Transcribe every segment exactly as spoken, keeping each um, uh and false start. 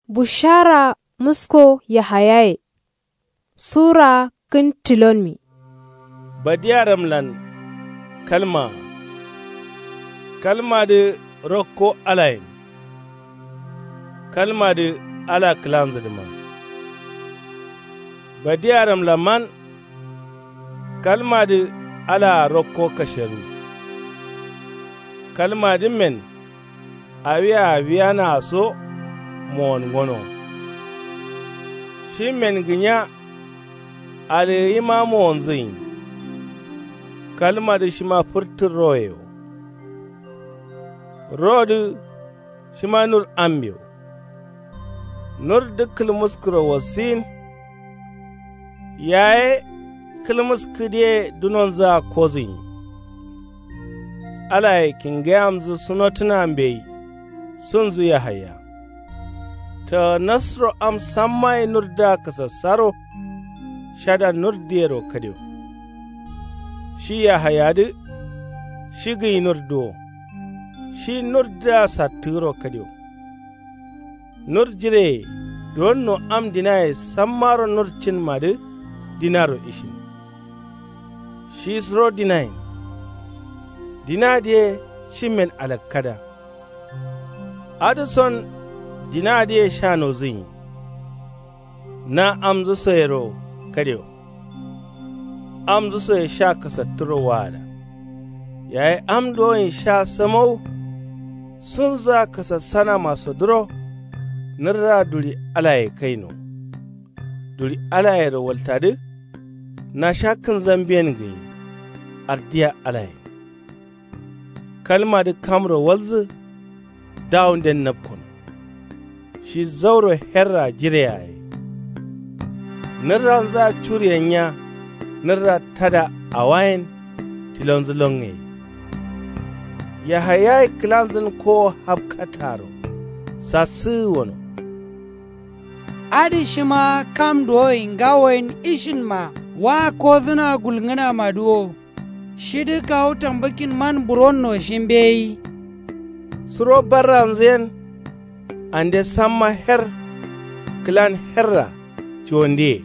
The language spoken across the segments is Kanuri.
Bushara musko yahayaye. Sura kǝn tilonmi. Badiyaramlan kalmaa. Kalmadǝ rokko alayen. Kalmadǝ ala kǝlanzǝdǝma. Badiyaramlaman. Kalmadǝ alaa rokko kasheru. Kalmadǝmmen awia awiyanaa so mowon gono. Shimmen gǝnya. Alǝgǝyima mowonzǝgǝnyi. Kalmadǝ shima fǝrtǝ roye wo. Rodǝ shima nur ambe wo. Nurdǝ kǝlmǝskǝro wassiyin. Yaye kǝlmǝskǝdiye dunonzǝa kozǝnyi. Alaye kingeyamzǝ sunotǝna mbeyi sunzǝ yahaya. Tǝgǝnasro am sammaye nurdǝa kǝsassaro. Shada nurdǝyero kadio. Shi yahayadǝ shi gǝnyi nurdǝ wo. Shi nurdǝa sattǝgǝro kadio. Nur jireye duwonno am dinaye sammaro nur cinmadǝ dinaro ishin. Shi suro dinayen. Dinadǝye shimmen alakkada. Adǝ son dinadǝye sha nozǝnyi. Na amzǝsoyero kadio. Amzǝsoye sha kasattǝro waada. Yayi am duwonyi sha sǝmau. Sunzǝa kasassanamaso duro. Nǝrra duri alaye kaino. Duri alayero waltadǝ. Nasha kǝnzambiyen gǝnyi. Ardiya alayen. Kalmadǝ kamro walzǝ. Dawunden napkono. Shi zauro herra jire yaye. Nǝrranzǝa curiyen nya. Nǝrra tada awayen tilonzǝ longe. Yahayaye kǝlanzǝn kowo hapkataro. Sassǝgǝ wono. Adǝ shima kam duwoye ngawoyen ishinma wa kozǝna gulngǝnamadǝ wo. Shidǝ kawu tambǝkkinman buronno shi mbeyi. Suro barranzǝyen. Ande samma her kǝlan herra cuwondiye.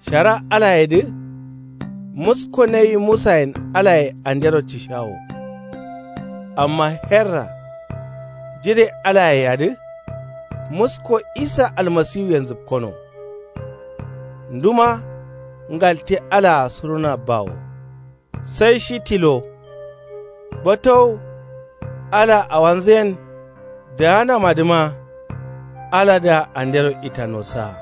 Shara alayedǝ. Musko nawi musayen alaye andero cishawo. Amma herra jire alayeyadǝ. Musko isa almasiwuyen zǝpkono. Nduma ngalte alaa suruna bawo. Sai shi tilo. Batowu ala awanzǝyen. Daanamadǝma aladǝa andero itano saa.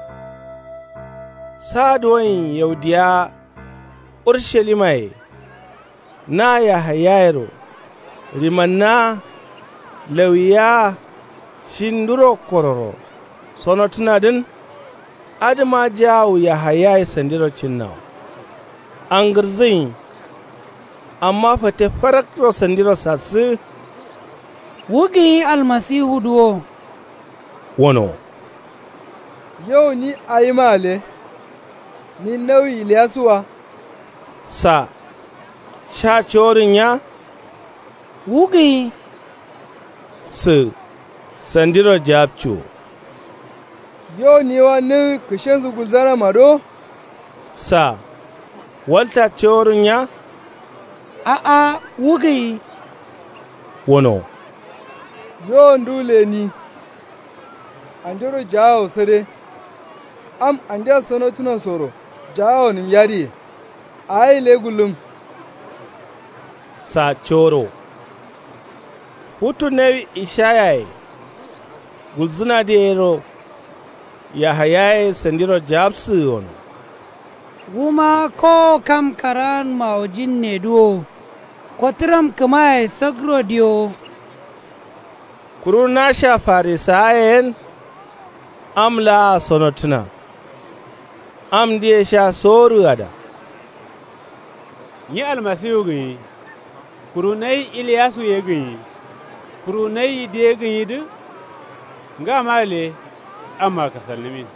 Saa duwonyi yaudiyawa ursalimaye. Na yahayayero rimannaa lawiyawa. Shi nduro kororo sonotǝnadǝn. Adǝma jawu yahayaye sandiro cinnawo. Angǝrzǝnyi. Amma fate farakro sandiro sassǝgǝ. Wu gǝnyi almasiwudǝ wo. Wono. Yo ni awima gǝle. Ni nawi iliyasu wa. Sa sha coworǝn nya. Wu gǝnyi. Sǝ sandiro jawabcu wo. Yo ni wa nǝgǝ kǝshenzu gulzanama do. Sa walta coworǝn nya. A'a wu gǝnyi. Wono. Yo ndu leni. Andero jaawo sǝde. Am andea sonotǝno soro jaawo nǝm yadǝye. Awo gǝle gullum. Sa coro. Futu nawi ishayaye gulzǝnadǝ yero. Yahayaye sandiro jawabsǝgǝ wono. Wuma kowo kam karaanmawojinne dǝ wo. Kotǝram kǝmaye sakro diyo. Kuru nasha farisawaye yen. Am laa sonotǝna. Amdǝye sha soworǝgada. Nyi almasiwu gǝnyi. Kuru nayi iliyasu ye gǝnyi. Kuru nayi yidde ye gǝnyidǝ. Ngama gǝle. Amma kasalnǝmin.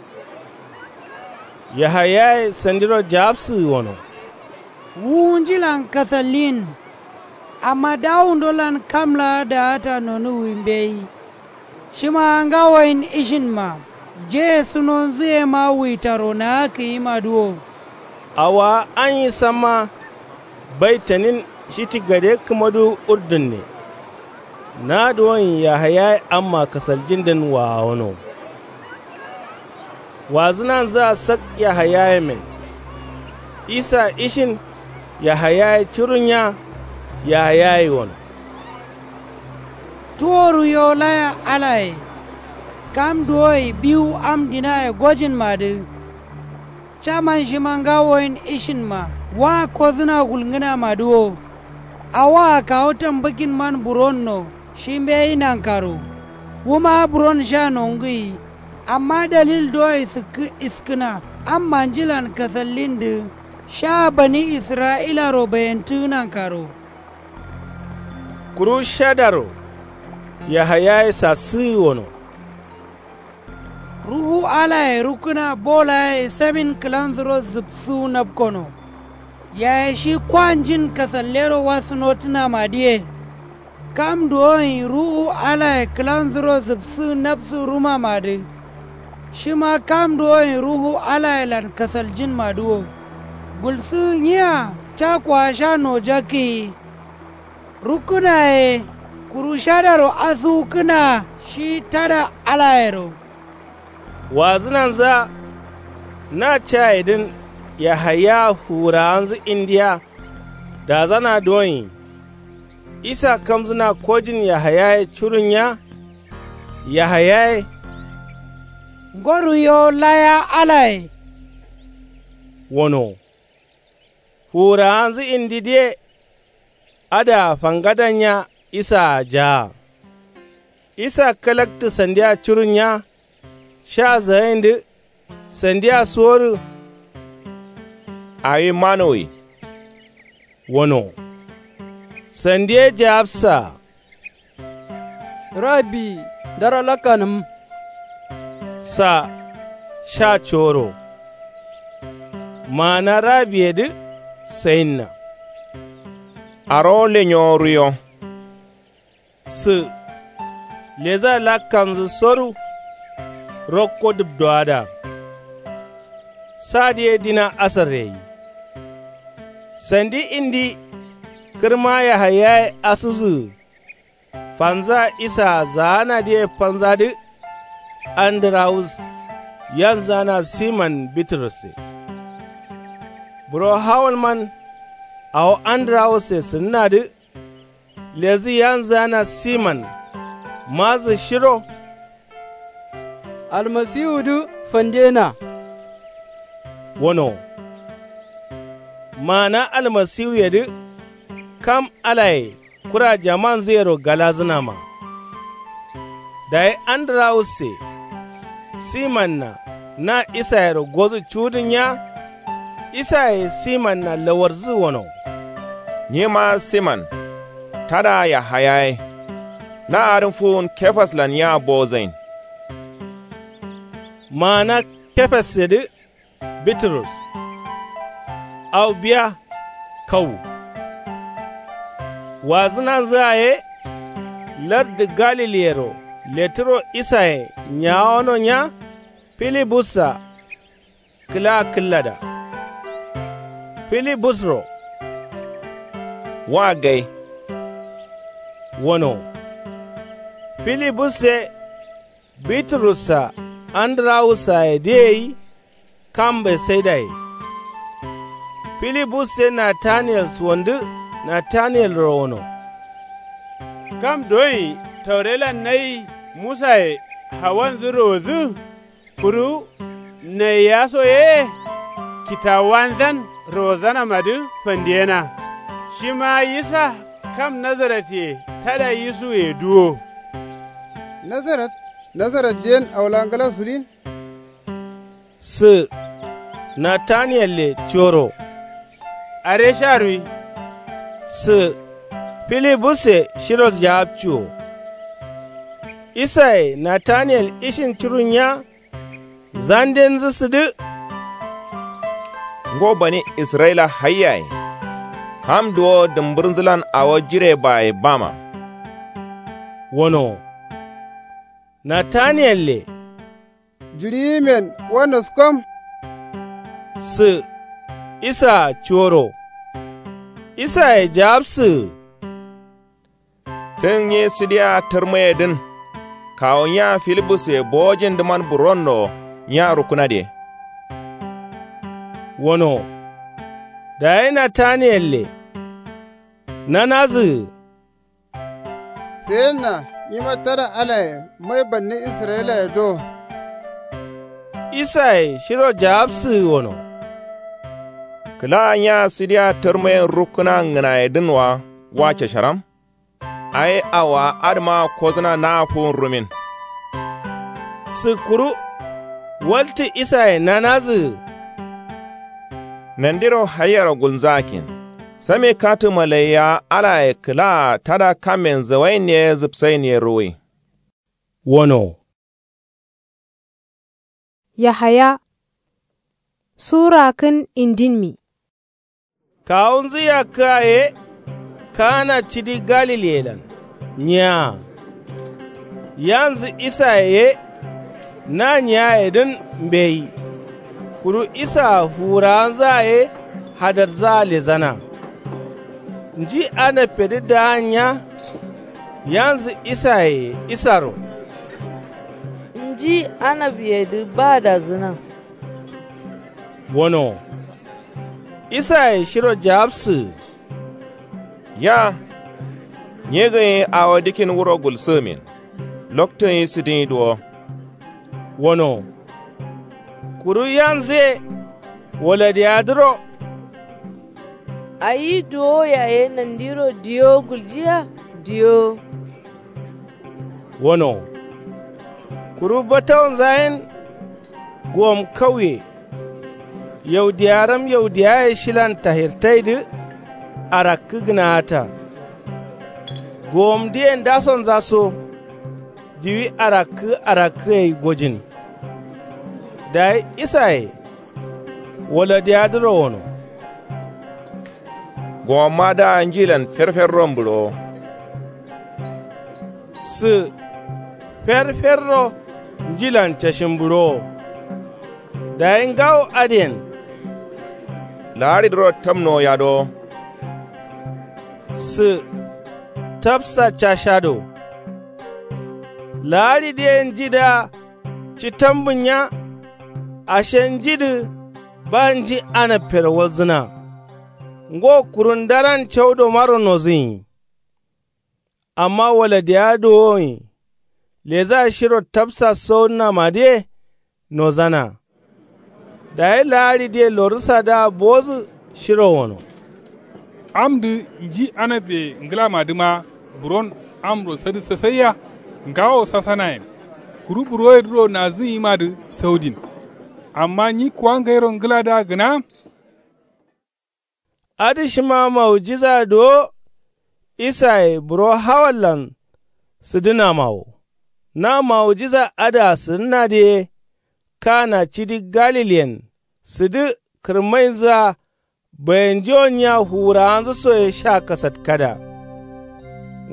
Yahayaye sandiro jawabsǝgǝ wono. Wuwunjilan kasallin. Amma dawundolan kam laa daata nonuwwi mbeyi. Shima ngawoyin ishinma, jeye sunonzuyema wuitaro naakǝyimadǝ wo. Awowa anyi samma baitanin shiti gade kǝmadǝ urdunne. Nadǝwon yahayaye amma kasaljindǝn waawono. Wazǝnanzǝa sak yahayayemen. Isa ishin yahayaye curunya. Yahayaye wono. Tuworu yo laya alaye. Kam duwoyi biwu am dinaye gojinmadǝ. Caman shima ngawoyin ishinma wa kozǝna gulngǝnamadǝ wo. Awoa kawu tambǝkinman buronno. Shi mbeyi nankaro. Wuma buron sha nongǝyi. Amma dalil duwoyi sǝkkǝ iskǝna am manjilan kasallindǝ. Sha bani isra'ilaro bayentǝgǝ nankaro. Kuru shadaro yahayaye sassǝgǝ wono. Ruhu alaye rukkǝna bolaye samin kǝlansuro zǝbsǝwu napkono. Yaye shi kwanjin kasallero wasǝnotǝnamadǝye. Kam duwoyin ruhu alaye kǝlansuro zǝbsǝgǝ napsǝ rumamadǝ. Shima kam duwoyin ruhu alayelan kasaljinmadǝ wo. Gulsǝgǝ nyiya cakowa sha nojakkǝyi. Rukkǝnaye kuru shadaro asuwukkǝna shi tada alayero. Wazǝnanzǝa na cayedǝn yahaya fuwurawanzǝ indiya. Dazana duwonyi. Isa kamzǝna kojin yahayaye curunya. Yahayaye. Ngoru yo laya alaye. Wono. Fuwurawanzǝ indidǝye. Adǝa fangadanya isaa jaa. Isa kalaktǝ sandia curunya. Sha zagaindǝ sandia suworǝ. Awi manowi. Wono. Sandi ye jawabsaa. Rabi ndaro lakkanǝm. Sa sha coro. Maana rabiyedǝ sayinna. Arowo lenyowo ruyo. Sǝ leza lakkanzǝ soru. Rokko dǝbdowadǝa. Sadǝ ye dina asarre gai. Sandi indi kǝrma yahayaye asuzǝgǝ. Fanzǝa isaa zaanadǝye fanzadǝ. Andǝrawus yanzana siman biturusse. Buro hawalman awo andǝrawusse sǝnnadǝ. Lezǝ yanzǝgana siman. Mazǝ shiro. Almasiwudǝ fandena. Wono. Maana almasiwuyedǝ. Kam alaye kura jamanzǝyero galazǝnama. Dayi andǝrawusse. Simanna na isayero gozǝ cuwudǝnya. Isaye simanna lawarzǝ wono. Nyima siman. Tada yahayaye. Na adǝn fuwun kefaslan yea bozain. Maana kefassedǝ biturus. Au biya kawu. Wazǝnanzǝa ye. Lardǝ galiliyero leturo isaye nyawono nya. Filibussa kǝla kǝllada. Filibusro. Wa gai. Wono. Filibusse biturussa andǝrawusayedǝ ye gai. Kam betsaidai. Filibus ye nataniyel suwandǝ. Nataniyelro wono. Kam doyi taurelan nayi musaye hawanzǝ rowodǝ. Kuru naiya so ye kitawuwanzan rowozanamadǝ fandiyena. Shima yisa kam nazaratiye tada yisuwuyedǝ wo. Nazarat nazaratdiyen awo laa ngla sulin. Sǝ nataniyelle coro. Are sha ruwi. Sǝ filibusse shiro jawabciwo. Isaye nataniyel ishin curunya. Zandenzǝ sǝdǝ. Ngo bani israyila hai yaye. Kam duwo dǝmbǝrnzǝlan awo jirebaye bama. Wonowo. Nataniyelle. Jiɍiyimen wa naskom. Sǝ. Isaa cuworo. Isaye jawabsǝgǝ. Tǝn nyi sǝdiya tǝrmayedǝn. Kawu nya filibusse bowojindǝman buronno nya rukkǝnadǝ ye. Wono. Dayi nataniyelle. Nanazǝgǝ. Sayenna nyima tada alaye mai banni israyilaye do. Isaye shiro jawabsǝgǝ wono. Kǝla nya sǝdiya tǝrmayen rukkǝna ngǝnayedǝn wa wa casharam. Ai awowa adǝma kozǝna na'a fuwun rumin. Sǝkkuru. Waltǝ isaye nanazǝgǝ. Nandiro haiyero gulnzakkin. Same katǝ malaiya alaye kǝlaa tada kammen zawainne zǝpsainne ruwui. Wono. Yahaya. Sura kǝn indinmi. Kawunzǝ yakkǝa ye. Kana cidi galiliyelan nyiaa. Yanzǝ isaye ye. Na nyiayedǝn mbeyi. Kuru isaa fuwurawanzǝa ye. Hadarza lezana. Nji anappedǝ daan nya. Yanzǝ isaye ye isaro. Nji anappedǝ badazǝna. Wono. Isaye shiro jawabsǝgǝ. Ya. Nyi gǝnyi awo dikkin wuro gulsǝgǝmin. Loktuyin sǝdǝnyi duwo. Wono. Kuru yanzǝye. Waladiyadǝro. Ayi duwo yaye nandiro diyo guljiya. Diyo. Wono. Kuru batawunza yen. Gowom kauye. Yaudiyaram yaudiyaye shilan tahirtaidǝ. Arakkǝ gǝnaata. Gowomdǝye ndasonza so. Diwi arakkǝ arakkǝ gai gojin. Dayi isaye. Waladiyadǝro wono. Gowomma daa njilan ferferro mbǝɍowo. Sǝ. Ferferro njilan cashin mbǝɍowo. Dayi ngawo adǝyen. Laaɍidǝro tamnowo yadowo. Sǝ. Tapsa cashado. Laaɍidǝye njidǝa. Ci tambǝnya. Ashe njidǝ. Ba nji anappero walzǝna. Ngo kuru ndaran caudomaro nozǝnyi. Amma waladiya duwowonyi. Leza shiro tapsa sowunnamadǝye. Nozana. Dayi laaɍidǝye lorǝsadǝa bowodǝ shiro wono. Amdǝ nji anappeye ngǝlamadǝma buron amro sadǝ sasaiya. Ngawo sasanayen. Kuru buroyedǝro nazǝnyimadǝ saudin. Amma nyi kuwa ngairo ngǝladǝa gǝna. Adǝ shima maujiza duwo. Isaye buro hawallan sǝdǝnama wo. Na maujiza adǝa sǝdǝnadǝ ye. Kana cidi galiliyen sǝdǝ kǝrmainzǝa. Bayanjiwon nya fuwurawanzǝ soye sha kasatkada.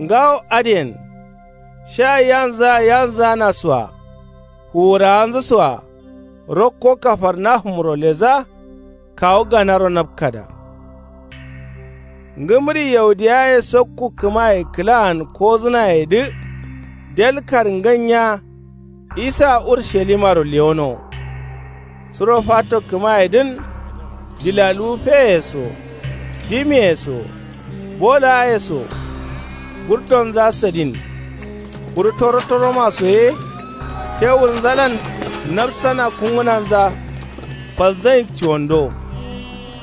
Ngawo adǝyen. Sha yanzǝa yanzǝana soa. Fuwurawanzǝ soa. Rokko kafarnahumro leza. Kawu ganaro napkada. Ngǝmǝri yaudiyaye sokku kǝmaye kǝlaan kozǝnayedǝ. Delkar nganya. Isa urushalimaro lewono. Suro fato kǝmayedǝn. Dilaluwu feye so. Dimiye so. Bolaye so. Gurdonza sadin. Kuru toro toroma so ye. Tewurnzalan. Nabsana kungǝnanza. Falzain cuwando.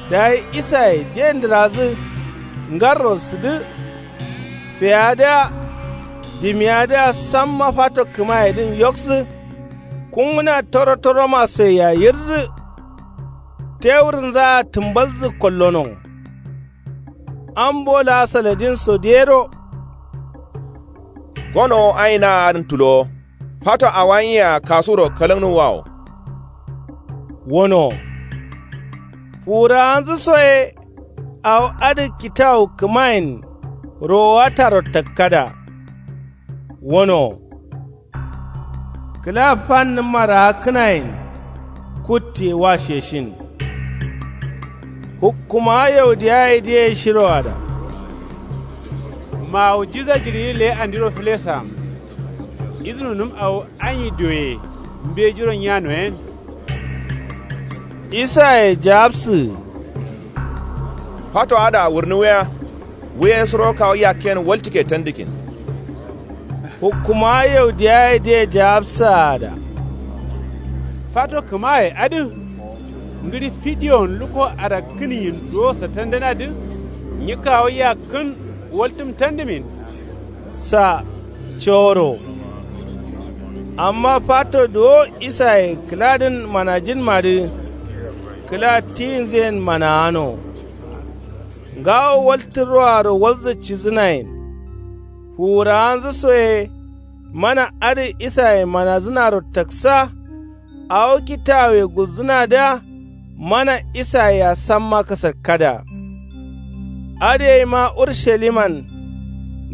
Dayi isaye je ndǝrazǝ. Ngarro sǝdǝ. Feyadǝa. Dimiyadǝa samma fato kǝmayedǝn yoksǝ. Kungǝna toro toroma soyea yirzǝ. Tewurnzaa tǝmbalzǝ kollono. Ambo laa saladinso diyero. Gonowo aina'a adǝn tulowo. Fato awain yea kasuro kalǝngnǝwwawo. Wono. Fuwurawanzǝ soye. Awo adǝ kitawu kǝmayen. Rowataro takkada. Wono. Kǝla fannǝmma raakkǝnayen. Kutte wa sheshin. Hukkumawa yaudiyaye diye shiroada. Maujiza jiɍi leye andiro fǝlesaam. Izǝnunǝm awo anyi dioye. Mbejiro nyanoyen. Isaye jaapsǝgǝ. Fato adǝa wurnǝwiya. Wuye suro kawu yakkiyen waltǝkke tandǝkkin. Hukkumawa yaudiyaye diye jaapsǝgǝ ada. Fato kǝmaye adǝ. Ngǝɍi fidiyon lukko arakkǝnyin duwo satandǝnadǝ. Nyi kawu yakkǝn waltǝm tandǝmin. Sa coro. Amma fato duwo isaye kǝladǝn manajinmadǝ. Kǝla tiyinzǝyen managano. Ngawo waltǝ roaro walzǝ cidǝnayen. Fuwurawanzǝ soye. Mana adǝ isaye manazǝnaro taksa. Awo kitawuye gulzǝnadǝa. Mana isayea samma kasakkada. Adǝ yeima urushaliman.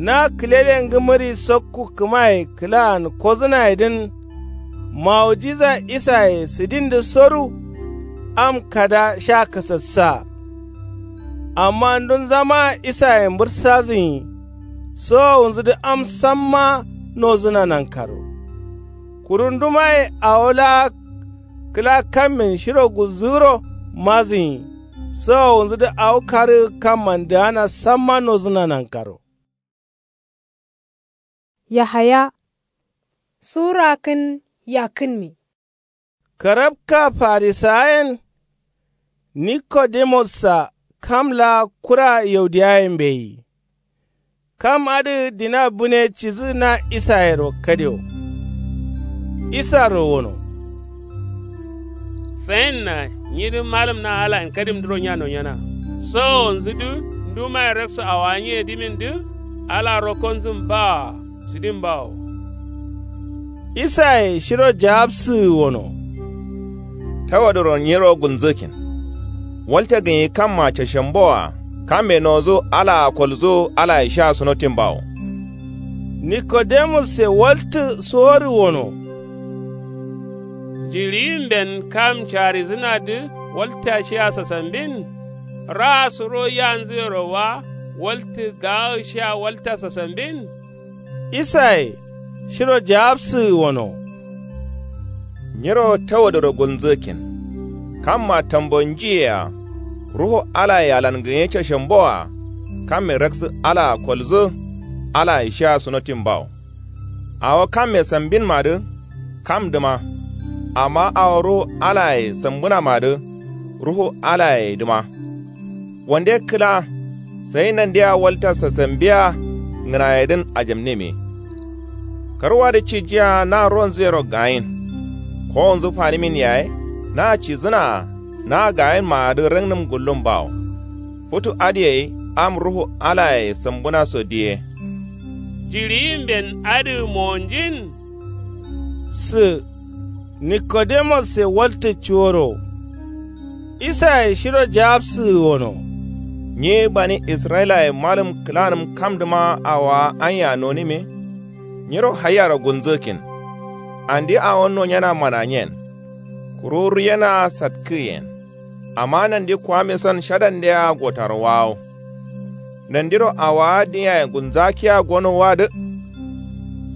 Na kǝlele ngǝmǝri sokku kǝmaye kǝlaan kozǝnayedǝn. Maujiza isaye sǝdindǝ soru. Am kada sha kasassa. Amma ndunzama isaye mbǝrsazǝnyi. Sowowunzudǝ am samma nozǝna nankaro. Kuru ndumaye awo laa kǝla kammin shiro gulzǝgǝro mazǝnyi. Sowowunzudǝ awo karǝgǝ kamman dǝgana samma nozǝna nankaro. Yahaya. Sura kǝn yakkǝnmi. Karabka farisawayen. Nikodemus-a kam laa kura yaudiyaye mbeyi. Kam adǝ dina bune cidǝ na isayero kadio. Isaro wono. Sayinna nyidǝ malǝm na alayen kadimdǝro nya nonyena. Sowowonzudǝ ndumaye raksu awowa nyiye dimindǝ. Ala rokkonzǝn bawoa sǝdin bawo. Isaye shiro jaapsǝgǝ wono. Tawadoro nyiro gulnzǝgǝkkin. Walta gǝnyi kamma cashemboa. Kamme nozu alaa kolzu alaye sha sunotin bawo. Nikodemus-e waltǝ suworǝ wono. Jiɍimben kam carizǝnadǝ walta shia sasambin. Raa suro yanzuyero wa waltǝ gaagǝ shia walta sasambin. Isaye shiro jaapsǝgǝ wono. Nyiro tawadoro gulnzǝgǝkkin. Kamma tambo njiyea. Ruhu alaye alan gǝnye cashemboa. Kamme raksǝ alaa kolzǝ. Alaye shia sunotin bawo. Awo kamme sambinmadǝ kamdǝma. Amma awo ruhu alaye sambǝnamadǝ ruhu alayedǝma. Wande kǝla sai nandea walta sasambia ngǝnayedǝn ajamnime. Karwadǝ cijia na ronzuyero gayin. Kowonzu fanimin yaye na cidǝnaa na gayinmaadǝ raknǝm gullum bawo. Futu adǝ gai am ruhu alaye sambǝnaso diye. Jiɍiyimben adǝ monjin. Sǝ. Nikodemus-e waltǝ cuworo. Isaye shiro jaapsǝgǝ wono. Nyi bani israyilaye malǝm kǝlanǝm kamdǝma awowa anya nonime. Nyiro haiyaro gulnzǝgǝkkin. Andi awo nonyena mananyen. Kuru ruyenaa satkǝgǝyen. Amma nandi kuwamisan shadandea gotaro wawo. Nandiro awowa dǝnyaye gulnzakkiya gono wadǝ.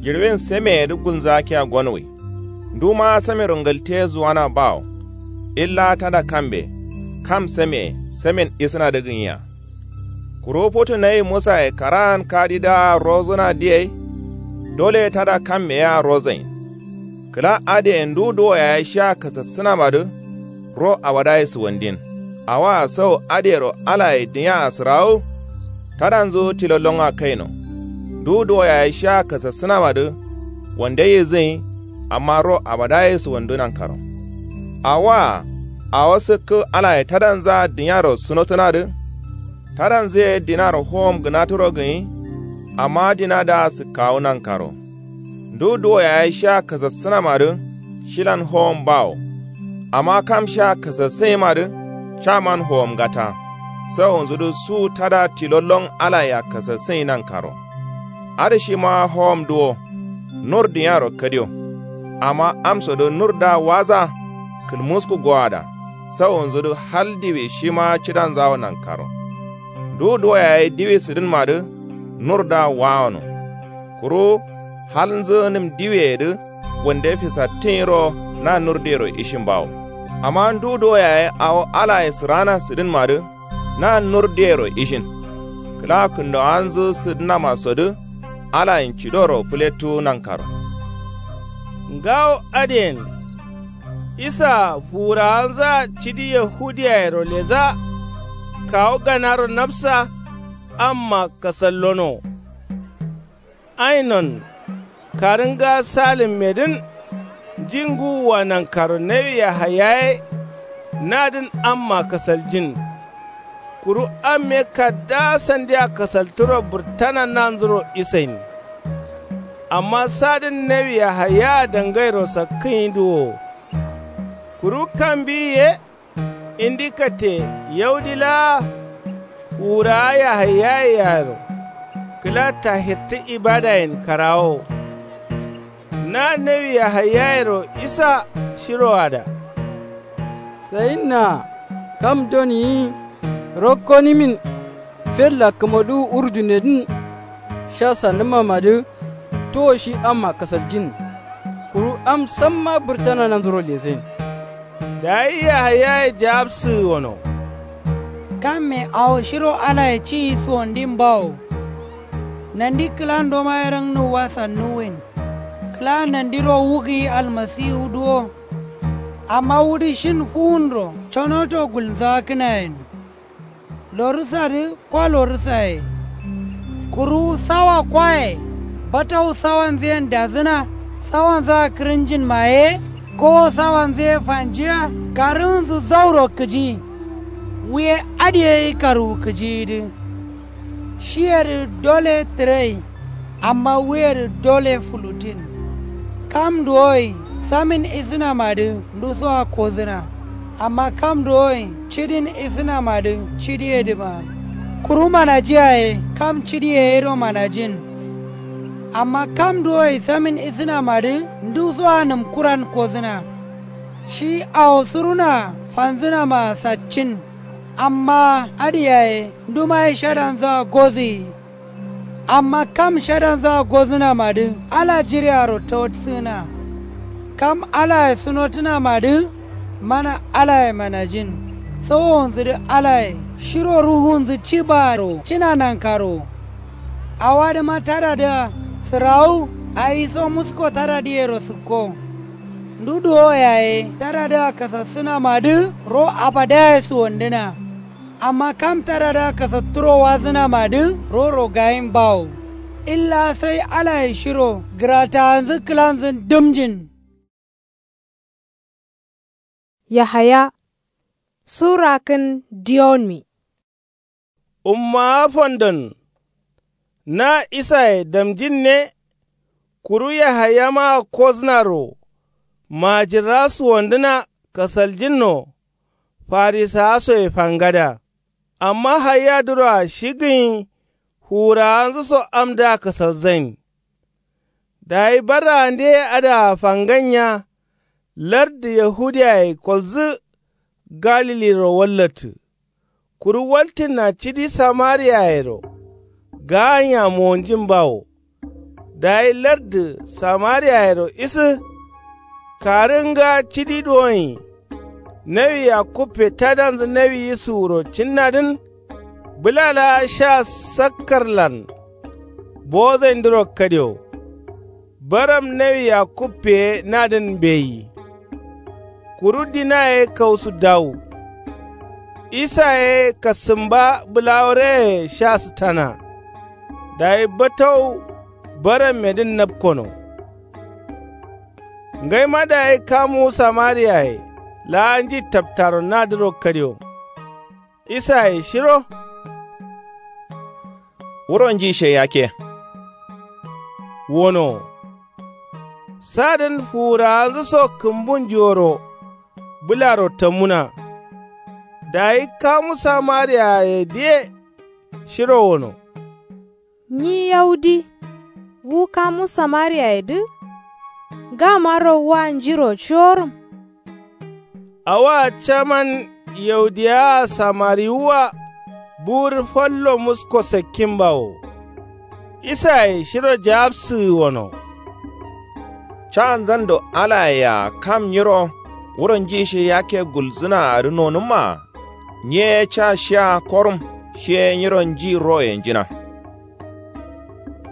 Jiɍiwin sameyedǝ gulnzakkiya gonowui. Nduma samero ngalte zuwana bawo. Illa tada kambe. Kam sameye samen isǝnadǝ gǝnya. Kuru futu nayi musaye karaan kadidǝa rozǝna diyai. Dole tada kamme yea rozain. Kǝla adǝye ndu duwo yaye shia kasassǝnamadǝ. Ro abadaye suwandin. Awoa sau adǝyero alaye dǝnya asǝrawu. Tadanzu tilo longa kaino. Ndu duwo yaye shia kasassǝnamadǝ. Wande yizǝnyi. Amma ro abadaye suwandu nankaro. Awoa awo sǝkkǝ alaye tadanzaa dǝnyaro sunotǝnadǝ. Tadanzǝye dinaro howom gǝnaturo gǝnyi. Amma dinadǝa sǝkkawu nankaro. Ndu duwo yaye shia kasassǝnamadǝ. Shilan howom bawo. Amma kam shia kasassǝnyimadǝ. Caman howom ngata. Sawonzudǝ su tada tilo lon alayea kasassǝnyi nankaro. Adǝ shima howom duwo. Nur dǝnyaro kadio. Amma amsodǝ nurdǝa waza kǝlmusku goada. Sawonzudǝ hal diwi shima cidanzawo nankaro. Ndu duwo yaye diwi sǝdǝnmadǝ nurdǝa wawono. Kuru halnzǝ nǝm diwiyeyedǝ wande fisattǝnyiro na nurdǝyero ishin bawo. Amma ndu duwo yaye awo alaye sǝrana sǝdǝnmadǝ na nurdǝyero ishin. Kǝla kǝndowanzǝ sǝdǝnamasodǝ alayen cidoro fǝlettuwu nankaro. Ngawo adǝyen isa fuwurawanzǝa cidi yahudiyayero leza kawu ganaro nafsa amma kasallono. Ainon karǝnga salimmedǝn nji ngǝwua nankaro nawi yahaya ye nadǝn amma kasaljin. Kuru amme kaddaa sandia kasalturo bǝrtana nanzuro isain. Amma sadǝn nawi yahayaa dangairo sakkǝnyi duwowo. Kuru kam mbiyi ye indi katte yaudi laa fuwurawa yahayaye yaaro kǝla tahirtǝ ibadayen karawowo. Na nawi yahayayero isa shiroada. Sayinna kam doniyi rokko nimin fella kǝmodǝwu urdunedǝn sha sandǝmamadǝ towo shi amma kasaljin. Kuru am samma bǝrtana nanzuro lezain. Dayi yahayaye jawabsǝgǝ wono. Kamme awo shiro alaye ciyi suwondin bawo. Nandi kǝlando maye rangnuwwa sannuwwin. Kǝla nandiro wugǝyi almasiwu duwo. Amma wudǝ shin fuwunro conoto gulnzakǝnayen. Lorǝsadǝ kwa lorǝsaye. Kuru sawa kwaye batau sawanzǝyen dazǝna. Sawanzǝa kǝrǝnjin maye kowo sawanzǝye fanjiya karǝnzǝ zauro kǝji. Wuye adǝ ye yi karwu kǝjiyidǝ. Shiyedǝ dole tǝrai. Amma wuyedǝ dole fulutin. Kam duwoi samin isǝnamadǝ ndusoa kozǝna. Amma kam duwoi cidin isǝnamadǝ cidiyedǝma. Kuru manajiyaye kam cidiyeyero manajin. Amma kam duwoi samin isǝnamadǝ ndusoa nǝmkuran kozǝna. Shi awo suruna fanzǝnamaa saccin. Amma adǝ yaye ndumaye shadanzǝa gozǝyi. Amma kam shadanzǝa gozǝnamadǝ ala jirearo tawatsǝgǝna. Kam alaye sunotǝnamadǝ mana alaye manajin. Sowowonzudǝ alaye shiro ruhunzǝ cibaaro cina nankaro. Awadǝma tadadǝa sǝrawu awiso musko tadadǝyero sǝkko. Ndu duwo yaye tadadǝa kasassǝnamadǝ ro abadaye suwandǝna. Amma kam tadadǝa kasatturo wazǝnamadǝ ro rogayin bawo. Illa sai alaye shiro gǝratawanzǝ kǝlanzǝn dǝmjin. Yahaya sura kǝn diyonmi. Ummawa fondon na isaye damjinne. Kuru yahayamaa kosnaro majirra suwandǝna kasaljinno. Farisawasoye fangada amma hayadǝroa shi gǝnyi fuwurawanzǝso amdǝa kasalzain. Dayi barraande ye adǝa fanganya lardǝ yahudiyaye kolzǝ galiliro wallattǝ. Kuru waltinna cidi samariyayero gaanya mowonjin bawo. Dayi lardǝ samariyayero isǝ karǝnga cidi duwonyi. Nawi yakkuppe tadanzǝ nawi yisuwuro cinnadǝn bǝla laa sha sakkarlan bozaindǝro kadio. Baram nawi yakkuppeye nadǝn mbeyi. Kuru dina ye kausu dawu. Isa ye kasǝmba bǝlawo reye sha sǝtana. Dayi batau barammedǝn napkono. Ngaima dayi kamuwu samariyaye laa nji taptaro nadǝro kadio. Isaye shiro wuro nji she yakke. Wono sadǝn fuwurawanzǝso kǝmbun jiworo bǝlaro tamuna. Dayi kamu samariyayedǝye shiro wono. Nyi yaudi wu kamu samariyayedǝ. Ngamaro wa njiro corum. Awoa caman yaudiyawa samariwuwa buwur fallo musko sakkinbawo. Isaye shiro jaabsǝgǝ wono. Ca nzando alayea kam nyiro wuro nji shi yakke gulzǝna adǝ nonǝmma. Nyi ye ca shia korum shi ye nyiro nji roye njina.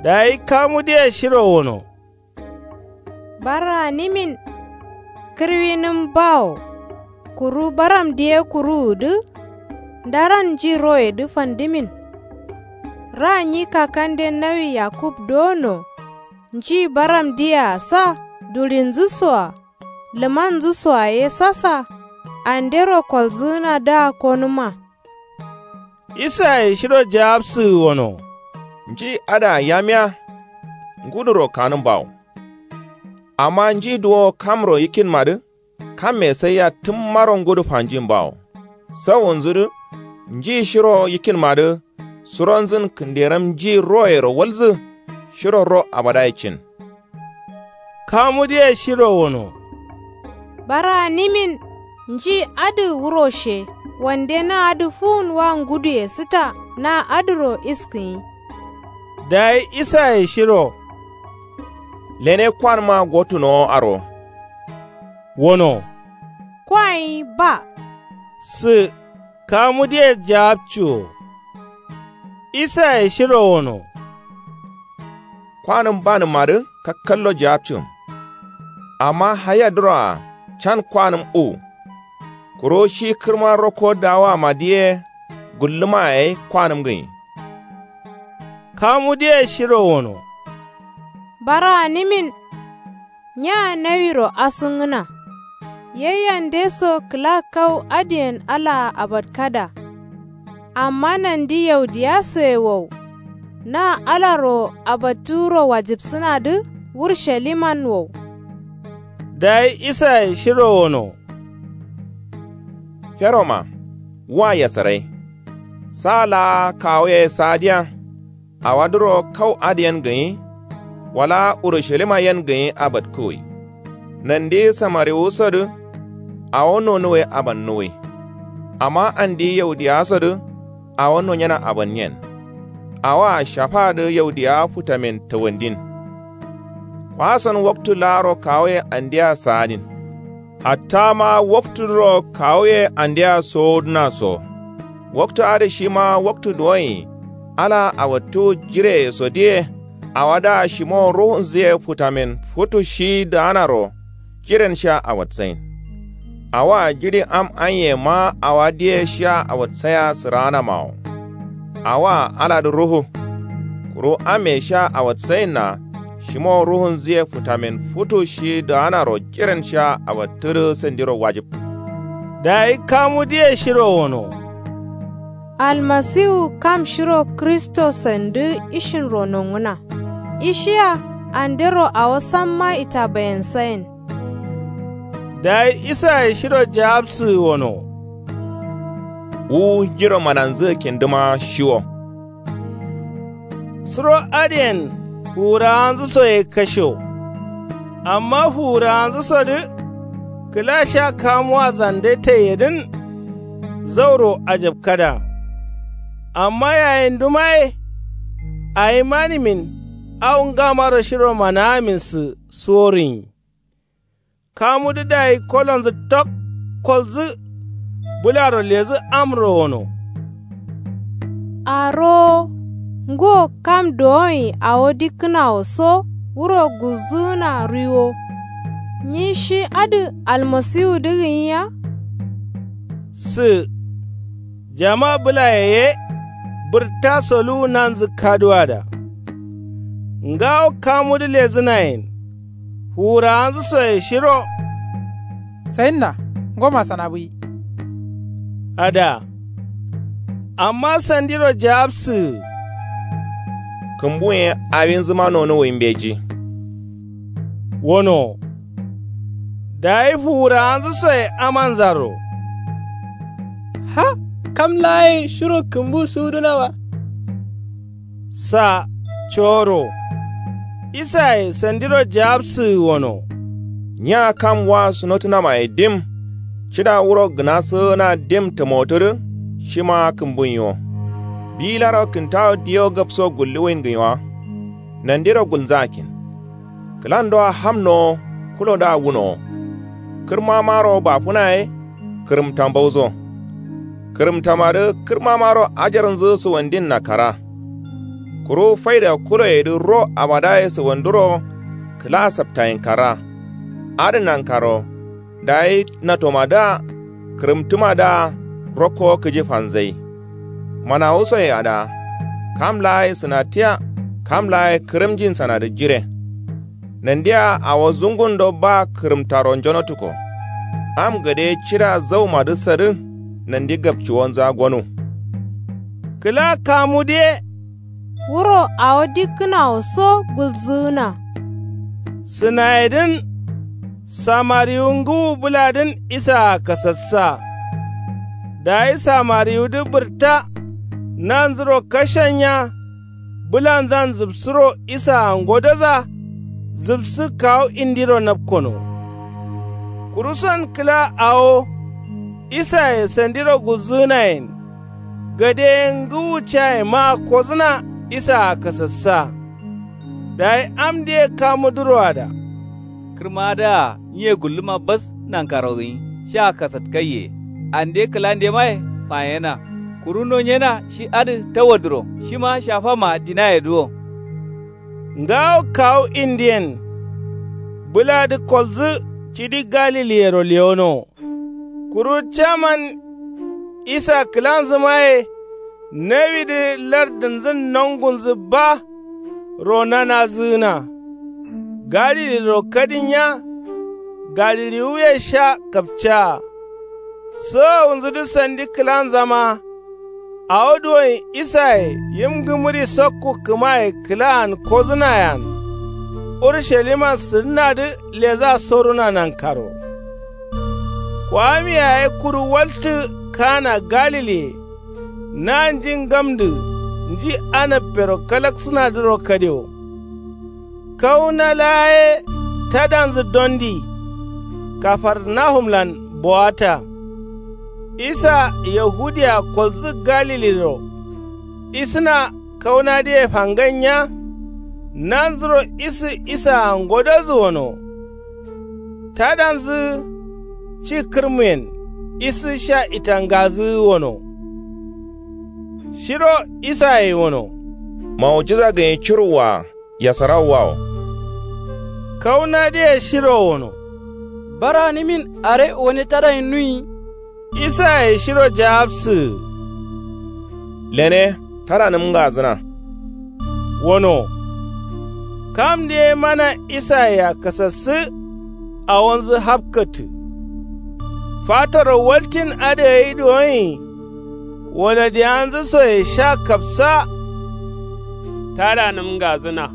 Dayi kamudǝye shiro wono. Baranimin kǝrwinǝm bawo. Kuru baramdǝ ye kuruwudǝ ndaran nji royedǝ fandǝmin. Ra nyi kakande nawi yakub dono. Nji baramdǝyea sa dulinzǝsoa lǝmanzǝsoa ye sasa andero kolzǝgǝnadǝa konǝma. Isaye shiro jaabsǝgǝ wono. Nji adǝa yamiya nguduro kanǝm bawo. Amma nji duwo kamro yikkinmadǝ kamme saiya tǝmmaro ngudu fanjin bawo. Sawunzudǝ nji shiro yikkinmadǝ suronzǝn kǝnderam nji royero walzǝ. Shiro ro abadaye cin. Kamudǝye shiro wono. Baranimin nji adǝ wuro she wande na adǝ fuwun wa nguduye sǝta na adǝro iskǝnyi. Dayi isaye shiro. Lene kwanǝma gottunowo aro. Wono. Kwanyi ba. Sǝ kamudǝye jaabcuwo. Isaye shiro wono. Kwanǝm banǝmmadǝ kakkallo jaabcǝm. Amma hayadǝroa can kwanǝm uwu. Kuru shi kǝrma rokko dawamadǝ ye gullǝma yayi kwanǝm gǝnyi. Kamudǝye shiro wono. Baranǝmin nya nawiro asungǝna. Yayyandeso kǝla kau adǝyen alaa abatkada. Amma nandi yaudiyasoye wow. Na alaro abattu wuro wajibsǝnadǝ wurshaliman wow. Dayi isaye shiro wono. Feroma wa yasarai. Sa laa kawuye saadiya. Awadǝro kau adǝ yen gǝnyi wala urushalima yen gǝnyi abatkǝwui. Nandi samariwusodǝ awo nonuwe abannuwui. Amma andi yaudiyawasodǝ awo nonyena abanyen. Awoa shafaadǝ yaudiyawa futamen tawandin. Kwason waktu laaro kawuye andea saadin. Hatta ma waktudǝro kawuye andea sowodǝna so. Waktu adǝ shima waktu duwonyi alaa awattu jireyesodǝye. Awadǝa shimowo ruhunzǝye futamen futu shi daanaro jiren shia awatsain. Awoa jiɍi am anyema awadǝye shia awatsaiya sǝraanamawo. Awoa aladǝ ruhu. Kuru amme shia awatsainna shimowo ruhunzǝye futamen futu shi daanaro jiren shia awattudǝ sandiro wajib. Dayi kamudǝye shiro wono. Almasiwu kam shiro kristo sandǝ ishinro nongǝna. Ishiya andero awo samma itabayensayin. Dayi isaye shiro jaabsǝgǝ wono. Wu njiro mananzǝgǝ kindǝma shiwo. Suro adǝyen fuwurawanzǝsoye kasho. Amma fuwurawanzǝsodǝ kǝla sha kamuwa zande taiyedǝn. Zauro ajabkada. Amma yayinduma ye awi manimin au ngamaro shiro manawaminsǝ suworinyi. Kamudǝ dayi kolonzǝ tok kolzǝ. Bǝlaro ledǝ amro wono. Arowo ngo kam dowonyi awo dikkǝnawo so wuro gulzǝgǝna ruiwo. Nyi shi adǝ almasiwudǝ gǝnyi ya. Sǝ jama bǝlaye ye bǝrta soluwu nanzǝ kaduwada. Ngawo kamudǝ ledǝnayen fuwurawanzǝsoye shiro. Sayinna ngoma sanabǝyi. Ada amma sandiro jaabsǝgǝ. Kǝmbuyen awinzǝma nonuwui mbeji. Wono. Dayi fuwurawanzǝsoye amanzaro. Ha kam laayen shiro kǝmbu suwudǝna wa. Sa coro. Isaye sandiro jaabsǝgǝ wono. Nya kam wa sunotunamaye dim cida wuro gǝna sǝgǝna dim tǝmotudǝ. Shima kǝmbunyi wo. Bilaro kǝntawo diyo gabso gulluwin gǝnyi wa. Nandiro gulnzǝ akkin. Kǝlandoa hamnowo. Kulodǝa wunowo. Kǝrmamaro bafǝna ye. Kǝrǝmta mbauzo. Kǝrǝmtamadǝ kǝrmamaro ajarnzǝ sǝwandin nakkara. Kuru faida kuloyedǝ ro abadaye sǝwanduro. Kǝla saptayin karra. Adǝ nankaro. Dayi natomadǝa. Kǝrǝmtǝmadǝa. Rokko kǝji fanzai. Manawusoye ada. Kam laa ye sǝnatiya. Kam laa ye kǝrǝmjin sanadǝ jire. Nandia awo zungundo ba kǝrǝmtaro njonotuko. Am gade cida zaumadǝ sadǝ. Nandi gabciwonza gonu. Kǝla kamudǝ ye. Wuro awo dikkǝnawo so gulzǝgǝna. Sǝnayedǝn. Samariwu ngǝwu bǝladǝn isaa kasassa. Dayi samariwudǝ bǝrta. Nanzuro kashennya. Bǝlanzan zǝbsǝro isaa ngodoza. Zǝbsǝ kawu indiro napkono. Kuruson kǝla awo. Isaye sandiro gulzǝgǝnayen. Gade ngǝwu caye maa kozǝna isaa kasassa. Dayi amdǝye kamudǝro ada. Kǝrmadǝa nyiye gulluma bas nankaro gǝnyi sha kasatkaiye. Ande kǝlandemaye fanyena. Kuru nonyena shi adǝ tawadǝro shima shafama dinayedǝ wo. Ngawo kawu indiyen. Bǝladǝ kolzǝ cidi galiliyero lewono. Kuru caman isa kǝlanzǝmaye. Nawidǝ lardǝnzǝn nongunzǝ ba. Ro nanazǝgǝna. Galiliro kadinya. Galiliwuye sha kapcaa. Sowowunzudǝ sandi kǝlanzama. Awo duwonyi isaye yim ngǝmǝri sokku kǝmaye kǝlaan kozǝnayean. Urusaliman sǝdǝnadǝ leza soruna nankaro. Kwami yaye kuru waltǝ kana galile. Na nji ngamdǝ nji anappero kalaksǝnadǝro kadewo. Kauna laa ye tadanzǝ dondi. Kafarnahumlan bowata. Isa yahudiya kolzǝ galiliro. Isǝna kaunadǝye fangainya. Nanzuro isǝ isaa ngodozǝ wono. Tadanzǝ ci kǝrmuyen isǝ sha itangazǝ wono. Shiro isaye wono. Maujiza gǝnyi curuwwa. Yasarawu wawo. Kaunadǝye shiro wono. Baranǝmin are wane tadayin nuyi. Isaye shiro jawabsǝgǝ. Lene tadanǝm ngazǝna. Wono. Kamdǝ ye mana isayea kasassǝ. Awonzǝ hapkattǝ. Fataro waltin adǝ gai duwonyi. Waladiyanzǝ soye sha kapsa. Tadanǝm ngazǝna.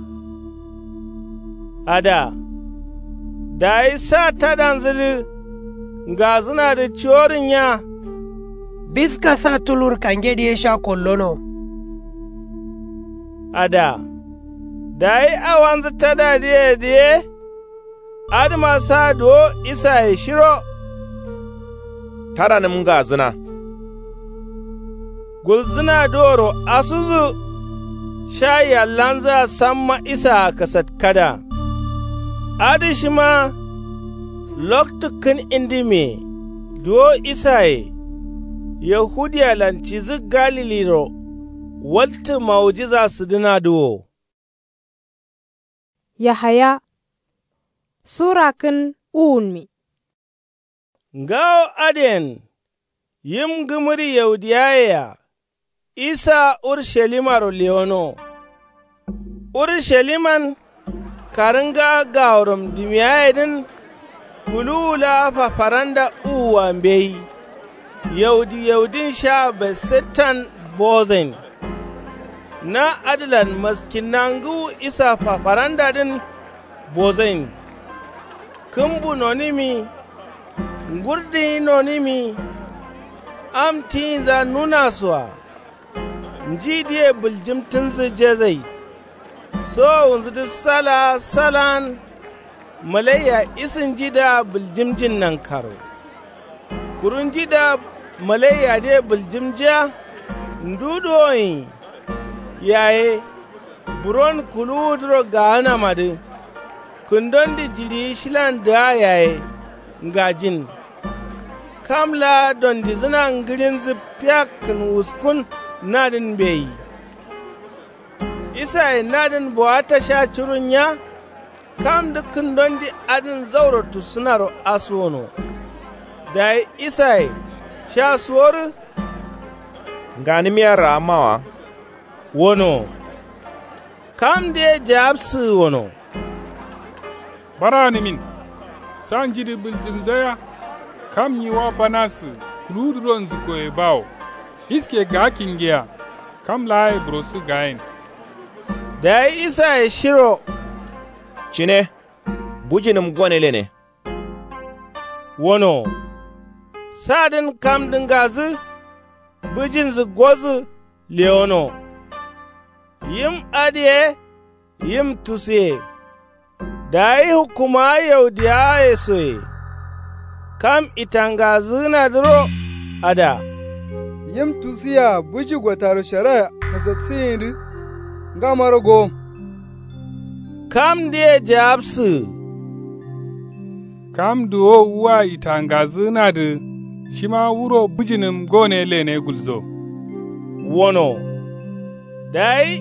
Ada. Dayi sa tadanzǝdǝ. Ngazǝnadǝ cuworǝnya. Biska sa tulur kangedǝ ye sha kollono. Ada. Dayi awanzǝ tadadǝyedǝ ye. Adǝma sa duwo isaye shiro. Tadanǝm ngazǝna. Gulzǝnadǝworo asudǝ. Sha yallanzǝa samma isaa kasatkada. Adǝ shima. Loktu kǝn indǝmiye. Duwo isaye. Yahudiyalan cidǝ galiliro. Waltǝ maujiza sǝdǝnadǝ wo. Yahaya. Sura kǝn uwunmi. Ngawo adǝyen. Yim ngǝmǝri yaudiyayea. Isa urushalimaro lewono. Urusaliman. Karǝnga gaworam dimiyayedǝn. Kuluwu laa fafaranda uwua mbeyi. Yaudi yaudin sha betsettan bozain. Na adǝlan maskinna ngǝwu isa fafarandadǝn. Bozain. Kǝmbu nonǝmi. Ngurdǝnyi nonǝmi. Am tiyinza nunasoa. Njidǝye bǝljǝmtǝnzǝ jezai. Sowowunzudǝ salaa salaan. malaiya isǝnjidǝa bǝljǝmjin nankaro. Kuru njidǝa malaiyadǝye bǝljǝmjiya ndu duwonyi yaye buron kuluwudǝro gaanamadǝ kǝndondǝ jiɍiyi shilandǝa yaye ngajin. Kam laa dondizǝna ngǝɍinzǝ piyakkǝn wuskun nadǝn mbeyi. Isaye nadǝn bowatta sha curunya. Kamdǝ kǝndondǝ adǝn zauro tussǝnaro asuwono. Dayi isaye sha suworǝ nganǝmiya raammawa wono. Kamdǝye jaabsǝgǝ wono. Bara gǝnimin. Sa njidǝ bǝljǝmzaya. Kam nyi wa banasǝ kuluwudǝro nzǝkoye bawo. Iske gaakkin ngiya. Kam laaye burosǝ gaayin. Dayi isaye shiro cine bǝjinǝm gone lene wono. Sadǝn kamdǝ ngazǝ bǝjinzǝ gozǝ lewono. Yim adǝye yim tusuye. Dayi hukkumawa yaudiyawaye soye kam itangazǝgǝnadǝro ada. Yim tusuyea bǝji gotaro shara kasatsǝgǝnyidǝ ngamaro gowom. Kamdǝye jaabsǝgǝ kam duwo wua itangazǝgǝnadǝ shima wuro bǝjinǝm gone lene gulzo wono. Dayi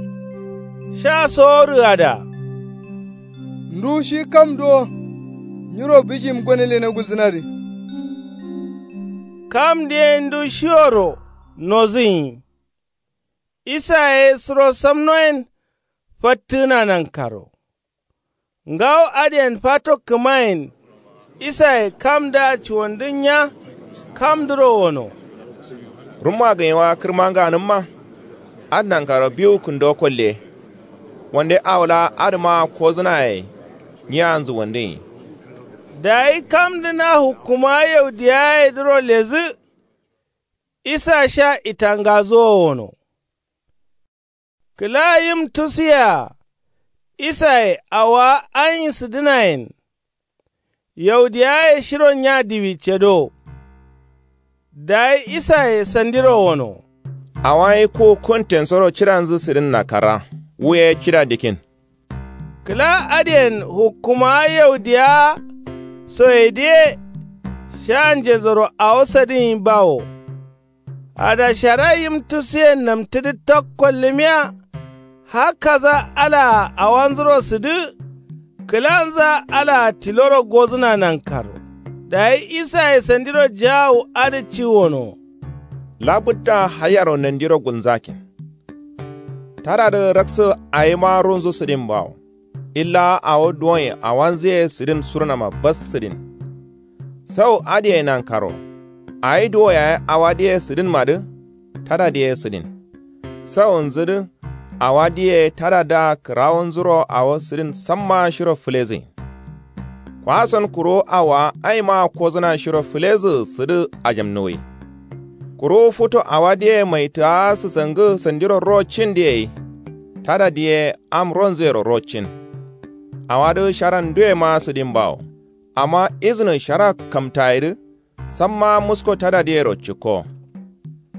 sha soworǝ ada. Ndu shi kam duwo nyiro bǝjim gone lene gulzǝnadǝ. Kamdǝ ye ndu shiworo nozǝnyi. Isaye suro samnoyen fattǝgǝna nankaro. Ngawo adǝyen fato kǝmayen. Isaye kamdǝa cuwandǝnya kamdǝro wono. Rumma gǝnyewa kǝrma nganǝmma. Adǝ nankaro biwu kǝndo kolle. Wande awo laa adǝma kozǝnaye nyiyanzǝ wandǝnyi. Dayi kamdǝ na hukkumawa yaudiyayedǝro ledǝ. Isa sha itangazǝ wo wono. Kǝla yim tusuyea. Isaye awowa anyi sǝdǝnayen. Yaudiyawaye shiro nya diwi cedo. Dayi isaye sandiro wono. Awo ye ku kuntensoro cidanzǝ sǝdǝnna kara. Wu ye cida dikin. Kǝla adǝyen hukkumawa yaudiyawa soyedǝye. Sha njezoro awo sadǝnyi bawo. Adashara yim tusuyen namtǝdǝ tak kollǝmiya. Hakkaza alaa awanzuro sǝdǝ. Kǝlanza alaa tiloro gozǝna nankaro. Dayi isaye sandiro jaawu adǝ ci wono. Labǝtta haiyaro nandiro gulnzakin. Tadadǝ raksǝ awima runzu sǝdin bawo. Illa awo duwonye awanzǝye sǝdin surunama bas sǝdin. Sau adǝye nankaro. Awi duwo yaye awadǝye sǝdinmadǝ. Tadadǝye sǝdin. Saunzudǝ awadǝye tadadǝa kǝrawunzuro awo sǝdin samma shiro fǝlezǝgin. Kwason kuru awowa aima kozǝna shiro fǝlezǝ sǝdǝ ajamnuwi. Kuru futu awadǝye maitǝawa sǝsangǝ sandiro ro cindǝ yai. Tadadǝ ye am ronzuyero ro cin. Awadǝ sharan nduyema sǝdin bawo. Amma izǝnǝ shara kamtayedǝ. Samma musko tadadǝyero cikko.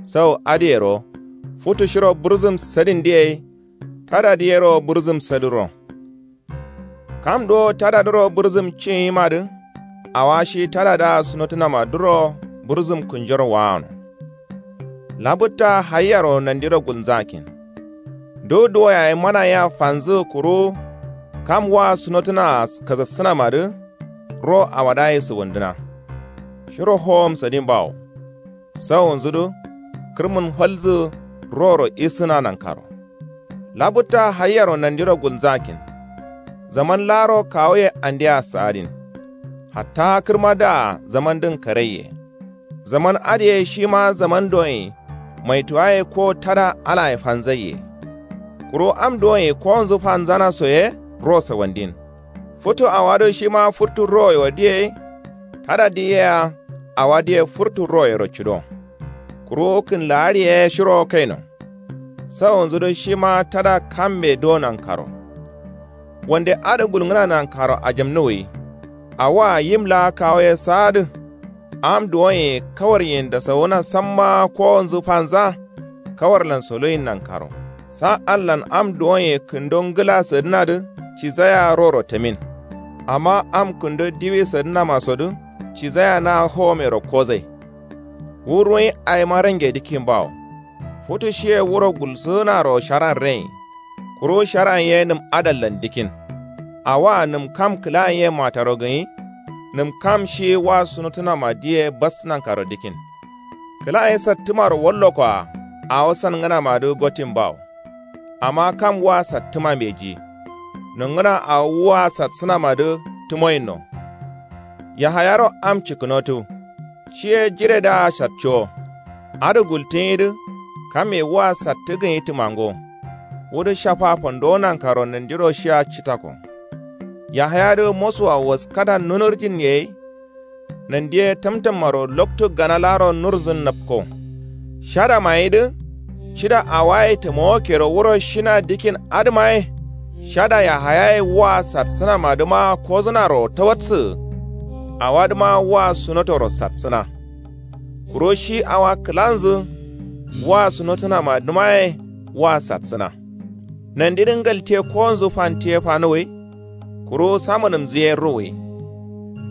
Sau adǝyero futu shiro bǝrzǝm sadindǝ yai. Tadadǝyero bǝrzǝm sadǝro. Kam duwo tadadǝro bǝrzǝm cinyimadǝ. Awa shi tadadǝa sunotǝnamadǝro bǝrzǝm kǝnjoro waano. Labǝtta haiyaro nandiro gulnzakin. Ndu duwo yaye mana yea fanzǝ kuru. Kam wa sunotǝnaa kazassǝnamadǝ. Ro awadǝa ye sǝwandǝna. Shiro howom sadin bawo. Saunzudǝ kǝrmǝn falzǝ. Roro isǝna nankaro. Labǝtta haiyaro nandiro gulnzakin. Zaman laaro kawuye andea sa'adin. Hatta kǝrmadǝa zamandǝn karaiye. Zaman adǝye shima zaman doyin. Maituwaye ko tada alaye fanzaiye. Kuru am doyin kowonzǝ fanzana soye. Ro sawandin. Futu awadǝ shima furtu roye wadǝ yai. Tadadǝ yea awadǝ ye furtu royero cido. Kuru kǝnlaari ye shiro kaino. Saunzudǝ shima tada kambe do nankaro. Wande adǝ gulngǝna nankaro ajamnuwi. Awoa yim laa kawo ye saadǝ. Am duwonye kawaryen dasawuna samma kowonzǝ fanza. Kawarlan soloyin nankaro sa allan am duwonye kǝndo ngǝla sǝdǝnadǝ. Cizaya roro tǝmin. Amma am kǝndo diwi sǝdǝnamasodǝ cizaya na howomero kozai. Wu ruwin aima range dǝkkin bawo. Futu shiye wuro gulsǝnaro sharan rein. Kuru sharan ye nǝm adallan dǝkkin. Awoa nǝm kam kǝlan ye mataro gǝnyi. Nǝm kam shi wa sunotǝnama diye bas nankaro dǝkkin. Kǝlan ye sattǝmaro wallokoa. Awo sangǝnamadǝ gottin bawo. Amma kam wa sattǝma mbeji. Nongǝna awo wua satsǝnamadǝ tǝmoyinno. Yahayaro am cikkǝnotu. Shiye jiredǝa satcowo. Adǝ gultǝnyidǝ. Kamme wua sattǝ gǝnyi tǝmango. Wudǝ shafa fandowo nankaro nandiro shia citako. Yahayadǝ mosuwa waskada nunurjin yei. Nandiye tamtammaro loktu gana laaro nurzǝn napko. Shada mayidǝ. Cida awaye tǝmowokero wuro shina dikkin adǝmaye. Shada yahayaye wua satsǝnamadǝma kozǝnaro tawatsǝ. Awadǝma wua sunotoro satsǝna. Kuro shi awa kǝlanzǝ. Wua sunotǝnamadǝmaye wua satsǝna. Nandidǝ ngalte kowonzǝ fantiye fanuwwi. Kuru samunǝmzǝ ye ruwwi.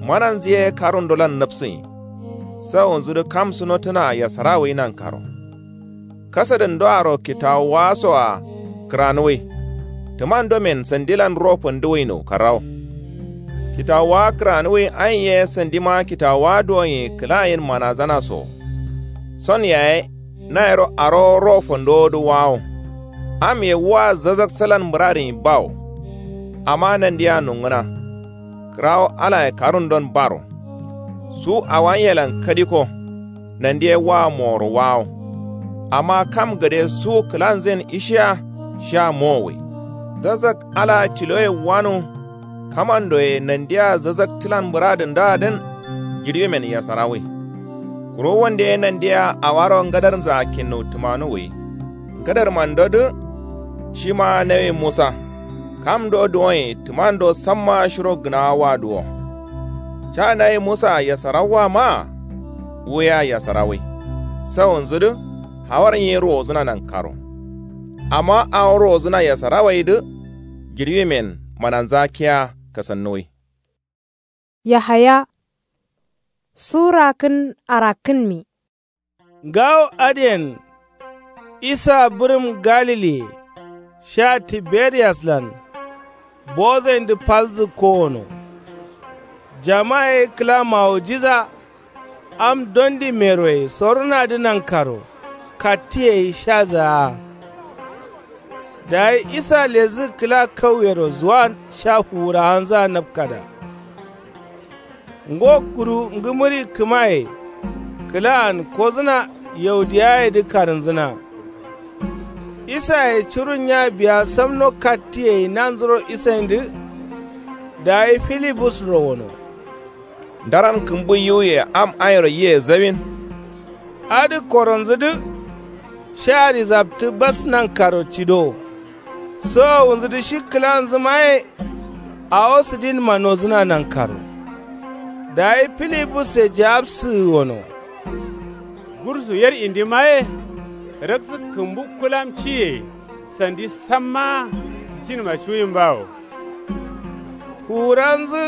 Mananzǝ ye karundolan napsǝnyi. Sawunzudǝ kam sunotǝna yasarawwi nankaro. Kasadǝndoaro kitawuwasoa kǝranuwwi. Tǝmandomen sandilan ro fanduwwino karrawo. Kitawuwa kǝranuwwi ain ye sandima kitawuwa duwonye kǝlayin manazanaso. Son yaye nayiro arowo ro fandowodǝ wawo. Am ye wua zazak salan mǝradǝnyi bawo. Amma nandiya nongǝna. Kǝrawo alaye karundon baro. Su awanyelan kadiko. Nandiye wua moworo wawo. Amma kam gade su kǝlanzǝyen ishiya. Shiya mowowwi. Zazak alaa tiloye wanu. Kamandoye nandiya zazaktǝlan mǝradǝndoadǝn. Jiɍimen yasarawwi. Kuru wande ye nandiya awaro ngadarnzaa kinnu tǝmanuwwi. Ngadarmandodǝ. Shima nawi musa. Kamdo duwonye tǝmando samma shiro gǝnawa waduwo. Ca nawi musaa yasarawwa maa. Wuya yasarawwi. Sawunzudǝ. Hawar nyi ruwozǝna nankaro. Amma awo ruwozǝna yasarawwaidǝ. Jiɍimen mananza kiya kasannuwwi. Yahaya. Sura kǝn arakkǝnmi. Ngawo adǝyen. Isa bǝrǝm galile. Sha tiberiyaslan. Bozaindǝ falzǝ kowono. Jama ye kǝla mawujiza. Am dondi meroye sorunadǝ nankaro. Kattǝ yei shazaa. Dayi isa lezǝ kǝla kauyero zuwan sha fuwurawanzǝa napkada. Ngo kuru ngǝmǝri kǝmaye. Kǝlaan kozǝna yaudiyayedǝ karǝnzǝna. Isaye curun nya biya samno kattǝ yei nanzuro isaindǝ. Dayi filibusro wono. Ndaran kǝmbu yiwuye am airo yiye zawin. Adǝ koronzǝdǝ. Shari zaptǝ bas nankaro cido. Sowowunzǝdǝ shi kǝlanzǝmaye. Awo sǝdinma nozǝna nankaro. Dayi filibusse jawabsǝgǝ wono. Gursu yer indimaye. Raksǝ kǝmbu kulam ciye. Sandi sammaa sǝtinma cuwin bawo. Fuwuranzǝ.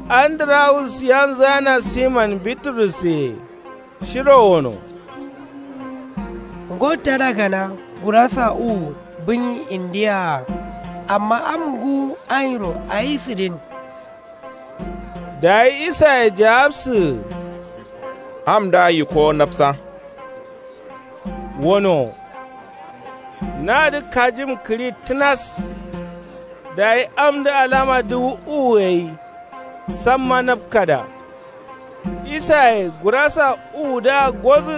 Andirawus yanzǝgana siman biturusse. Shiro wono. Ngo tada gana gurasa uwu bǝnyi indiya-a. Amma am ngǝwu airo ayi sǝdin. Dayi isaye jawabsǝgǝ. Am da yikowo napsa. Wono. Nadǝ kajim kǝɍi tǝnas. Dayi amdǝ alama dǝwu uwu gai. Samma napkada. Isaye gurasa uwudǝa godǝ.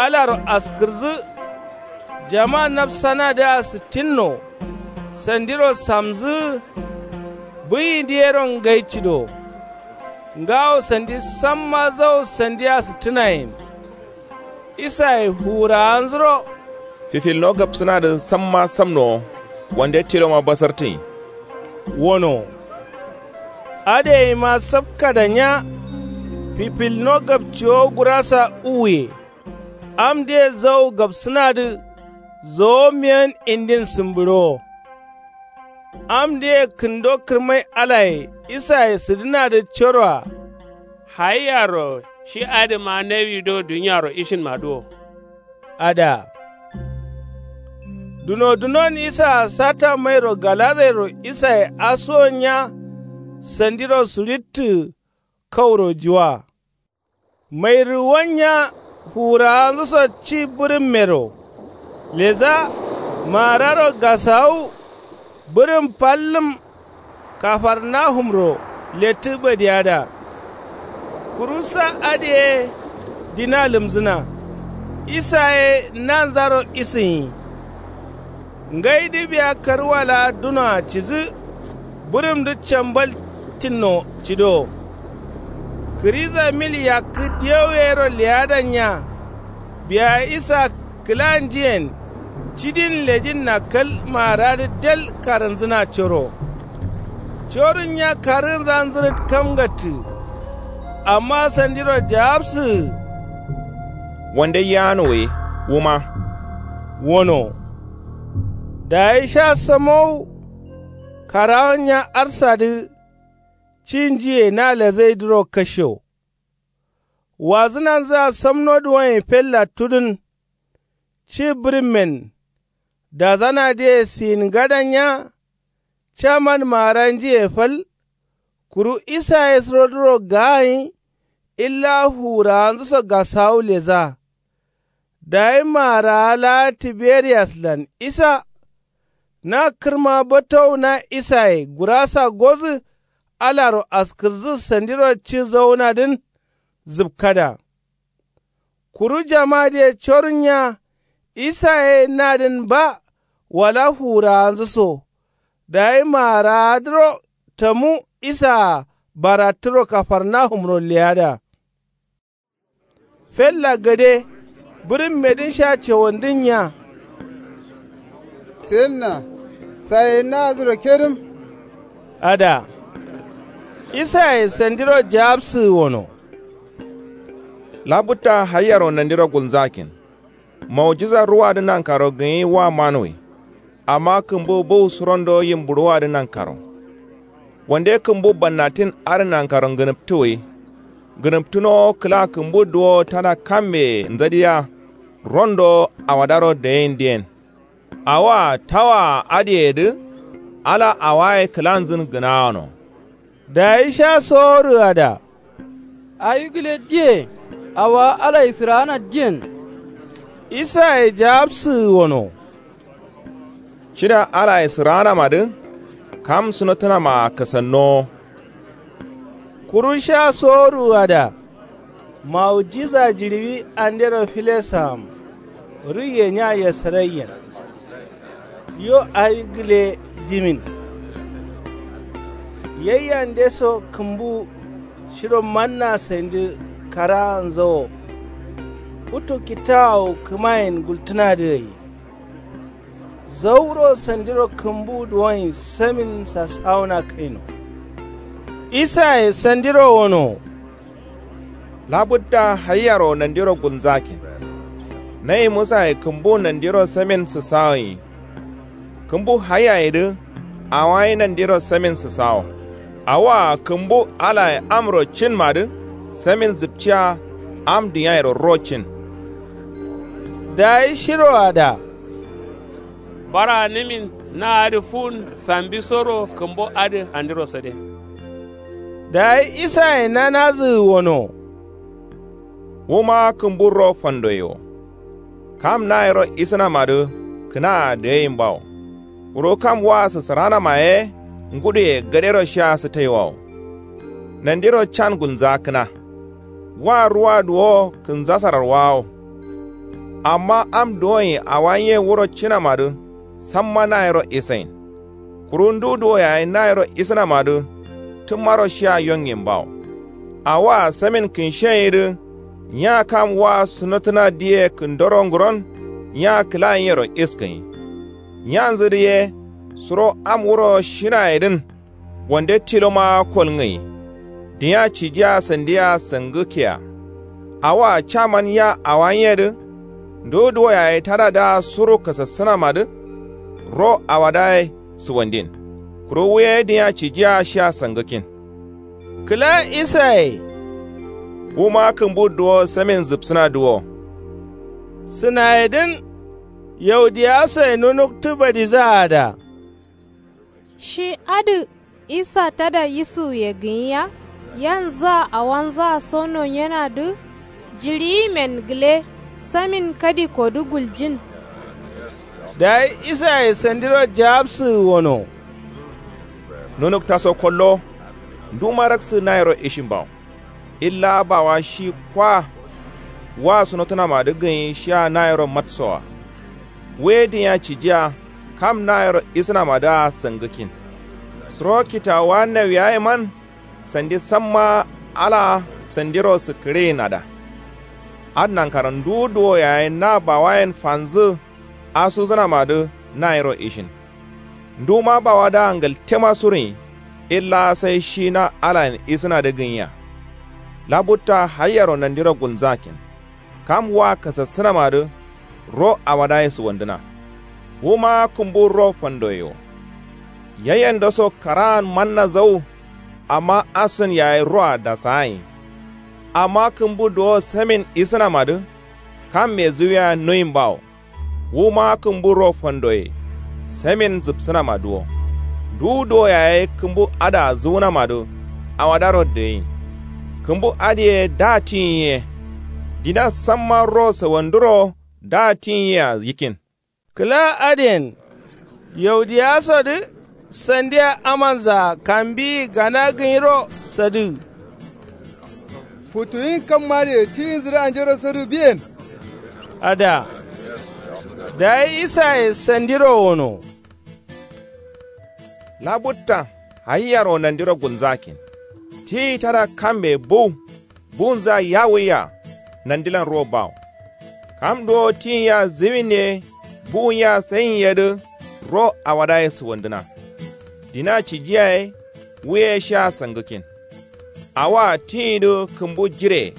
Alaro askǝrdǝ. Jama napsanadǝa sǝttinno. Sandiro samzǝ. Bǝyindǝ yero ngai cido. Ngawo sandi samma zawo sandia sǝttǝnayen. Isaye fuwurawanzuro. Fifilno gabsǝnadǝ samma samnowo. Wande tiloma basartǝnyi. Wono. Adǝ yeima sapkada nya. Fifilno gapciwo gurasa uwuye. Amdǝye zau gapsǝnadǝ zowo miyan indin sǝmbǝɍowo. Amdǝye kǝndo kǝrmai alaye isaye sǝdǝnadǝ coroa. Hayiyaro shi adǝma nawi do duniaro ishinmadǝ wo. Adǝa. Duno dunon isaa sata mairo galazairo isaye asuwon nya. Sandiro suɍittǝ kauro juwa. Mairǝ wanya fuwurawanzǝso ci bǝrǝmmero. Leza maararo gasawu. Bǝrǝm fallǝm kafarnahumro lettǝ badiyada. Kuru sa adǝ ye dina lǝmzǝna. Isa ye nanzaro isǝnyi. Ngaidǝ biya karwa laa dunoa cidǝ. Bǝrǝmdǝ cambal tinno cido. Kǝriza mil yakkǝ diyau yero leyadanya. Biya isa kǝla njiyen cidin lejinna kal maaradǝ del karǝnzǝna coro. Corun nya karǝnza nzǝrǝt kamgattǝ. Amma sandiro jaabsǝ. Wande yaano ye wuma. Wono. Dayi sha samowu. Karawon nya arsadǝ. Ci njiye na lezaidǝro kasho. Wazǝnanzǝa samno duwoyen fella tudǝn. Ci bǝrǝmmen. Dazanadǝye siyin ngadan nya. Caman maara njiye fal. Kuru isa ye surodǝro gaayin. Illa fuwurawanzǝso gasawu leza. Dayi maarawa laa tiberiyaslan isa. Na kǝrma batowu na isaye gurasa godǝ. Alaro askǝrdǝ sandiro ci zaunadǝn. Zǝpkada. Kuru jamadǝye corun nya. Isa ye nadǝn ba wala fuwurawanzǝ so. Dayi maarawadǝro tamu isaa barattǝro kafarnahumro leyada. Fella gade bǝrǝmmedǝn sha cawandǝn nya. Senna saye naadǝro kedǝm. Ada. Isaye sandiro jaabsǝ wono. Labutta hayiyaro nandiro gulnzakin. Maujiza ruwadǝ nankaro gǝnyi wa manuwi. Amma kǝmbu bǝu surondo yimbuɍuwadǝ nankaro. Wande kǝmbu bannatin adǝ nankaro ngǝnǝptǝ wi. Ngǝnǝptǝnowo kǝla kǝmbu duwowo tada kammeye nzadiya. Rondo awadaro dayindǝyen. Awoa tawaa adǝyedǝ. Ala awaye kǝlanzǝn gǝnawano. Dayi sha soworǝada. Awi gǝle diye. Awowa alayisǝraana diyen. Isaye jaabsǝgǝ wono. Cida alayisǝraanamadǝ. Kam sunatǝnamaa kasannowo. Kuru sha soworǝada. Maujiza jiɍiwi andero filesam. Rǝgge nya yesaraiyen. Yo awi gǝle dimin. Yaiyande so kǝmbu shiro manna sandǝ karaanzawo. Futu kitawawu kǝmayen gultǝnadǝ gai. Zauro sandiro kǝmbu duwoyen samin sasawuna kaino. Isaye sandiro wono. Labutta hayiyaro nandiro gulnzakin. Nayi musaye kǝmbu nandiro samin sǝsawoyi. Kǝmbu hayiyayedǝ. Awayi nandiro samin sǝsawo. Awoa kǝmbu alaye amro cinmadǝ. Samin zǝpciya. Am dǝnyayero ro cin. Dayi shiroada. Bara nǝmin na adǝ fuwun sambisoro kǝmbo adǝ andiro sade. Dayi isaye nanazǝgǝ wono. Wuma kǝmbu ro fandoye wo. Kam nayero isǝnamadǝ kǝnaa dǝgayin bawo. Kuru kam wa sǝsǝranama ye. Nguduye gadero shia sǝtaiwawo. Nandiro can gulnzakkǝna. Wa ruwa duwo kǝnzasarar wawo. Amma am duwonyi awa nye wuro cinamadǝ. Samma nayero isain. Kuru ndu duwo yayi nayero isǝnamadǝ. Tǝmmaro shia yonyin bawo. Awoa samin kǝnshiyaidǝ. Nya kam wa sunatǝna diye kǝndoro ngǝron. Nya kǝlayinnyero iskǝnyi. Nyanzǝdǝ ye. Suro am wuro shinaidǝn. Wande tiloma kolŋǝyi. Dinya cijiya sandiya sangǝkkeya. Awoa caman ya awo nyiye dǝ. Ndu duwo yaye tadadǝa suru kasassǝnamadǝ. Ro awodaye suwandin. Kuru wuye dinya cijiya shiya sangǝkkin. Kǝla isaye. Wuma kǝmbu duwo samin zǝpsǝnadǝ wo. Sǝnayedǝn. Yaudiyasoye nunuktǝ badizaada. Shi adǝ isa tada yisuwuye gǝnyiya. Yanzǝa awanzǝa so nonyenadǝ. Jiɍiyimen gǝle. Samin kadikodǝ guljin. Dayi isaye sandiro jawabsǝgǝ wono. Nunuktaso kollo. Nduma raksǝ nayiro ishin bawo. Illa bawa shi kwa. Wa sunotunamadǝ gǝnyi shiya nayiro matsowa. Wuye dinya cijiya kam nayiro isǝnamadǝa sangǝkkin. Suro kitawuwa nawiyayeman. Sandi samma ala sandiro sǝkkǝriyinada. Adǝ nankaro ndu duwo yaye na bawayen fanzǝ. Asuzǝnamadǝ nayiro ishin. Nduma bawadǝa ngaltema suruyin. Illa sai shi na alayen isǝnadǝ gǝnyiya. Labutta haiyero nandiro gulnzakkin. Kam wa kasassǝnamadǝ. Ro awadaye suwandǝna. Wuma kǝmbu ro fandoye wo. Yayendoso karaan manna zau. Amma asun yaye roa dasayin. Amma kǝmbu duwo samin isǝnamadǝ. Kamme zuwiya nuyin bawo. Wuma kǝmbu ro fandoye. Samin zǝpsǝnamadǝ wo. Ndu duwo yaye kǝmbu adǝa zuwunamadǝ. Awadaro deyin. Kǝmbu adǝye da tiyin ye. Dina samma ro sawanduro da tiyin yea yikkin. Kǝla adǝyen. Yaudiyasodǝ. Sandiya amanzaa kambiyi gana gǝnyiro sadǝgǝ. Futuyin kammadǝye tiyinzǝdǝ anjero sadǝgǝ biyen. Ada. Dayi isaye sandiro wono. Labutta. Haiyaro nandiro gulnzakkin. Tiyi tada kamme buwu. Buwunza yawuya. Nandilan ro bawo. Kam duwo tiyin yea zǝwin ye. Buwun yea sayin yedǝ. Ro awadaye suwandǝna. Dina cijiya ye. Wuye shiya sangǝkkin. Awoa tiyindǝ kǝmbu jire.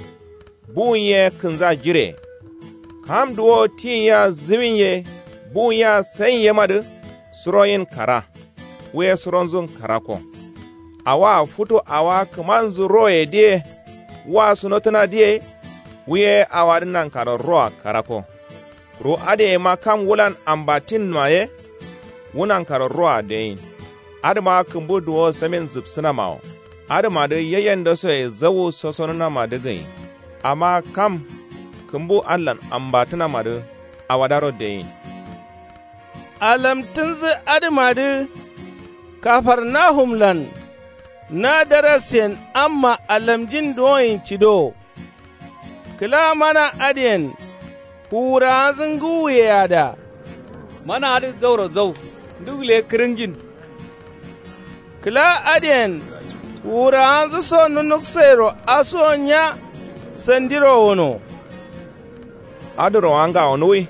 Buwun ye kǝnza jire. Kam duwo tiyin yea zǝwin ye. Buwun yea sayin yemadǝ. Suroyin kara. Wuye suronzun karako. Awoa futu awoa kǝmanzǝ royedǝye. Wa sunotǝnadǝye. Wuye awadǝ nankaro roa karako. Kuru adǝ yema kam wulan ambatinma ye. Wu nankaro roa deyin. Adǝma kǝmbu duwo samin zǝpsǝnama wo. Adǝmadǝ yayendosoye zawu sosonǝnamadǝ gǝnyi. Amma kam kǝmbu adǝlan ambatǝnamadǝ. Awadaro deyin. Alamtǝnzǝ adǝmadǝ. Kafarnahumlan. Na darassen amma alamjin duwoyin cidowo. Kǝla mana adǝyen. Fuwurawanzǝ ngǝwuye ada. Mana adǝ zauro zau. Ndu gǝle kǝrǝngjin. Kǝla adǝyen. Fuwurawanzǝ so nunuksairo asuwo nya. Sandiro wono. Adǝ rowa ngawonuwwi.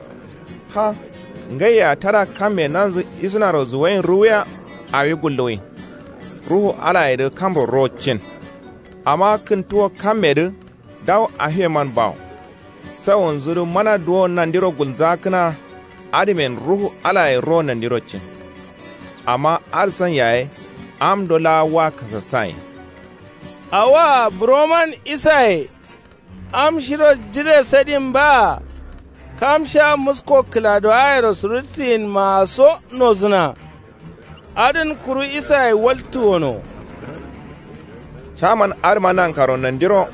Ha. Ngaiya tada kamme nanzǝ isǝnaro zuwain ruwuya. Awi gulluwwi. Ruhu alayedǝ kamro ro cin. Amma kǝntuwo kammedǝ. Dawu afiyeman bawo. Sawunzudǝ mana duwo nandiro gulnzakǝna. Adǝmen ruhu alaye ro nandiro cin. Amma adǝ san yaye. Amdo laa wa kasassayin. Awoa buroman isaye. Am shiro jire sadin baa. Kam sha musko kǝladowayero surutsiyin maa so nozǝna. Adǝn kuru isaye waltǝ wono. Caman adǝma nankaro nandiro.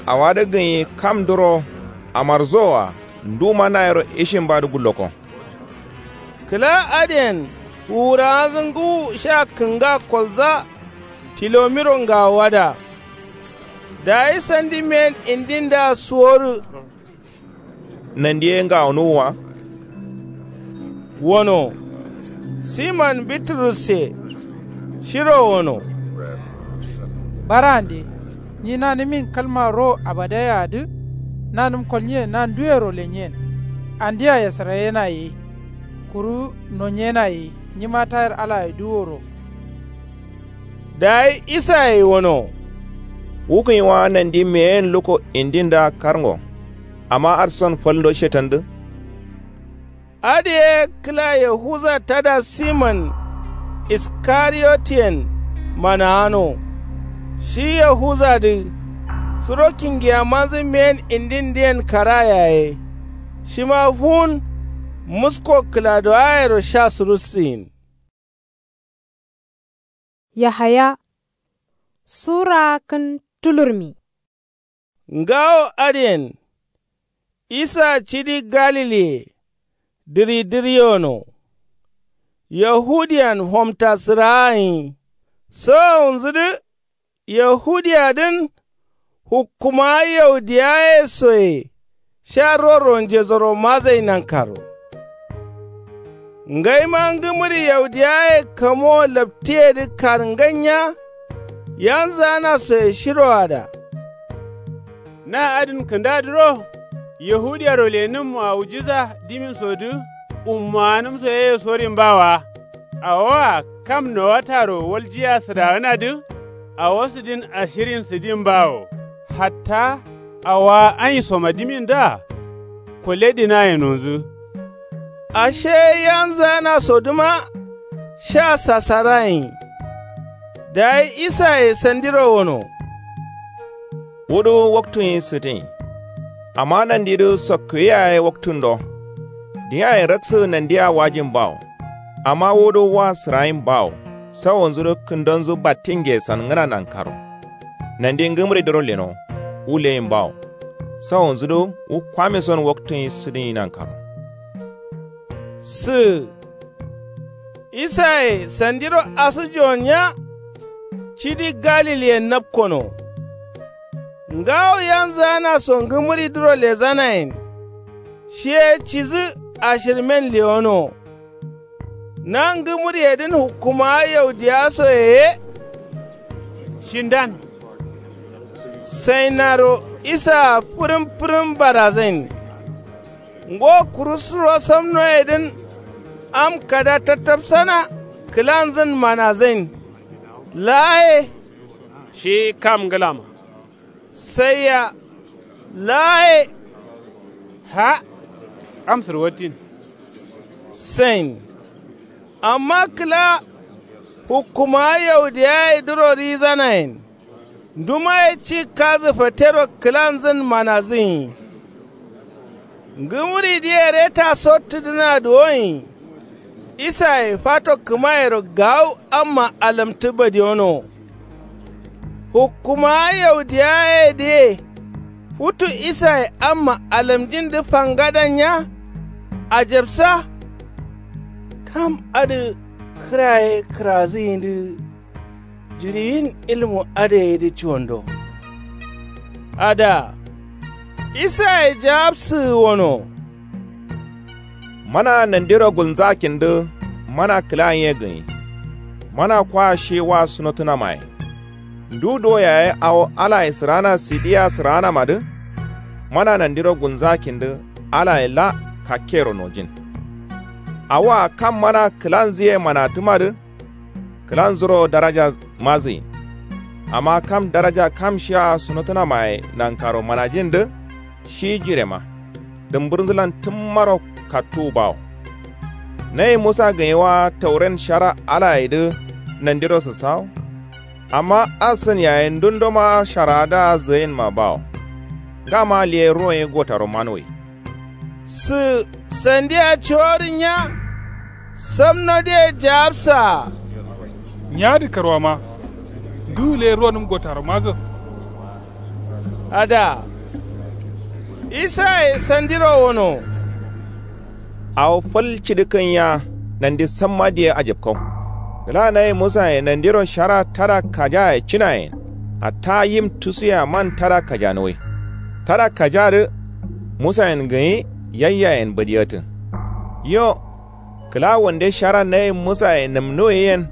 Awadǝ gǝnyi kamduro. Amarzowa. Nduma nayiro ishinbadǝ gulloko. Kǝla adǝyen. Fuwurawanzǝ ngǝwu sha kǝnga kolza. Tilomiro ngawowada. Dayi sandi men indindǝa suworǝ. Nandi ye ngawonuwwa. Wono. Siman biturusse. Shiro wono. Barande. Nyi nanǝmin kalma ro abadayeadǝ. Nanǝm kolnyiyen na nduyero lenyen. Andia yesarayena ye. Kuru nonyena ye. Nyima tayar alaye duworo. Dayi isaye wono. Wu gǝnyi wa nandi meyen lukko indindǝa karngo. Amma adǝ son falndo shetandu. Adǝ ye kǝla yahuza tada simon iskariyotiyen manaano. Shi yahuzadǝ suro kingiyamanzǝ meyen indindǝyen kara yaye. Shima fuwun musko kǝladoayero sha surussiyin. Yahaya sura kǝn tulurmi. Ngawo adǝyen isa cidi galiliye dǝri dǝriyono. Yahudiyan fomta sǝraa gǝnyi sawonzudǝ. Yahudiyadǝn hukkumawa yaudiyaye soye sha roro njesoro mazai nankaro. Ngaima ngǝmǝri yaudiyaye kamowo laptiyedǝ karnganya. Yanzǝgana soye shiroada. Na adǝn kǝndadǝro yahudiyaro lenǝm mu'awijiza diminsodǝ ummowanǝmso yeye sorin bawa. Awoa kam nowataro waljiya sǝdagǝnadǝ awo sǝdin ashirin sǝdin bawo. Hatta awowa anyi somadimindǝa kole dinaye nonzǝ. Ashe yanzǝganasodǝma sha sasarayin. Dayi isaye sandiro wono. Wudu waktunyi sǝdin. Amma nandidǝ sokkuwiya ye waktundo. Diyayen raksǝ nandia wajin bawo. Amma wudu wa sǝrayin bawo. Sawonzudǝ kǝndonzǝ battinge sangǝna nankaro. Nandi ngǝmridǝro leno wu leyin bawo. Sawonzudǝ wu kwamison waktunyi sǝdinyi nankaro. Sǝ isaye sandiro asujuwon nya. Cidi galiliyen napkono. Ngawo yanzǝganaso ngǝmǝridǝro lezanayen. Shiye cidǝ ashirmen lewono. Na ngǝmǝriyedǝn hukkumawa yaudiyasoye ye. Shindan. Sainnaro isaa fǝrǝm fǝrǝm barazain. Ngo kuru suro samnoyedǝn am kada tattafsana kǝlanzǝn manazain. Laa ye. Shi kam ngǝlama. Saiya. Laa ye. Ha. Am sǝrwattin. Sain. Amma kǝla hukkumawa yaudiyayedǝro rizanayen. Ndumaye ci kazǝ fatero kǝlanzǝn manazǝnyi. Ngǝmǝridǝye reta sottudǝna duwonyi. Isaye fato kǝmayero gawu amma alamtǝ badiyono. Hukkumawa yaudiyayedǝye futu isaye amma alamjindǝ fangadan nya. Ajabsa. Kam adǝ kǝra ye kǝrazǝnyidǝ. Jiɍiyin ilmu adǝ yedǝ cuwando. Ada. Isaye jawabsǝgǝ wono. Mana nandiro gulnzakindǝ mana kǝla nyiye gǝnyi. Mana kwa shi wa sunotunamaye. Ndu do yaye awo alaye sǝrana sidiya sǝranamadǝ. Mana nandiro gulnzakindǝ alaye la kakkero nojin. Awoa kam mana kǝlanzǝye manatǝmadǝ. Kǝlanzuro daraja mazǝyin. Amma kam daraja kam shia sunotunamaye nankaro manajindǝ. Shi jirema dǝmbǝrnzǝlan tǝmmaro kattuwu bawo. Nayi musa gǝnyi wa tauren shara alayedǝ nandiro sǝssawo. Amma asǝn yaye ndundoma sharaadǝa zǝyinma bawo. Ngama liye ruwonyi gotaro manuwai. Sǝ sandia coworin nya. Samnodǝye jawabsaa. Nyadǝ karwama. Nduwu le ruwonǝm gotaro mazo. Ada. Isaye sandiro wono. Awo fal cidǝ kǝnya nandi samma diye ajabkau. Gǝla nayi musaye nandiro shara tada kajaye cinayen. Hatta yim tusuya man tada kajanuwai. Tada kajadǝ musayen gǝnyi yayyayen badiyatǝ. Yo. Kǝla wande shara nayi musaye nǝmnuwai yen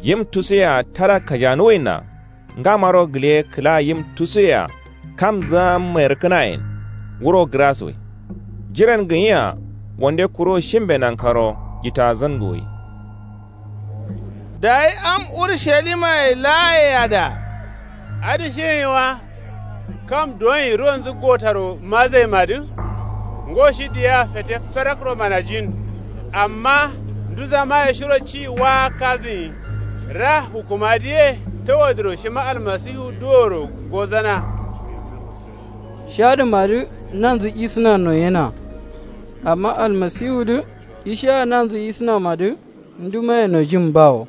yim tusuya tada kajanuwaina. Ngamaro gǝle kǝla yim tusuye-a kamzǝa mayarkǝnayen. Wuro gǝrasuwai. Jiren gǝnyia wande kuro shimbe nankaro jitazǝnguwai. Dayi am urushalima ye laa ye ada. Adǝ shi gǝnyi wa. Kam duwonyi ruwonzǝ gotaro mazaima dǝ. Ngo shi diya fete ferakro manajin. Amma nduzama ye shiro ci waa kazǝnyi. Ra hukumadǝ ye tawodǝro shima almasihu duworo gozana. Shadǝmadǝ nanzǝ isǝna noyena. Amma almasihudǝ ishiya nanzǝ isǝnamadǝ ndumaye nojin bawo.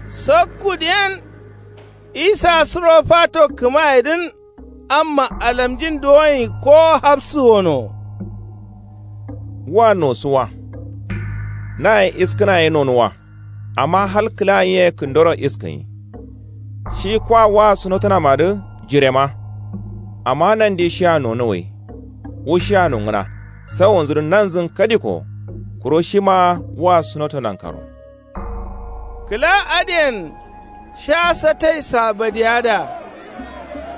Sakkudǝyen isa suro fato kǝmayedǝn amma alamjin duwonyi ko hafsǝ wono. Wa nosu wa. Naye iskǝna ye nonu wa. Amma hal kǝla nyi ye kǝndoro iskǝnyi. Shi kwa wa sunotǝnamadǝ jirema. Amma nandi shiya nonuwǝi. Wu shiya nongǝna sawonzudǝ nanzǝn kadiko. Kuro shima wa sunoto nankaro. Kǝla adǝyen sha satai sabadiyada.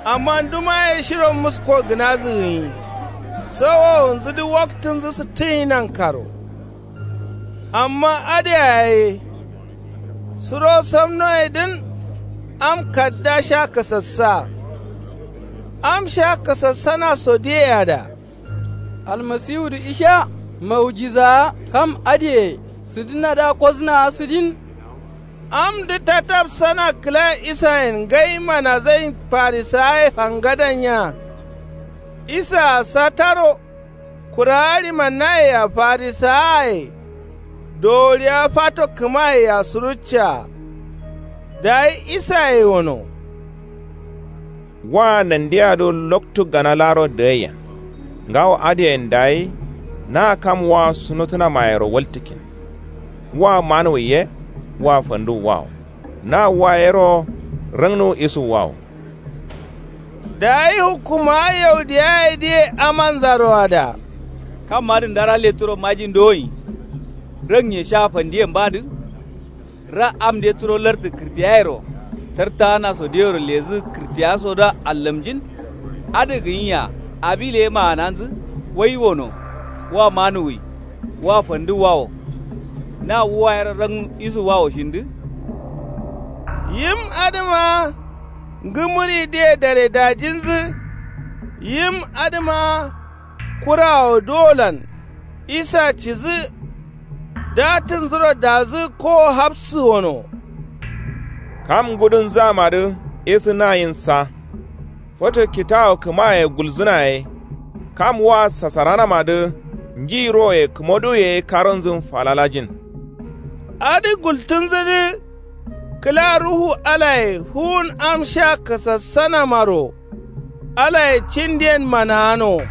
Amma ndumaye shiro musko gǝnazǝ gǝnyi. Sawowonzudǝ waktǝnzǝ sǝttǝnyi nankaro. Amma adǝ yaye suro samnoyedǝn am kadda sha kasassa. Am sha kasassana sodiyeyada. Almasiwudǝ isha maujizawa kam adǝye sǝdǝnadǝa kosǝnawa sǝdin. Amdǝ tatapsana kǝla isayen ngai manazain farisawaye fangadan nya. Isaa sataro kurawa ɍimannaye-a farisawaye doworiwa fato kǝmayea suruccaa. Dayi isaye wono. Wa nandiya do loktu gana laaro dǝgaiyen. Ngawo adǝyen dayi na kam wa sunotǝnamayero waltǝkkin. Wa manuwwi ye wa fanduwwawo. Na wa yero rǝngnuwu isuwwawo. Dayi hukkumawa yaudiyayedǝye amanzaro ada. Kammadǝ ndara letturo majin dowoyi. Rǝngye sha fandiyen badǝ. Ra amde turo lartǝ kǝrtiyayero tartagana sodiyero lezǝ kǝrtiya sodǝa allamjin. Adǝ gǝnyiya abi leye magananzǝ wai wono. Wa manuwwi wa fanduwwawo. Na wu wayero rang isuwwawo shindǝ. Yim adǝma ngǝmǝridǝye daredajinzǝ. Yim adǝma kurawo duwolan isa cidǝ. Datǝnzuro dazǝ kowo hafsǝ wono. Kam ngudunzǝamadǝ isǝ nayin sa. Foto kitawu kǝmaye gulzǝna ye. Kam wa sasaranamadǝ nji roye kǝmoduwu ye ye karonzǝn falalajin. Adǝ gultǝnzǝdǝ kǝla ruhu alaye fuwun am sha kasassanamaro. Alaye cindiyen managano.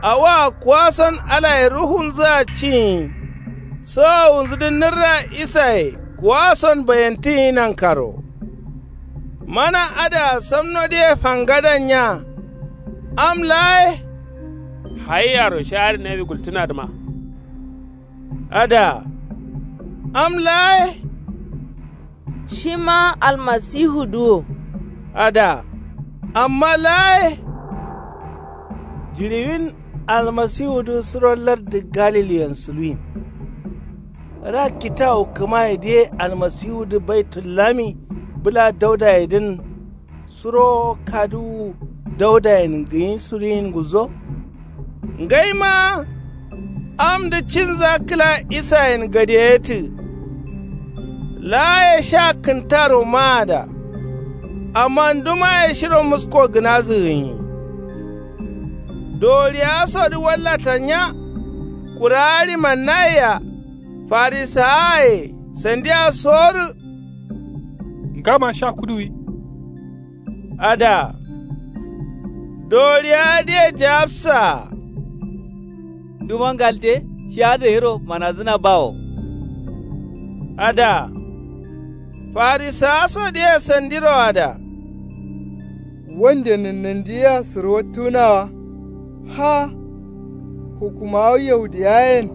Awoa kuwason alaye ruhunzǝa cinyi. Sowowunzǝdǝ nǝrra isaye kuwason bayentǝnyi nankaro. Mana adǝa samnodǝye fangadan nya. Am laa ye. Hayiyaro shi adǝ nawi gultǝnadǝma. Ada. Am laa ye. Shima almasihudǝ wo. Ada. Amma laa ye. Jiɍiwin almasihudǝ suro lardǝ galiliyen suluwin. Ra kitawu kǝmayedǝ ye almasihudǝ baitullami bǝla daudayedǝn. Suro kaduwu daudayen gǝnyi suluyin gulzo. Ngaima amdǝ cinza kǝla isayen gadeyetǝ. Laaye sha kǝntaro maada. Amma ndumaye shiro musko gǝnazǝ gǝnyi. Doriyawa sodǝ wallata nya. Kurawa ɍimannayea farisawaye sandia sorǝ. Ngama sha kuduwi. Ada. Doriyawa dǝye jawabsaa. Nduma ngalte shi adǝ gairo manazǝna bawo. Ada. Farisawa so dǝye sandiro ada. Wande nǝnnandi yea sǝrwattǝgǝna wa. Ha. Hukkumawa yahudiyayen.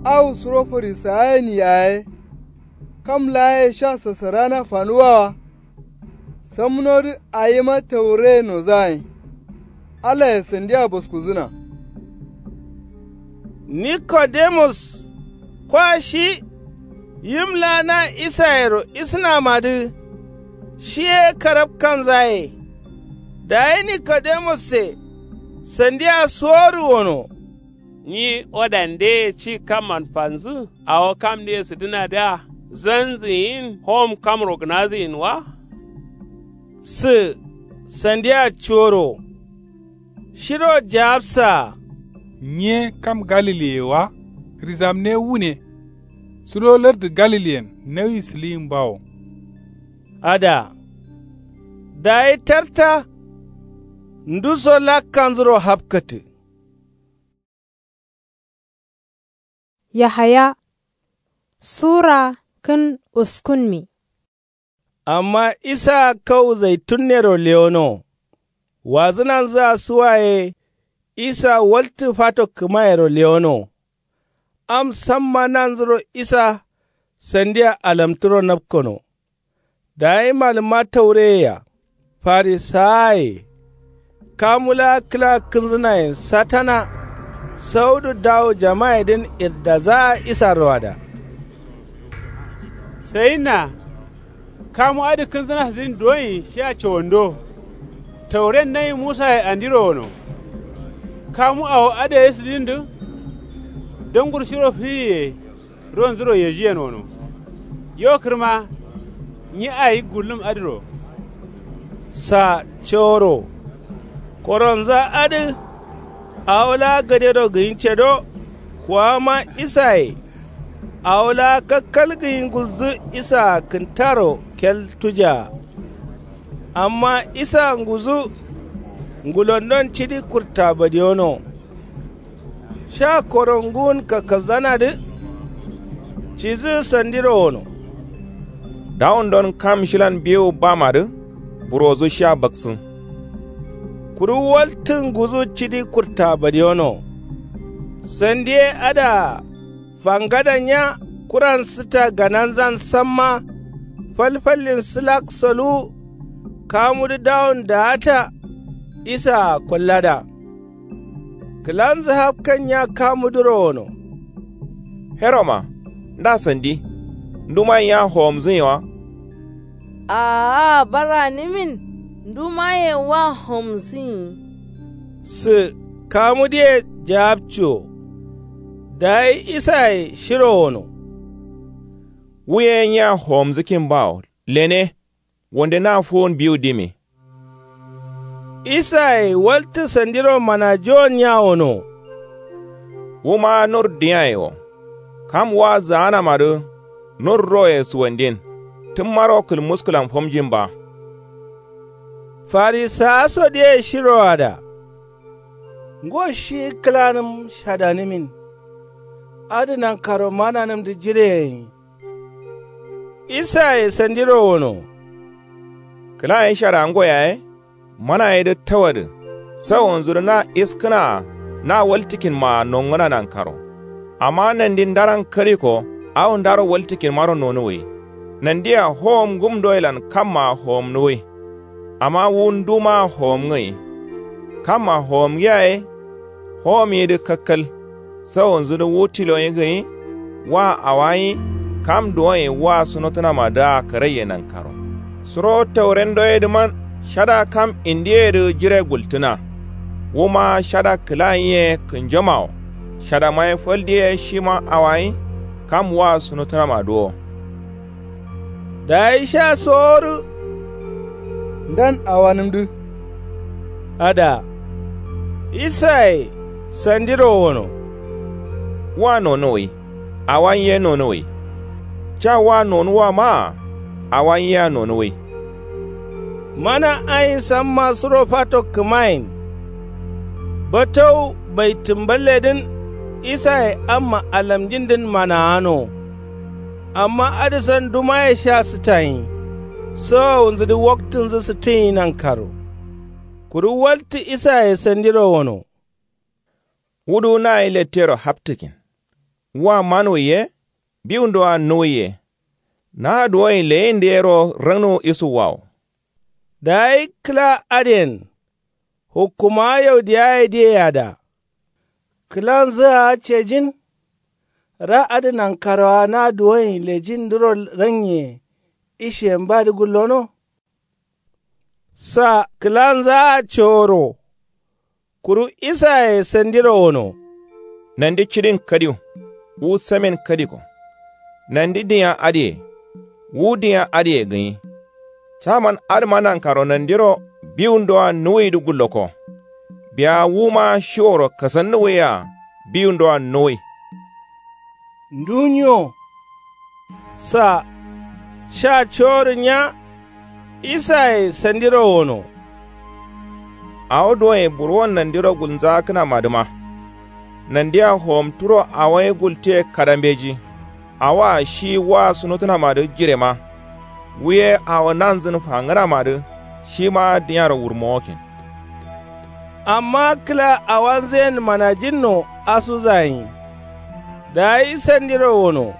Awo suro farisawayen yaye. Kam laa ye sha sasarana fanuwa wa. Samnodǝ awima taure nozayin. Alaye sandia boskuzǝna. Nikodemus. Kwa shi. Yim laa na isayero isǝnamadǝ shi ye karapkanzaye. Dayi nikodemosse sandiya sowodu wono. Nyi wadandeye ci kamman fanzǝ awo kamdǝye sǝdǝnadǝa zanzǝ yin hom kamro gǝnazǝ yin wa? Sǝ sandiya cuworo shiro jaapsaa. Nyi ye kam galiliye wa? Rizamne wune. Sudo lardǝ galiliyen nauyi sǝliyin bawo. Ada dayi tarta nduso lakkanzuro hapkǝtǝ. Yahaya sura kǝn uskunmi. Amma isaa kau zaitunnero lewono. Wazǝnanzǝa suwaye. Isa waltǝ fato kǝmayero lewono. Am samma nanzuro isa sandia alamtǝro napkono. Dayi malǝmma taureye-a farisawaye kamu laa kǝla kǝnzǝnayen satana saudu dawu jamayedǝn irdazaa isaro ada. Sayinna kamu adǝ kǝnzǝnasǝdǝn duwonyi shia cowondo. Tauren nayi musaye andiro wono. Kamu awo adǝ yesǝdǝndǝ dangur shiro fiyiye ronzuro yejiyen wono. Yo kǝrma nyi ayi gullum adǝro. Sa coro koronza adǝ awo laa gadero gǝnyi cedo. Kuwama isaye awo laa kakkal gǝnyi gulzǝ isaa kǝntaro keltujaa. Amma isaa nguzǝ ngulondon cidi kurta badiyono. Sha koronguwun kakkalzanadǝ cidǝ sandiro wono. Dawundon kam shilan biwu bamadǝ burozu sha baksǝ. Kuru waltǝ nguzǝ cidi kurta badiyono. Sandi ye adǝa fangada nya kuran sǝta gananzan samma. Falfallin sǝlak soluwu kamudǝ dawun daata. Isaa kollada kǝlanzǝ hapkan nya kamudǝro wono. Heroma nda sandi ndumayen ya howomzǝnyi wa? Aa baranǝmin ndumayen wa howomzǝnyi. Sǝ kamudǝye jaapcuwo. Dayi isaye shiro wono. Wu ye nya howomzǝkin bawo lene. Wonde na fuwun biwu dimi. Isaye waltǝ sandiro manajuwon ya wono. Wuma nur diyaye wo. Kam wa zaanamadǝ nur roye suwandin tǝmmaro kǝlmuskǝlan fomjin ba. Farisawa sodǝye shiro ada. Ngo shi kǝlanǝm shadanǝmin adǝ nankaro mananǝmdǝ jireyenyi. Isaye sandiro wono. Kǝla ye shadango yaye manayedǝ tawadǝ. Sawonzudǝ na iskǝnaa na waltǝkinmaa nongǝna nankaro. Amma nandi ndaran kaliko awo ndaro waltǝkinmaro nonuwwi. Nandia howom ngumdoyelan kammaa howomnuwwi. Amma wu ndumaa howomngǝyi. Kamma howomngiya ye howomyidǝ kakkal. Sawonzudǝ wu tilonyi gǝnyi wa awanyi kam duwonyi wa sunotǝnamadǝa karaiye nankaro. Suro taurendoyedǝman shada kam indiyedǝ jire gultǝna. Wuma shada kǝlanyi ye kǝnjomawo. Shadamaye faldiye shima awanyi kam wa sunotǝnamadǝ wo. Dayi sha sowodǝ ndan awanǝmdǝ. Ada isaye sandiro wono. Wa nonuwwi. Awanyi ye nonuwwi. Ca wa nonuwwa maa. Awanyi yea nonuwwi. Mana ayin samma suro fato kǝmayen. Batowu baitǝmballedǝn isaye amma alamjindǝn manaano. Amma adǝson dumaye sha sǝtanyi. Sawowunzudǝ waktǝnzǝ sǝtǝnyi nankaro. Kuru waltǝ isaye sandiro wono. Wudu nayi lettero haptǝkin. Wa manuwwi ye biwundoa nuwwi ye. Na duwonyi leyinde yero rangnuwu isuwwawo. Dayi kǝla adǝyen hukkumawa yaudiyayedǝye ada. Kǝlanzǝa cejin. Ra adǝ nankarowa na duwoyen lejindǝro ranye ishiyen badǝ gullono. Sa kǝlanzaa coro. Kuru isaye sandiro wono. Nandi cidin kadiw. Wu samin kadiko. Nandi dinya adǝye. Wu dinya adǝye gǝnyi. Caman adǝma nankaro nandiro biwundoa nuwuyidǝ gulloko. Biya wuma shiworo kasannuwuyea biwundoa nuwuyi. Ndunyo. Sa sha coworin nya. Isaye sandiro wono. Awo duwoye burwon nandiro gulnzaakǝnamadǝma. Nandia howomturo awo ye gultiye kadambeji. Awoa shi waa sunotǝnamadǝ jirema. Wu ye awo nanzǝn fangǝnamadǝ shima dǝnyaro wurmowokin. Amma kǝla awanzuyen manajinno asuzayin. Dayi sandiro wono.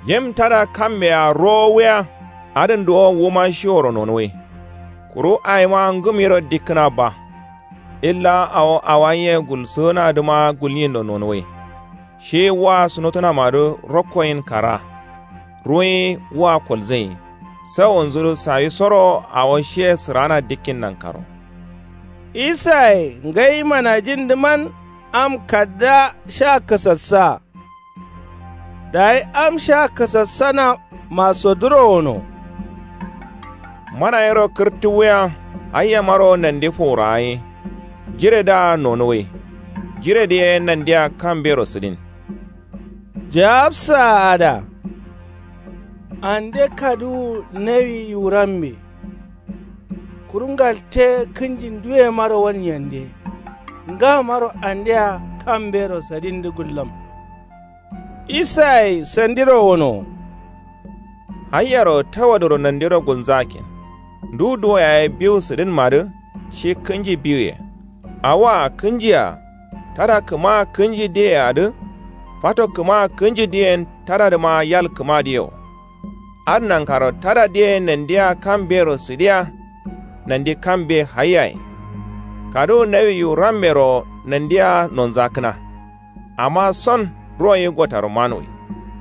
Yim tada kammea rowo wuya. Adǝn duwo wuma shiworo nonuwai. Kuru awima ngǝm yero dikkǝna ba. Illa awo awanyiye gulsǝgǝnadǝma gulnyindo nonuwai. Shi waa sunotǝnamadǝ rokkoyin kara. Ruwuyi waa kolzǝnyi. Sawunzudǝ sawisoro awo shiye sǝraana dikkin nankaro. Isaye ngai manajindǝman am kadda sha kasassa. Dayi am sha kasassana masoduro wono. Mana yero kǝrtǝwuya. Hayyamaro nandi fuwuragai. Jiredǝa nonuwai. Jiredǝ ye nandia kambero sǝdin. Jaabsaa adǝa. Ande kaduwu nawi yiwurambe. Kuru ngalte kǝnji nduyemaro walnyende. Ngamaro andea kambero sadindǝ gullǝm. Isaye sandiro wono. Hayyaro tawaduro nandiro gulnzakin. Ndu duwo yaye biwu sǝdǝnmadǝ. Shi kǝnji biwuye. Awoa kǝnjia. Tada kǝma kǝnji diyeadǝ. Fato kǝma kǝnji diyen tadadǝma yal kǝmadǝ yewo. Adǝ nankaro tada diye nandia kambero sǝdiya. Nandi kambe hayyaye. Kaduwu nawi yiwurammero nandia nonzakkǝna. Amma son ronyi gotaro manuwi.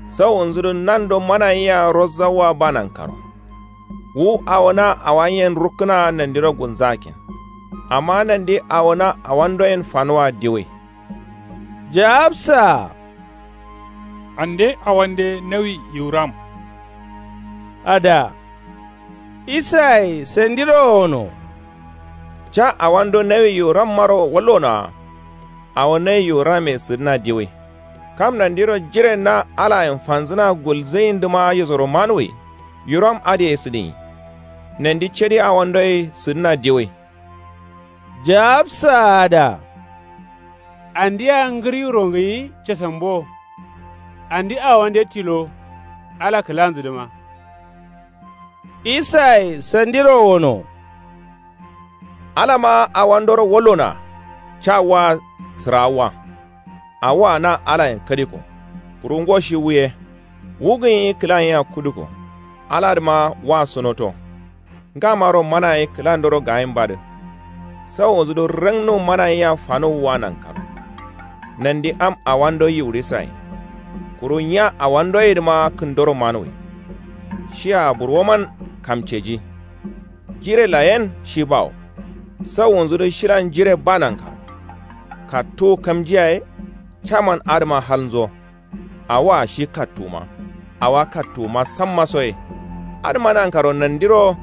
Sawunzudǝ nando manayia rozzawa ba nankaro. Wu awona awanyen rukkǝna nandiro gulnzakin. Amma nandi awona awandoyen fanuwa diwai. Jaabsaa. Ande awande nawi yiwuram. Adǝa. Isaye sandiro wono. Ca awando nawi yiwurammaro wallonoa. Awo nawi yiwuramme sǝdǝna diwai. Kam nandiro jiren na alayen fanzǝna gulzǝyindǝma yisoro manuwi. Yiwuram adǝ ye sǝdǝnyi. Nandi cadi awando ye sǝdǝna diwai. Jaabsaa adǝa. Andia ngǝriwuro ngǝnyi casambo. Andi awande tilo. Ala kǝlanzǝdǝma. Isaye sandiro wono. Alama awandoro wallonoa. Ca waa sǝraawwa. Awoa na alayen kadiko. Kuru ngo shi wu ye. Wu gǝnyi kǝlayea kuduko. Aladǝma wa sunoto. Ngamaro manaye kǝlandoro gayinbadǝ. Sawonzudǝ rangnu manayea fanuwwa nankaro. Nandi am awando yiwurisaye. Kuru nya awandoyedǝma kǝndoro manuwi. Shia burwoman kamceji. Jire layen shi bawo. Sawunzudǝ shilan jire ba nankaro. Kattuwu kamjiyaye. Caman adǝma halnzo. Awoa shi kattuwuma. Awa kattuwuma samma soye. Adǝma nankaro nandiro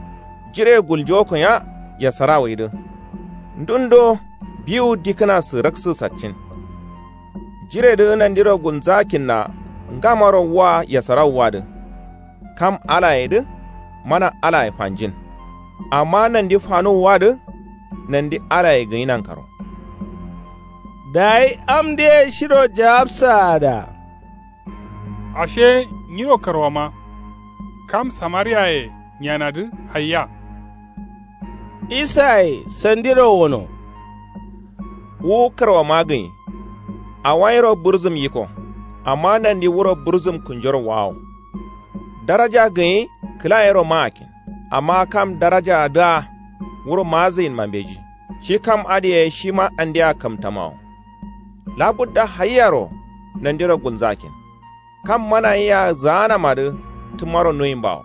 jire guljowokonya. Yasarawaidǝ. Ndundo biwu dikkǝna sǝraksǝ saccin. Jiredǝ nandiro gulnzakinna. Ngamaro wa yasarawwadǝ. Kam alayedǝ. Mana alaye fanjin. Amma nandi fanuwwadǝ. Nandi alaye gǝnyi nankaro. Dayi amdǝye shiro jaabsaada. Ashe nyiro karwama. Kam samariyaye nyanadǝ hayya. Isaye sandiro wono. Wu karwama gǝnyi. Awanyiro bǝrzǝm yiko. Amma nandi wuro bǝrzǝm kǝnjoro wawo. Daraja gǝnyi kǝlayero maakin. Amma kam darajaadǝa wuro maazǝyinma mbeji. Shi kam adǝye shima andea kamtamawo. Labudda hayyaro nandiro gulnzakin. Kam mana yea zaanamadǝ tǝmmaro nuwimbawo.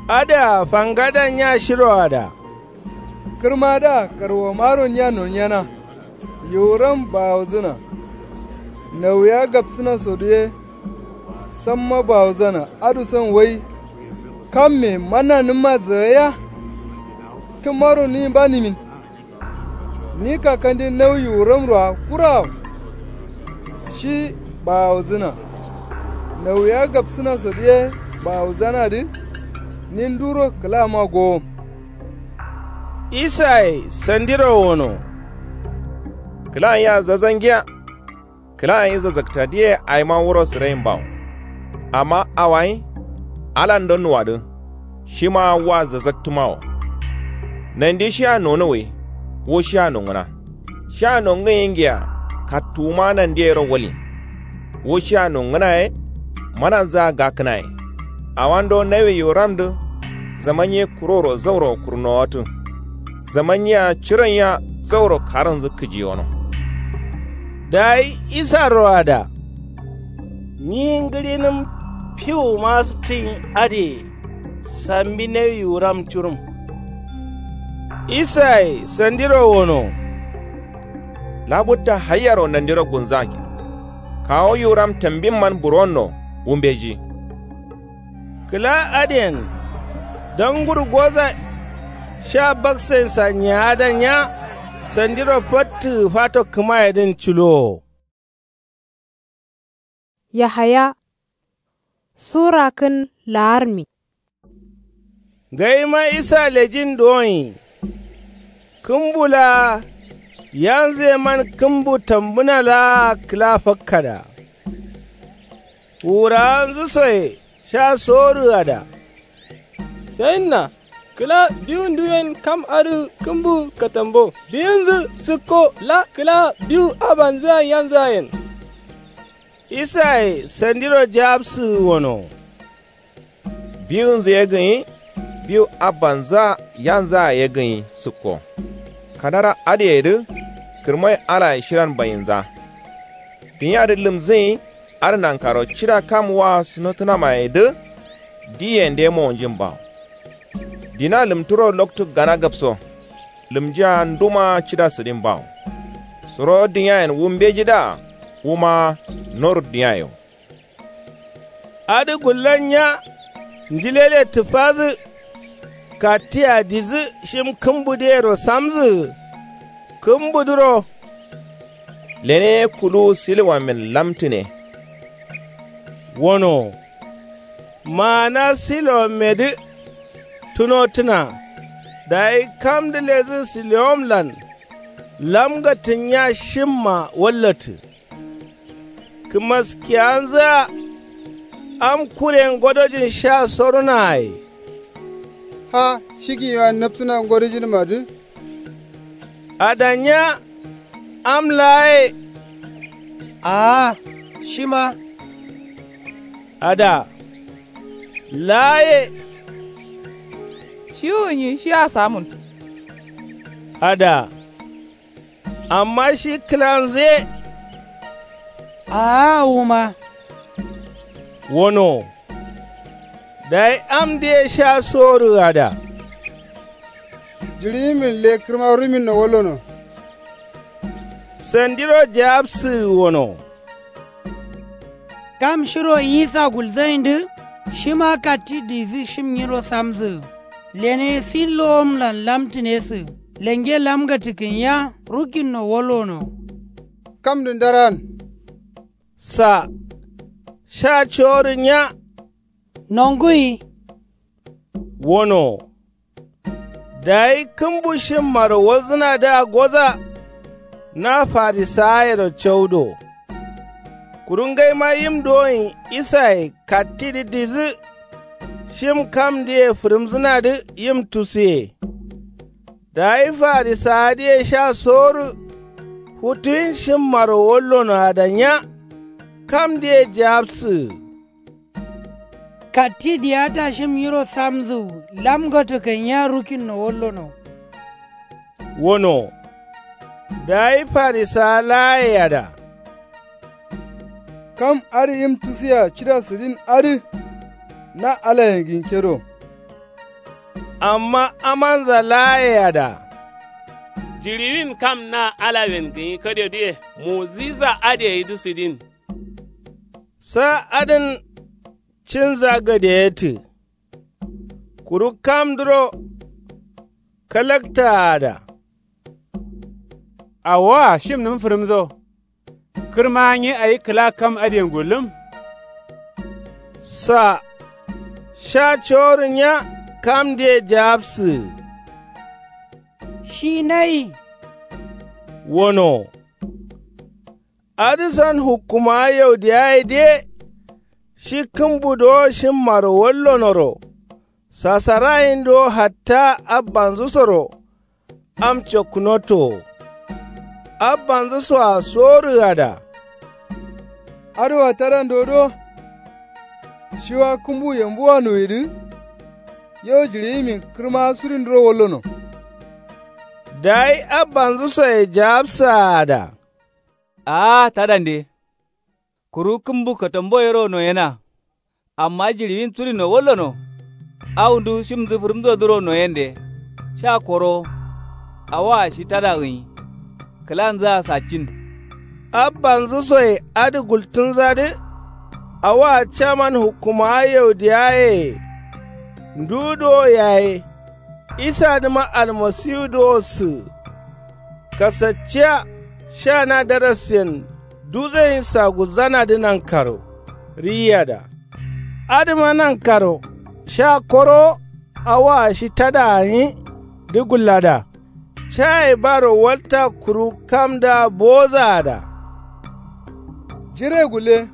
Adǝa fangada nya shiroada. Kǝrmadǝa karwamaro nya nonyena. Yiwuram bawozǝna. Nauya gabsǝnasodǝ ye. Samma bawozana adǝ son wai. Kamme mananǝmma zǝgaiya. Tǝmmaro nuwimba nimin. Ni kakandi nau yiwuramroa kurawo. Shi bawozǝna. Nauya gabsǝnasodǝ ye bawozanadǝ. Ni nduro kǝlama gowom. Isaye sandiro wono. Kǝlan yea zazangiya. Kǝla gǝnyi zazzaktadǝye awima wuro sǝrain bawo. Amma awayin alando nuwadǝ. Shima wa zazzaktǝma wo. Nandi shia nonuwwi. Wu shia nongǝna. Shia nongǝnyi ngiya. Kattuwuma nandi yero walin. Wu shia nongǝna ye. Mananzǝa gakkǝna ye. Awando nawi yiwuramdǝ. Zaman ye kuroro zauro kurnowatǝ. Zaman yea ciron yea zauro karǝnzǝ kǝjiyono. Dayi isaro ada. Nyi ngǝɍinǝm fiwuma sǝttǝnyi adǝye. Sambi nawi yiwuram curum. Isaye sandiro wono. Labutta haiyaro nandiro gulnzakin. Kawu yiwuram tambimman buronno. Wu mbeji. Kǝla adǝyen dangur goza. Sha baksainsa nyaada nya. Sandiro fattǝgǝ fato kǝmayedǝn culowo. Yahaya. Sura kǝn laarmi. Ngaima isa lejin duwonyi. Kǝmbu laa yanzǝ yeman kǝmbu tambǝna laa kǝla fakkada. Wurawanzǝ soye sha sorǝgada. Sayinna kǝla biwu nduyen kam adǝ kǝmbu katambo biyinzǝ sǝkko la kǝla biwu abanzǝa yanzǝayen. Isaye sandiro jawabsǝgǝ wono. Biwunzǝ ye gǝnyi. Biwu abanzǝa yanzǝa ye gǝnyi sǝkko. Kadara adǝyedǝ kǝrmai alaye shilan bayinza. Dǝnyiyadǝ lǝmzǝnyi. Adǝ nankaro cida kam wa sunatǝnamayedǝ. Diyende mowonjin bawo. Dina lǝmturo loktu gana gabso. Lǝmjiya nduma cida sǝdin bawo. Suro dǝnyayen wu mbejidǝa wuma. Noru dǝnyaye wo. Adǝ gullan nya. Njilele tǝfazǝ. Kattiya dizǝ shim kǝmbudǝyero samzǝgǝ. Kǝmbudǝro. Lene ye kuluwu silowamen lamtǝne. Wono. Maana silowamedǝ. Tunotǝna. Dayi kamdǝ lezǝ silowamlan. Lamgatǝn nya shimma wallatǝ. Kǝmaskiyanzǝa. Am kuren godojin sha sorǝnaye. Ha shigǝnyiwa napsǝna godojinmadǝ. Ada nya. Am laaye. Aa shima. Ada. Laaye. Shiwunyi shia samun. Ada. Amma shi kǝlanzǝ ye. Aa wuma. Wono. Dayi amdǝye sha sorǝgǝ ada. Jiɍiyimin le kǝrma ruminno wallono. Sandiro jawabsǝgǝ wono. Kam shiro isa gulzayindǝ. Shima katti dizǝ shim nyiro samzǝgǝ. Lene ye sillowomlan lamtǝnesǝgǝ. Lenge lamgatǝ kǝnya rukinno wallono. Kamdǝ ndaran. Sa. Sha coworǝ nya. Nonguyi. Wono. Dayi kǝmbu shimmaro walzǝnadǝa goza. Na farisawayero caudo. Kuru ngaima yim duwonyi isaye kattidǝ dizǝ. Shim kamdǝye fǝrǝmzǝnadǝ yim tusuye. Dayi farisawadǝye sha sorǝ. Futuyin shimmaro wallono ada nya. Kamdǝye jawabsǝgǝ. Katti diyata shim nyiro samzǝ. Lamgato kanya rukinno wallono. Wono. Dayi farisawa laaye ada. Kam adǝ yim tusiya cida sǝdin adǝ na alayen gǝnkedo. Amma amanza laaye ada. Jiɍiwin kam na alayen gǝnyi kadeduye mu'ujiza adǝ gaidǝ sǝdin. Sa adǝn cinza gadeyetǝ. Kuru kamdǝro kalakta ada. Awoa shimnǝm fǝrǝmso. Kǝrma nyi awi kǝla kam adǝyen gullǝm. Sa sha coworǝ nya kamdǝye jawabsǝ. Shi nayi wono. Adǝ san hukkumawa yaudiyaye de. Shi kǝmbu dowo shimmaro wallonoro. Sasarayin dowo hatta abbanzǝsoro. Am cokkunoto wo. Abbanzǝsoa sorǝgada. Adǝwa tadando do. Shiwa kǝmbu yambuwa nuwidǝ. Yo jiɍiyimin kǝrma surindǝro wallono. Dayi abbanzǝsoye jawabsaa ada. Aa tadande. Kuru kǝmbu katambo yero noyena. Amma jiɍiwin surino wallono. Awundu shimnzǝ fǝrǝmsodǝro noyende. Sha korowo. Awoa shi tada gǝnyi. Kǝlanzǝa saccin. Abbanzǝsoye adǝ gultǝnzadǝ. Awoa caman hukkumawa yaudiyayeye. Ndu dowo yaye. Isadǝma almasiwu dowo sǝgǝ. Kasacciya sha na darasyen duzeyin sagulzanadǝ nankaro. Riyada. Adǝma nankaro sha korowo. Awoa shi tada gǝnyi dǝ gullada. Caye baro walta kuru kamdǝa bowozaada. Jire gulle.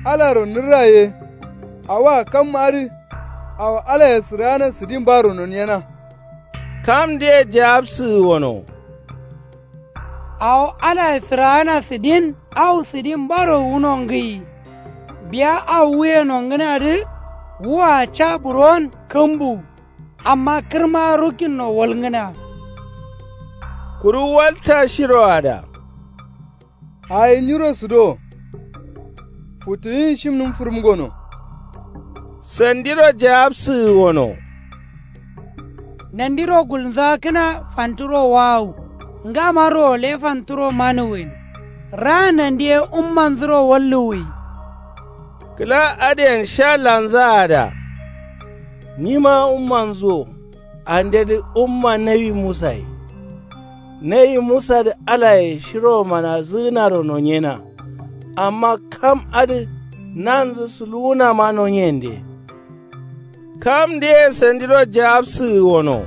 Alaro nǝrra ye. Awoa kam adǝ. Awo alaye sǝraana sǝdin baro noniyena. Kamdǝye jawabsǝgǝ wono. Awo alaye sǝraana sǝdin. Awo sǝdin baro wuno ngǝyi. Biya awo wuye nongǝnadǝ. Wua ca buron kǝmbu. Amma kǝrma rukkinno walngǝna. Kuru walta shiroada. Ayi nyiro sǝdo. Futuyin shimnǝm fǝrǝm gono. Sandiro jawabsǝgǝ wono. Nandiro gulnzakǝna fanturo wawu. Ngamarro lefanturo manuwin. Raa nandi ye ummanzuro walluwwi. Kǝla adǝyen sha lanzaada. Nyima ummanzu wo. Andedǝ umma nawi musaye. Nawi musadǝ alaye shiro manazǝgǝnaro nonyena. Amma kam adǝ nanzǝ suluwunama nonyende. Kamdǝye sandiro jawabsǝgǝ wono.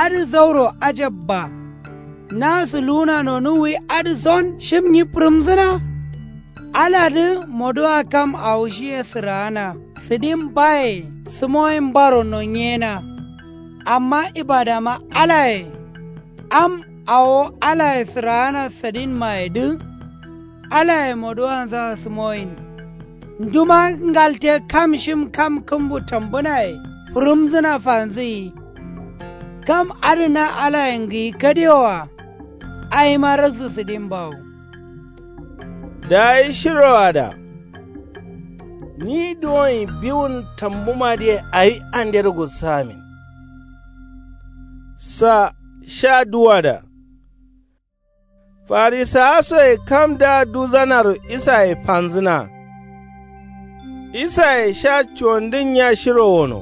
Adǝ zauro ajabba. Na suluwuna nonuwwi adǝ son shim nyi fǝrǝmsǝna. Aladǝ moduwa kam awo shiye sǝraana sǝdin baye sǝmoyin baro nonyena. Amma ibadama alaye. Am awo alaye sǝraana sǝdinmayedǝ. Alaye moduwanzaa sǝmoyin. Nduma ngalte kam shim kam kǝmbu tambǝnaye fǝrǝmsǝna fanzǝyi. Kam adǝ na alayen gǝyi kadewoa. Awima raksǝ sǝdin bawo. Dayi shiroada. Nyi duwonyi biwun tambumadǝye awi andero gulsamin. Sa sha duwada. Farisawasoye kamdǝa duzanaro isaye fanzǝna. Isaye sha cuwandǝn nya shiro wono.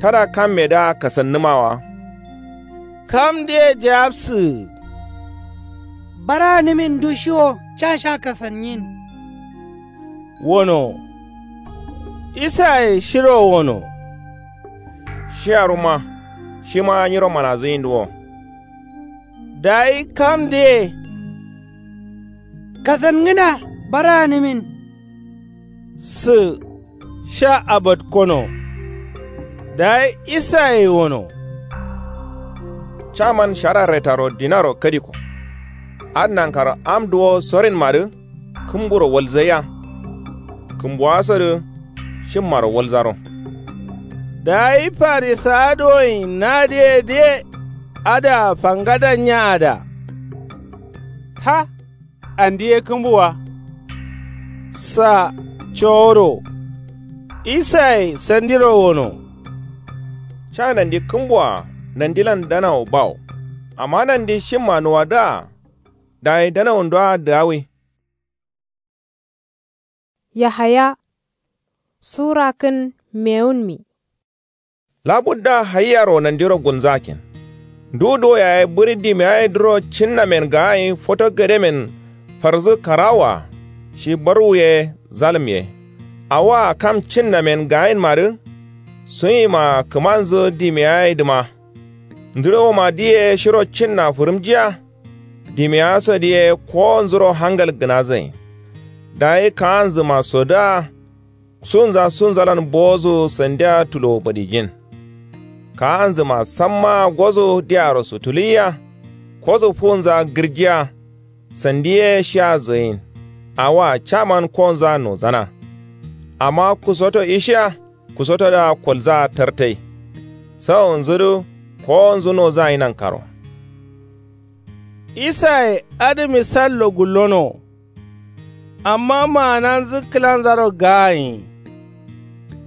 Tada kammedǝa kasannǝma wa. Kamdǝye jawabsǝgǝ. Baranǝmin dushiwo ca sha kasanyin. Wono. Isaye shiro wono. Shiyaruma shima nyiro manazǝyindǝ wo. Dayi kamdǝye. Kasangǝna baranǝmin. Sǝ sha abatkono. Dayi isaye wono. Caman shara retaro dinaro kadiko. Adǝ nankaro am duwo sorinmadǝ. Kǝmburo walzaiya. Kǝmbuwasodǝ shimmaro walzaro. Dayi farisawa dowoyin nadǝyedǝye adǝa fangada nyaada. Ha. andi ye kǝmbuwa. Sa coworo isaye sandiro wono. Ca nandi kǝmbuwa nandilan danawo bawo. Amma nandi shimma nuwadǝa dayi danawondoa dǝgawi. Yahaya sura kǝn mewunmi. Labudda hayyaro nandiro gulnzakin. Ndu duwo yaye bǝri dimiyayedǝro cinnamen gaayin foto gademen farzǝ karawoa. Shi barwu ye zalǝm ye. Awoa kam cinnamen gaayinmadǝ sunyima kǝmanzǝ dimiyayedǝma. Ndǝrowoma diye shiro cinna fǝrǝmjiya. Dimiyaso diye kowonzuro hangal gǝnazǝ yen. Dayi kaanzǝmasodǝa sunza sunzalan bowozǝ sandia tulowo badijin. Kaanzǝma sammaa gozǝ diaro sutulǝyia. Kozǝ fuwunza gǝrjiya. Sandi ye shia zoyin. Awoa caman kowonza nozana. Amma kusoto ishiya kusotodǝa kolzaa tartai. Sawonzudǝ kowonzu nozayi nankaro. Isaye adǝ misallo gullono. Amma maananzǝ kǝlanzaro gaayin.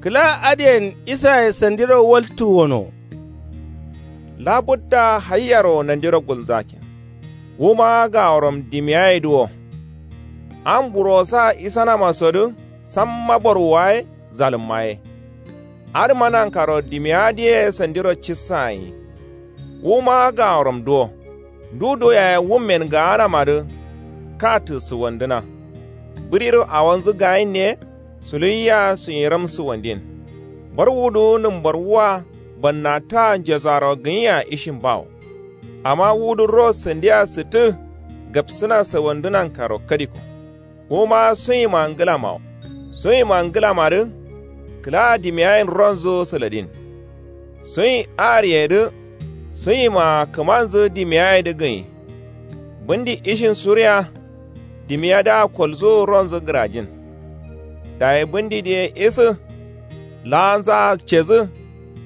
Kǝla adǝyen isaye sandiro waltu wono. Labudda hayyaro nandiro gulnzakin. Wuma gaworom dimiyayedǝ wo. Am burosa isanamasodǝ samma borwuwa ye zalǝmma ye. Adǝma nankaro dimiya diye sandiro cissayin. Wuma gaworom duwo. Ndu duwo yaye wummen gaanamadǝ. Katǝ suwandǝna. Bǝriro awonzǝ gayinne. Suluyiya sunyiram suwandin. Barwudǝ nǝmbarwua bannataa njesaro gǝnyiya ishin bawo. Amma wudǝ ro sandia sǝttǝ gapsǝna sawandǝ nankaro kadiko. Wuma sunyima ngǝlamawo. Sunyima ngǝlamadǝ kǝla dimiyayen ronzǝ sǝladin. Sunyi ariyedǝ sunyima kǝmanzǝ dimiyayedǝ gǝnyi. Bǝndi ishin suriya. Dimiyadǝa kolzǝ ronzǝ gǝrajin. Dayi bǝndi diye isǝ. Laanzaa cedǝ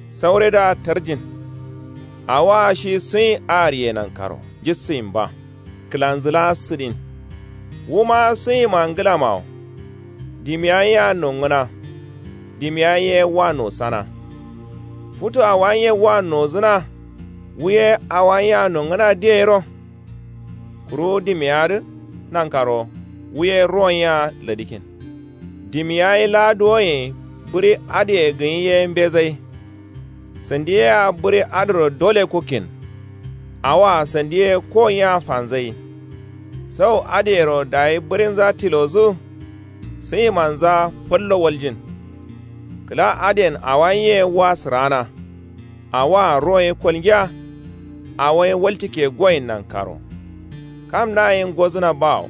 sauredǝa tarjin. Awoa shi sunyi ariye nankaro jissǝyin ba. Kǝlanzǝ laa sǝdin. Wuma sunyima ngǝlamawo. Dimiya yea nongǝna. Dimiya ye wa nosana. Futu awa ye wa nozǝna. Wu ye awa yea nongǝna diyeyero. Kuru dimiyadǝ nankaro wu ye ruwon yea ladikin. Dimiya ye laa duwoyen bǝri adǝye gǝnyi ye mbezai. Sandi yea bǝri adǝro dole kukkin. Awoa sandi ye kowon yea fanzai. Sau adǝyero dayi bǝrinza tilozǝ. Sunyimanza fallo waljin. Kǝla adǝyen awa ye wa sǝraana. Awoa ro ye kolngiya. Awo ye waltike goyin nankaro. Kam naye ngozǝna bawo.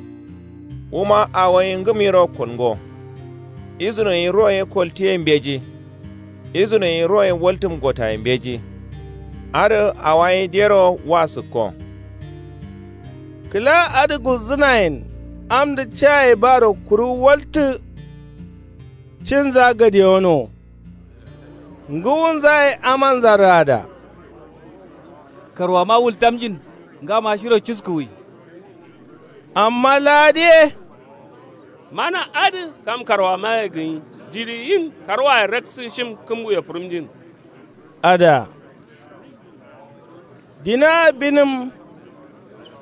Wuma awo ye ngǝmyiro kolngo. Izuno ye ro ye koltiye mbeji. Izuno ye ro ye waltǝm gotaye mbeji. Adǝ awa ye dero wa sǝkko. Kǝla adǝ gulzǝnayen amdǝ caye baro kuru waltǝ. Cinza gadewono. Ngǝwunza ye amanza rada. Karwama wultamjin. Ngama shiro cuskuwi. Amma ladiye. Mana adǝ kam karwamaye gǝnyi jiɍi yin karwaye raksǝ shim kǝmbuye fǝrǝmjin. Ada. Dina binǝm.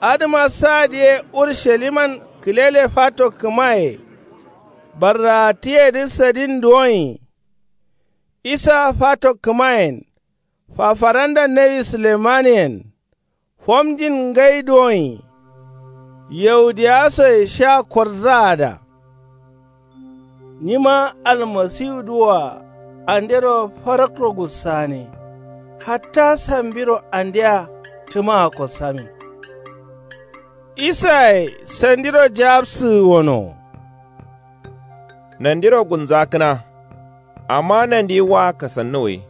Adǝma sadǝ ye urusaliman kǝlele fato kǝmaye. Barraatǝyedǝ sadin duwonyi. Isa fato kǝmayen. Fafaranda nawi sulemaniyen. Fomjin ngai duwonyi. Yahudiyasoye sha korzaada. Nyima almasiwudǝwoa andero farakro gussane. Hatta sambiro andea tǝmaa kossamin. Isaye sandiro jabsǝgǝ wono. Nandiro gulnzakǝna. Amma nandi wa kasannuwwi.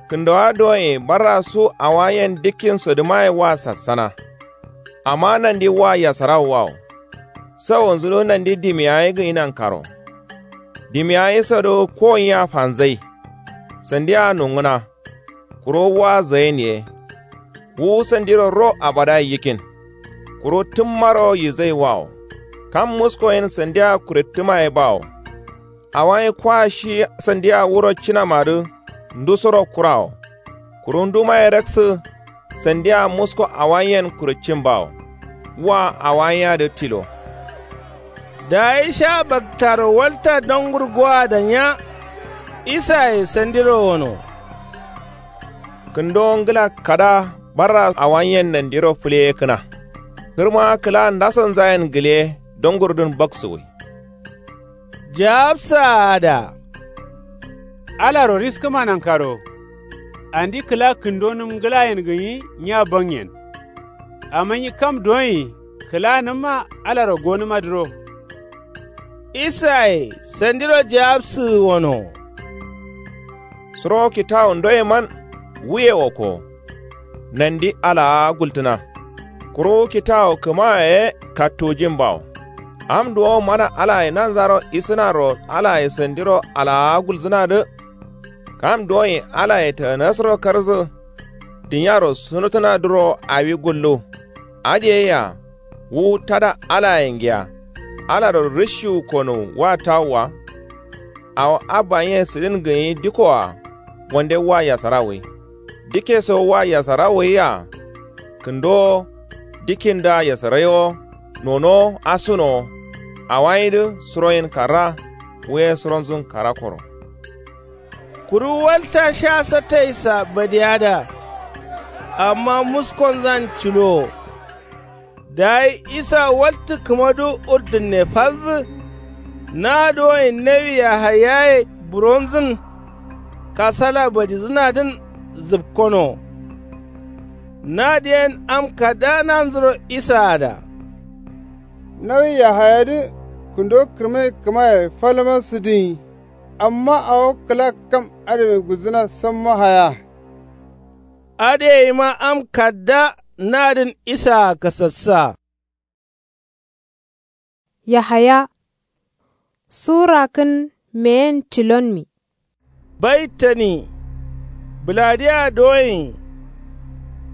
Kǝndowa duwonye barra su awayen dikkinsodǝmaye wa sassana. Amma nandi wa yasarawo wawo. Sawonzudǝ nandi dimiyaye gǝnyi nankaro. Dimiyaye sodǝ kowonyiya fanzai. Sandia nongǝna. Kuro wa zayen ye. Wu sandiro ro abada yikin. Kuro tǝmmaro yizai wawo. Kam musko yen sandiya kurettǝma ye bawo. Awayi kwa shi sandiya wuro cinamadǝ ndusoro kurawo. Kuru nduma ye raksǝ sandiya musko awayiyen kureccin bawo. Wa awayiyadǝ tilo. Dayi sha baktaro walta dongur goa danya. Isaye sandiro wono. Kǝndo ngla kada barra awayiyen nandiro fǝleye kǝna. Kǝrma kǝla ndasonzayen gǝle dongurdǝn baksuwǝi. Jawabsaa adǝa. Alaro riskǝma nankaro. Andi kǝla kǝndonǝm nglayen gǝnyi nya bangyen. Amma nyi kam duwonyi kǝlanǝmma alaro gonǝmadǝro. Isaye sandiro jawabsǝgǝ wono. Suro kitawu ndoyeman wuye wokko. Nandi alaa gultǝna. Kuru kitawu kǝmaye ye kattujin bawo. Am duwo mana alaye nanzaro isǝnaro alaye sandiro alaa gulzǝnadǝ. Kam duwonyi alaye tanasǝro karzǝ. Dunyaro sunutǝnadǝro awi gullu. Adǝ ye yea wu tada alaye ngiya. Alaro rǝshiwu konuwu wa tawua. Awo abbayen sǝdin gǝnyi dikoa wande wa yasara wui. Dike so wa yasara wuyia. Kǝndowo dikindǝa yasaraiwo. Nonowo asunowo. Awayidǝ suroyin karra. Wuye suronzun karakkoro. Kuru walta sha sattaisa badiyada. Amma muskonzan culowo. Dayi isa waltǝ kǝmadu urdunne falzǝ. Na duwonyi nawi yahayaye buronzǝn. Kasala badizǝnadǝn zǝpkono. Nadǝ yen am kada nanzuro isaada. Nawi yahayadǝ kǝndo kǝrmai kǝmaye falma sǝdǝnyi. Amma awo kǝla kam adǝ gulzǝna samma haya. Adǝ yeyima am kadda nadǝn isaa kasassa. Yahaya. Sura kǝn meyen tilonmi. Baitani. Bǝladiya doyin.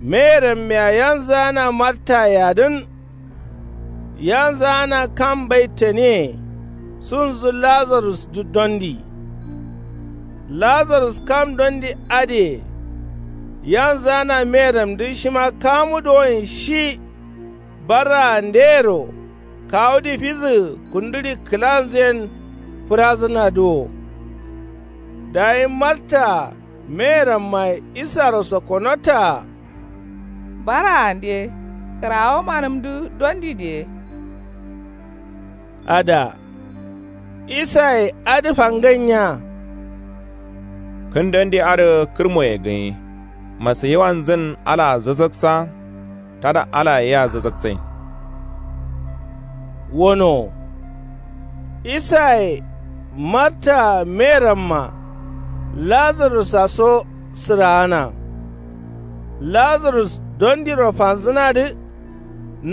Meyeram mea yanzǝgana marta yadǝn. Yanzǝgana kam baitaniye. Sunzǝ lazarusdǝ dondi. Lazarus kam dondi adǝye. Yanzǝgana meyeramdǝ shima kamu doyin shi. Barraandeyero kawudǝ fizǝgǝ kunduri kǝlanzǝyen fǝrazǝnadǝ wo. Dayi martaa meyerammaye isaro sokkonotaa. Barraande kǝrawo manǝmdǝ dondi diye. Ada. Isaye adǝ fangai nya. Kǝn dondi adǝ kǝrmoye gǝnyi. Masayiwanzǝn alaa zazaksa. Tada alaye yea zazaksai. Wono. Isaye martaa meyeramma lazarusa so sǝraana. Lazarus dondiro fanzǝnadǝ.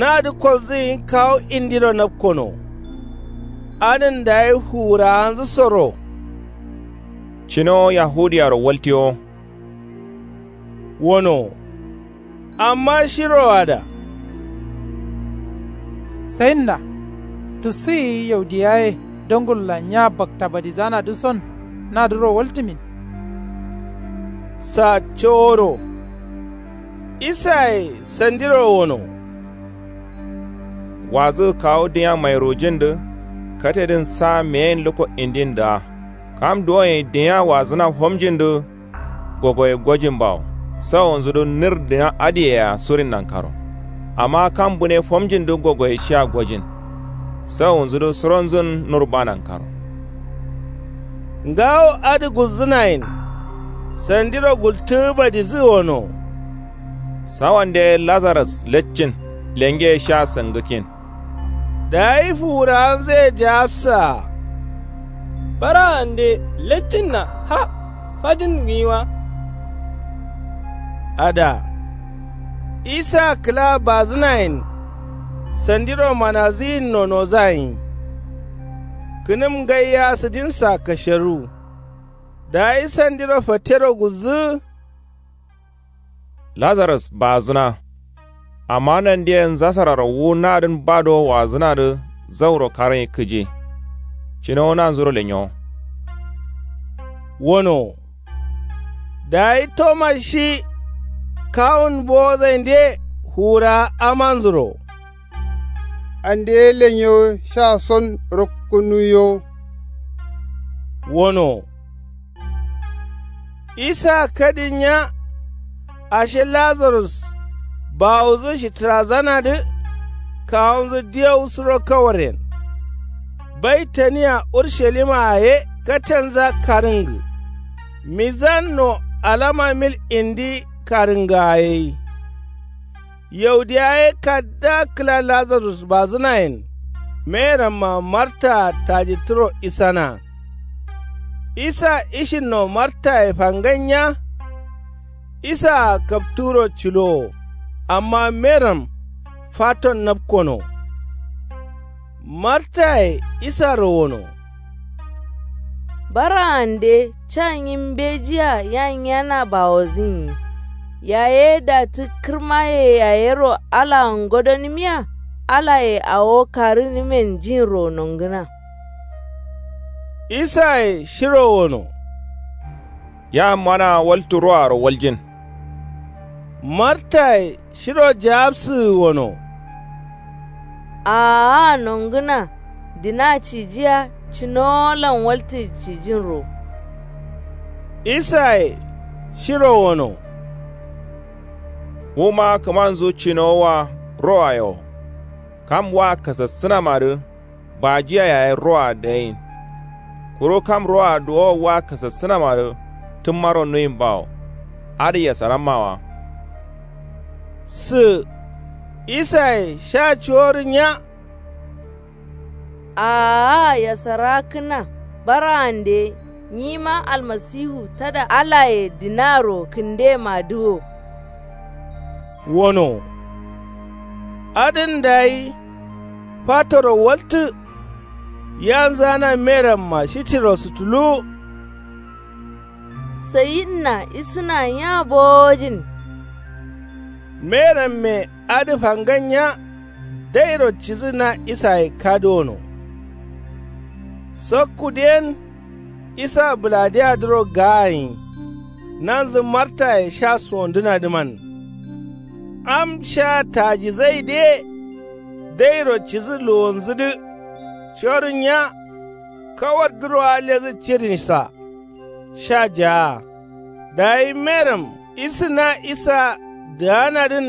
Nadǝ kolzǝgǝnyi kawu indiro napkono. Adǝn dayi fuwurawanzǝ soro. Cinowo yahudiyaro waltiyo. Wono. Amma shiroada. Sayinna. Tussǝ yiyi yaudiya ye dongurlan nya bakta badizanadǝ son nadǝro waltǝmin. Sa coworo. Isaye sandiro wono. Wazǝgǝ kawu dinya mairujindǝ katedǝn sa meyen lukko indindǝa. Kam duwonyi dinya wazǝna fomjindǝ gogoye gojin bawo. Sawonzudǝ nir dinya adǝyea surin nankaro. Amma kam bune fomjindǝ gogoye shia gojin. Sawonzudǝ suronzun nurba nankaro. Ngawo adǝ gulzǝnayen. Sandiro gultǝgǝ badizǝgǝ wono. Sawande lazarus leccin lengeye sha sangǝkkin. Dayi fuwurawanzǝye jawabsaa. Baraande leccinna ha fajin gǝnyi wa. Ada. Isa kǝla bazǝnayen. Sandiro manazǝyin nonozayin. Kǝnǝm ngaiya sǝdinsa kasheru. Dayi sandiro fattero gulzǝgǝ. Lazarus baazǝna. Amma nandiyen zasararo wu nadǝn ba do waazǝnadǝ. zauro karǝnyi kǝji. Cinowo nanzuro lenyowo. Wonowo. Dayi toma shi kawun bowozainde fuwurawa amanzuro. Ande ye lenyowo sha son rokkunuwiyowo. Wonowo. Isa kadin nya. Ashe lazarus bawodǝ shitǝrazanadǝ kawunzǝ diyowu suro kawaryen. Baitaniya urshalima ye katanza karǝngǝ. Mizanno alama mil indi karǝngǝa ye yi. Yaudiya ye kadda kǝla lazarus bazǝnayen. Meramma martaa taji turo isana. Isa ishinno martaye fangan nya. Isaa kapturo cilowo. Amma meram faton napkono. Martaye isaro wono. Baraande ca nyi mbejiya ya nyiyana bawozǝnyi. Yaye datǝ kǝrmaye yayero alaa ngodonǝmiya. Alaye awo karǝnǝmen jinro nongǝna. Isaye shiro wono. Ya manaa waltǝ roaro waljin. Martaye shiro jawabsǝgǝ wono. Aaa nongǝna dina cijiya cinowolan waltǝ cijinro. Isaye shiro wono. Wuma kǝmanzu cinowowa roaye wo. Kam wa kasassǝnamadǝ bajiya yaye roa dayin. Kuru kam roa duwowo wa kasassǝnamadǝ tǝmmaro nuyin bawo. Adǝ yasaramma wa. Sǝ. Isaye sha cuworǝ nya. Aaa yasarakkǝna. Baraande nyima almasihu tada alaye dinaro kǝndemadǝ wo. Wono. Adǝn dayi fatoro waltǝ. Yanzana meramma shitiro sutuluwu. Sayidna isǝna nya bowojin. Meramme adǝ fangan nya. Dairo cidǝ na isaye kadǝ wono. Sakkudǝ yen isa bǝladeyadǝro gaayin. Nanzǝ martaye sha sondǝnadǝman. Am sha tajizaidǝ ye. Dairo cidǝ luwonzǝdǝ. Corǝ nya. Kawardǝro alledǝ cidinsa. Sha jaa. Dayi meram isǝna isa dǝganadǝn.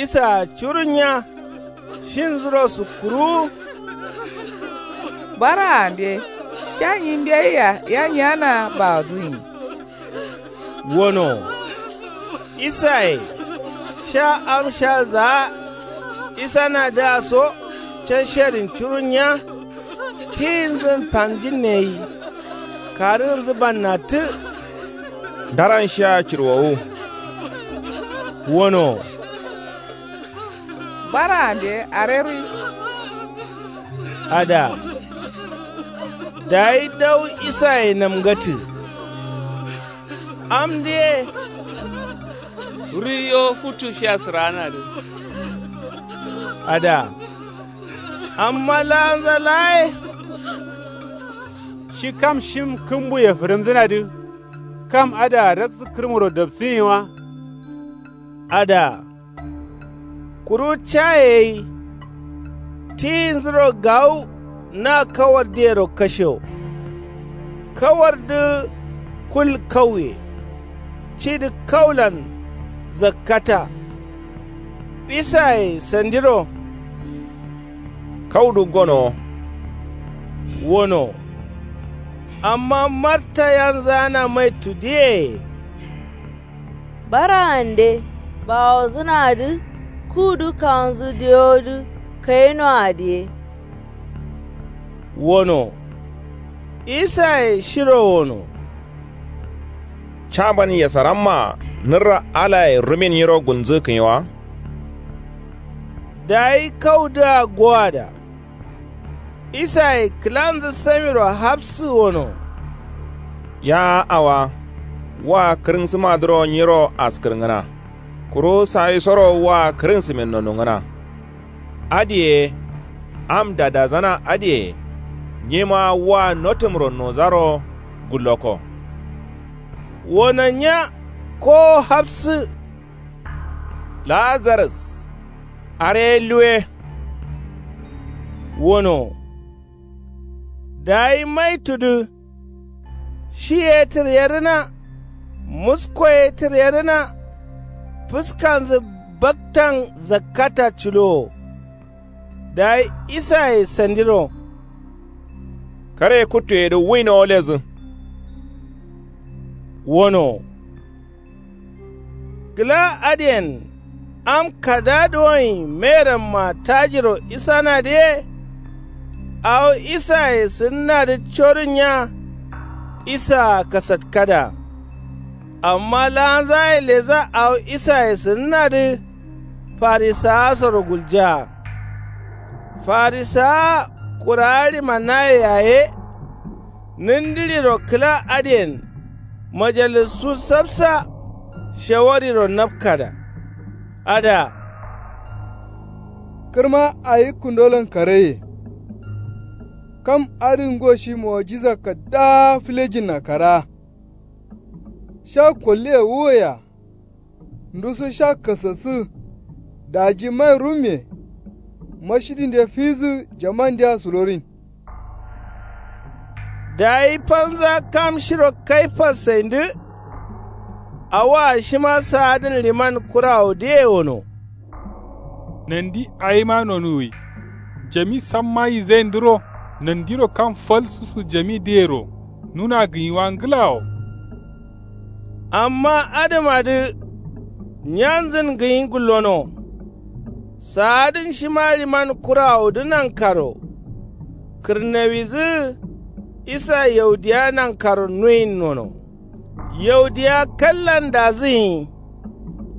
Isaa curǝ nya. Shinzuro sukkuruwu. Baraande ca nyi mbeyia ya nyiyanaa bawodǝnyi. Wono. Isaye sha am sha zaa. Isanadǝa so ca shedin curun nya. Tiyinzǝn fanjinne gai. Karǝgǝnzǝ bannattǝ. Ndaran shia cirwowu. Wono. Baraande areruwi. Ada. Dayi dawu isaye namgatǝ. Amdǝ ye. Ruiyo futu shia sǝraanadǝ. Ada. Amma laanza laa ye. Shi kam shim kǝmbuye fǝrǝmdǝnadǝ. Kam adǝa raksǝ kǝrmuro dapsǝnyi wa. Ada. Kuru caye gai. Tiyinzuro gawu na kawardǝyero kashewo. Kawardǝ kul kauye. Cidǝ kaulan zakkata. Isaye sandiro. Kaudǝ gonowo. Wono. Amma marta yanzǝgana maitudǝye. Baraande bawozǝnadǝ kuwudǝ kawunzǝ diyowodǝ kayinoa dǝ ye. Wono. Isaye shiro wono. Caman yasarammaa nǝrra alaye rumin nyiro gulnzǝgǝkǝnyi wa. Dayi kaudǝa gowada. Isaye kǝlanzǝ samiro hapsǝ wono. Ya awa. Wa kǝrǝnsǝmadǝro nyiro askǝrngǝna. Kuru sawisoro wa kǝrǝnsǝmin nonungǝna. Adǝye. Am dadazana adǝye nyima wa notǝmro nozaro gulloko. Wono nya kowo hafsǝ. Lazarus are luwe. Wono dayi maitudǝ. Shi ye tǝryerǝna. Musko ye tǝryerǝna. Fǝskanzǝ baktan zakkata culowo. Dayi isaye sandiro. Kare kuttuye dǝ wuino lezǝ. Wono kǝla adǝyen am kada duwonyi meramma tajiro isanadǝ ye. Awo isaye sǝdǝnadǝ codunya. Isaa kasatkada. Amma laanzaye leza awo isaye sǝdǝnadǝ. Farisawa soro gulja. Farisawa kurawa ɍimanaye yaye. Nǝndǝɍiro kǝla adǝyen majalissu sapsa. Shawariro napkada. Ada. Kǝrma awi kundolon kareye. Kam adǝ ngo shi mo'ojiza kaddaa fǝlejinna karaa. Sha kolliye wuwoya. Nduso sha kasassǝ. Daji mai rumme. Mashidinde fizǝ jamandea sulorin. Dayi falnza kam shiro kaifas saindǝ. Awoa shima saadǝn liman kurawodǝye wono. Nandi awima nonuwwi. Jami samma yizaindǝro. Nandiro kam fal susu jamidǝyero nuna gǝnyiwa ngǝlawo. Amma adǝmadǝ nyanzǝn gǝnyi gullono. Saadǝn shima ɍiman kurawodǝ nankaro. Kǝrnawidǝ isa yaudiya nankaro nuyin nono. Yaudiya kallan dazǝnyi.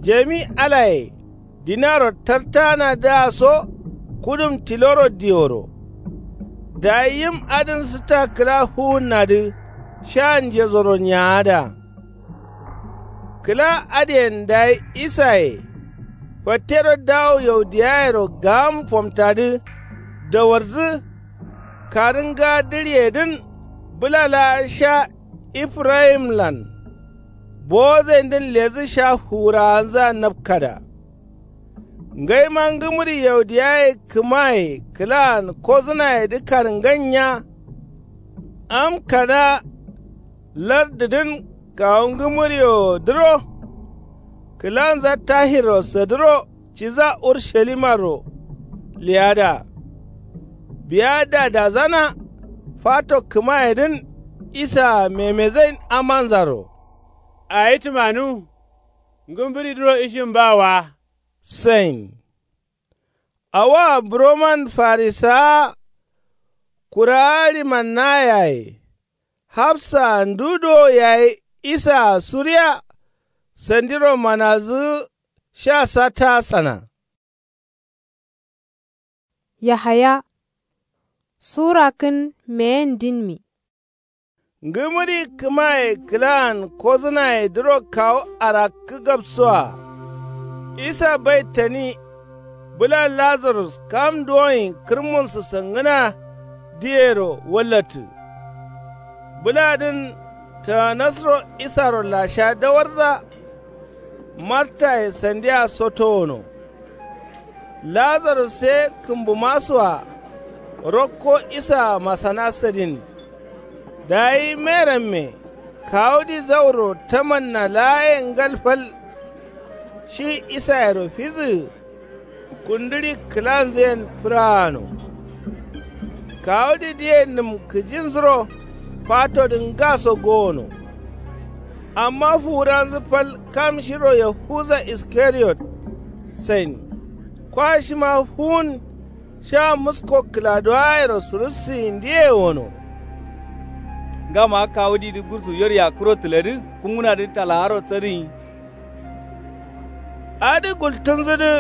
Jami alaye dinaro tartanadǝa so. Kudum tiloro diworo. Dayi yim adǝn sǝtta kǝla fuwunnadǝ sha njezoro nyaada. Kǝla adǝyen dayi isaye fattero dawo yaudiyayero gam fomtadǝ. Dawardzǝ karǝnga dǝɍiyedǝn bǝla laa sha. Ifirayimlan bowozaindǝn ledǝ sha fuwurawanzǝa napkada. Ngaima ngǝmǝri yaudiyaye kǝmaye kǝlaan kodǝnayedǝ karǝngan nya. Am kada lardǝdǝn kawu ngǝmǝriwodǝro. Kǝlanza tahirro sadǝro ciza urushalimaro leyada. Biya dadazana fato kǝmayedǝn isaa memezain amanzaro. Awi tǝmanu ngǝmburidǝro ishin ba wa. Sain. Awoa buroman farisawa kurawa ɍimannaye yaye. Hafsaa ndu duwo yayi isaa suriya. Sandiro manazǝgǝ sha satta sana. Yahaya sura kǝn meyen dinmi. Ngǝmǝri kǝmaye kǝlaan kodǝnayedǝro kawu arakkǝ gapsoa. Isa baitani bǝla lazarus kam duwonyi kǝrmunsǝ sangǝna. Diyero wallattǝ bǝladǝn taganasro isaro lasha dawarza. Martaye sandia sotowono. Lazarus ye kǝmbumasoa rokko isaa masana sadin. Dayi meramme kawudi zauro tamanna laaye ngal fal. Shi isayero fizǝgǝ kundǝɍi kǝlanzǝyen fǝraano. Kawudidǝye nǝm kǝjinzuro fatodǝ ngaso gowono. Amma fuwuranzǝ fal kam shiro yahuza iskariyot sain. Kwa shima fuwun sha musko kǝladuwayero surussǝyindǝye wono. Ngama kawudidǝ gursu yor yakkuro tǝladǝ kungǝnadǝ talawaro tsadǝnyi. Adǝ gultǝnzǝdǝ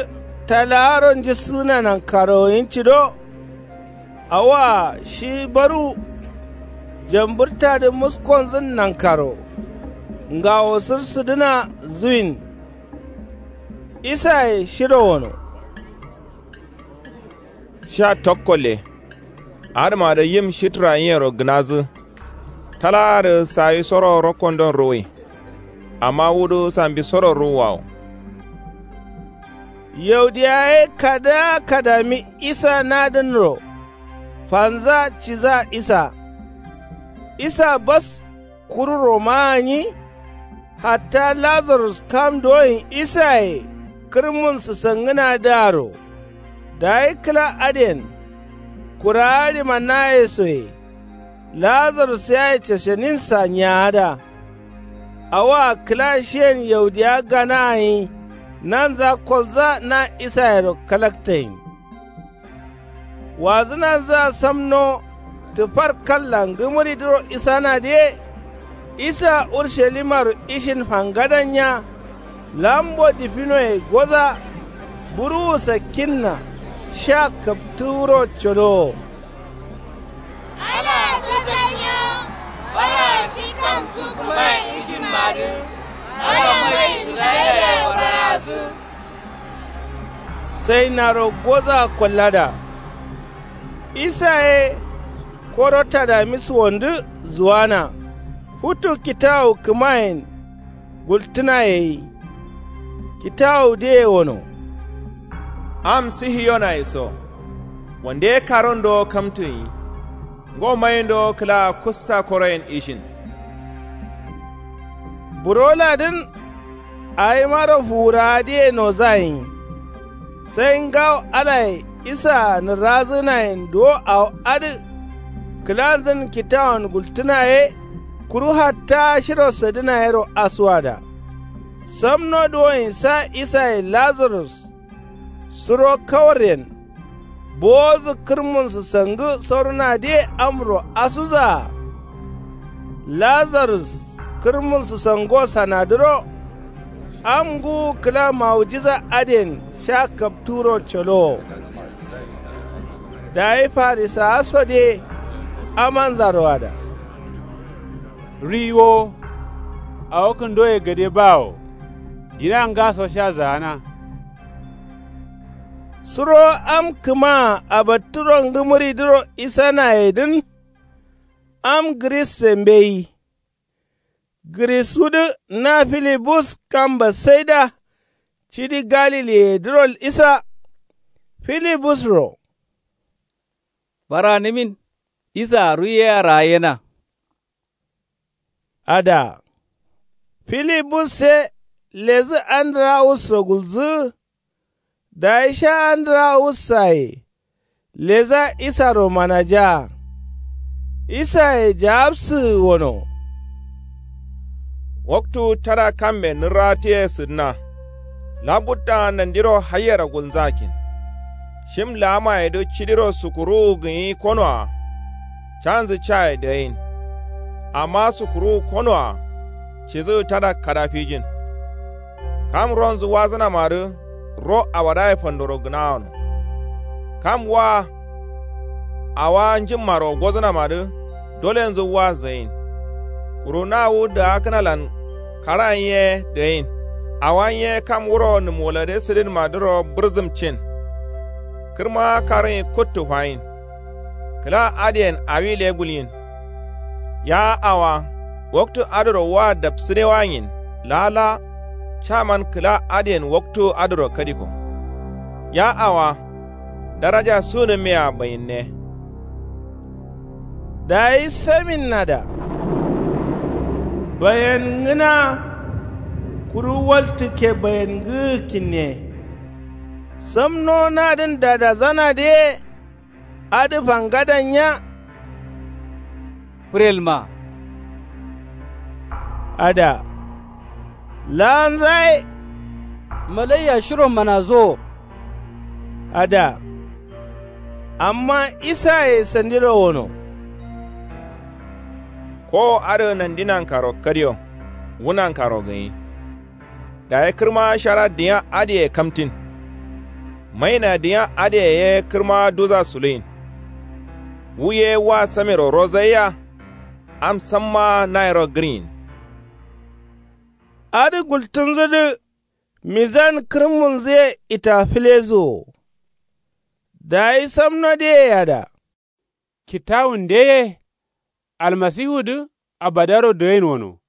talawaro njissǝgǝna nankarowo yinccido. Awoa shi baru jambǝrtadǝ muskonzǝn nankaro ngawo sǝrsǝdǝna zuwin. Isaye shiro wono. Sha tokkolle. Adǝma dǝ yim shitra yiyero gǝnazǝ. Tala dǝ sawisoro rokkondon ruwui. Amma wudǝ sambisoro ruwwawo. Yaudiya ye kada kadami isa nadǝnro. Fanza ciza isa. Isa bas kuru romaa nyi. Hatta lazarus kam doyin isaye kǝrmun sǝsangǝnadǝaro. Dayi kǝla adǝyen kurawa ɍimanayesoye. Lazarus yaye cashaninsa nyaada. Awoa kǝla shiyen yaudiya gana nyi. Nanza kolza na isayero kalaktayin. Wazǝnanzǝa samno tǝfar kalla ngǝmǝridǝro isanadǝ ye. Isa urshalimaro ishin fangadanya. Lambo difinoye goza. Buruwu sakkinna sha kaptǝ wuro colowo. Alaa sasanyo. Bara shi kamsu kǝmayen ishinmadǝ. Bara mai isra'ilaye barazǝ. Sai naro goza kollada. Isa ye koro tadami suwondǝ zuwana. Futu kitawu kǝmayen gultǝna yeyi. Kitawudǝye wono. Am sihiyonaye so. Wande karondo kamtǝnyi. Ngo mayindo kǝla kusta koroyen ishin. Buroladǝn. Awimaro fuwurawadǝye nozayin. Sai ngawo alaye isaa nǝrazǝnayen duwo awo adǝ. Kǝlanzǝn kitawon gultǝna ye. Kuru hatta shiro sadǝna yero asuwada. Samno duwoyin sa isaye lazarus. Suro kawaryen. Bowozǝ kǝrmun sǝsangǝ sorunadǝye amro asuzaa. Lazarus kǝrmun sǝsango sanadǝro. Am ngǝwu kǝla mawujiza adǝyen sha kapturo colowo. Dayi farisawa sode amanzaro ada. Riwo. Awo kǝndoye gade bawo. Dira ngaso sha zaana. Suro am kǝmaa abattǝro ngǝmǝridǝro isanayedǝn. Am gǝrisse mbeyi. Gǝrisudǝ na filibus kam bassaida. Cidi galiliyedǝro isa. Filibusro. Baranǝmin. Isaa ruiyea raayyena. Ada. Filibusse lezǝ andǝrawusro gulzǝ. Dayi sha andǝrawussaye. Leza isaro manajaa. Isaye jaabsǝgǝ wono. Waktu tada kamme nǝrratǝye sǝdǝna. Labutta nandiro hayyero gulnzakin. Shim laamayedǝ cidiro sukuruwu gǝnyi konoa. Canzǝ caye dǝgain. Amma sukuruwu konoa. Cidǝ tada kada fijin. Kam ronzǝ wazǝnamadǝ ro awadaye fandoro gǝnawano. Kam wa awa njǝmmaro gozǝnamadǝ dolenzǝ wa zayin. Kuru na wu dǝgakkǝnalan karayen ye dǝgain. Awa nye kam wuro nǝmwolode sǝdinmadǝro bǝrzǝmcin. Kǝrma karǝnyi kuttu fayin. Kǝla adǝyen awi le gulyin. Ya awa. Waktu adǝro wa dapsǝdewanyin lala. Caman kǝla adǝyen waktu adǝro kadiko. Ya awa. Daraja sunǝmmea bayinne. Dayi saminnada. Bayangǝna. Kuru waltǝkke bayangǝgǝkinne. Samno nadǝn dadazanadǝ ye. Adǝ fangadanya. Fǝrelma. Ada. Laanzaye. Malaiya shiro manazowo. Ada. Amma isaye sandiro wono. Kowo adǝ nandi nankaro kadiyo. Wu nankaro gǝnyi. Dayi kǝrma shara dinya adǝye kamtin. Maina dinya adǝye ye kǝrma duza suluyin. Wu ye wa samiro rozaiya. Am samma nayiro gǝrnyin. Adǝ gultǝnzǝdǝ. Mizan kǝrmunzǝye itafǝlezǝ wo. Dayi samno deye yada. Kittawunde ye almasifudǝ abadaro dǝgain wono.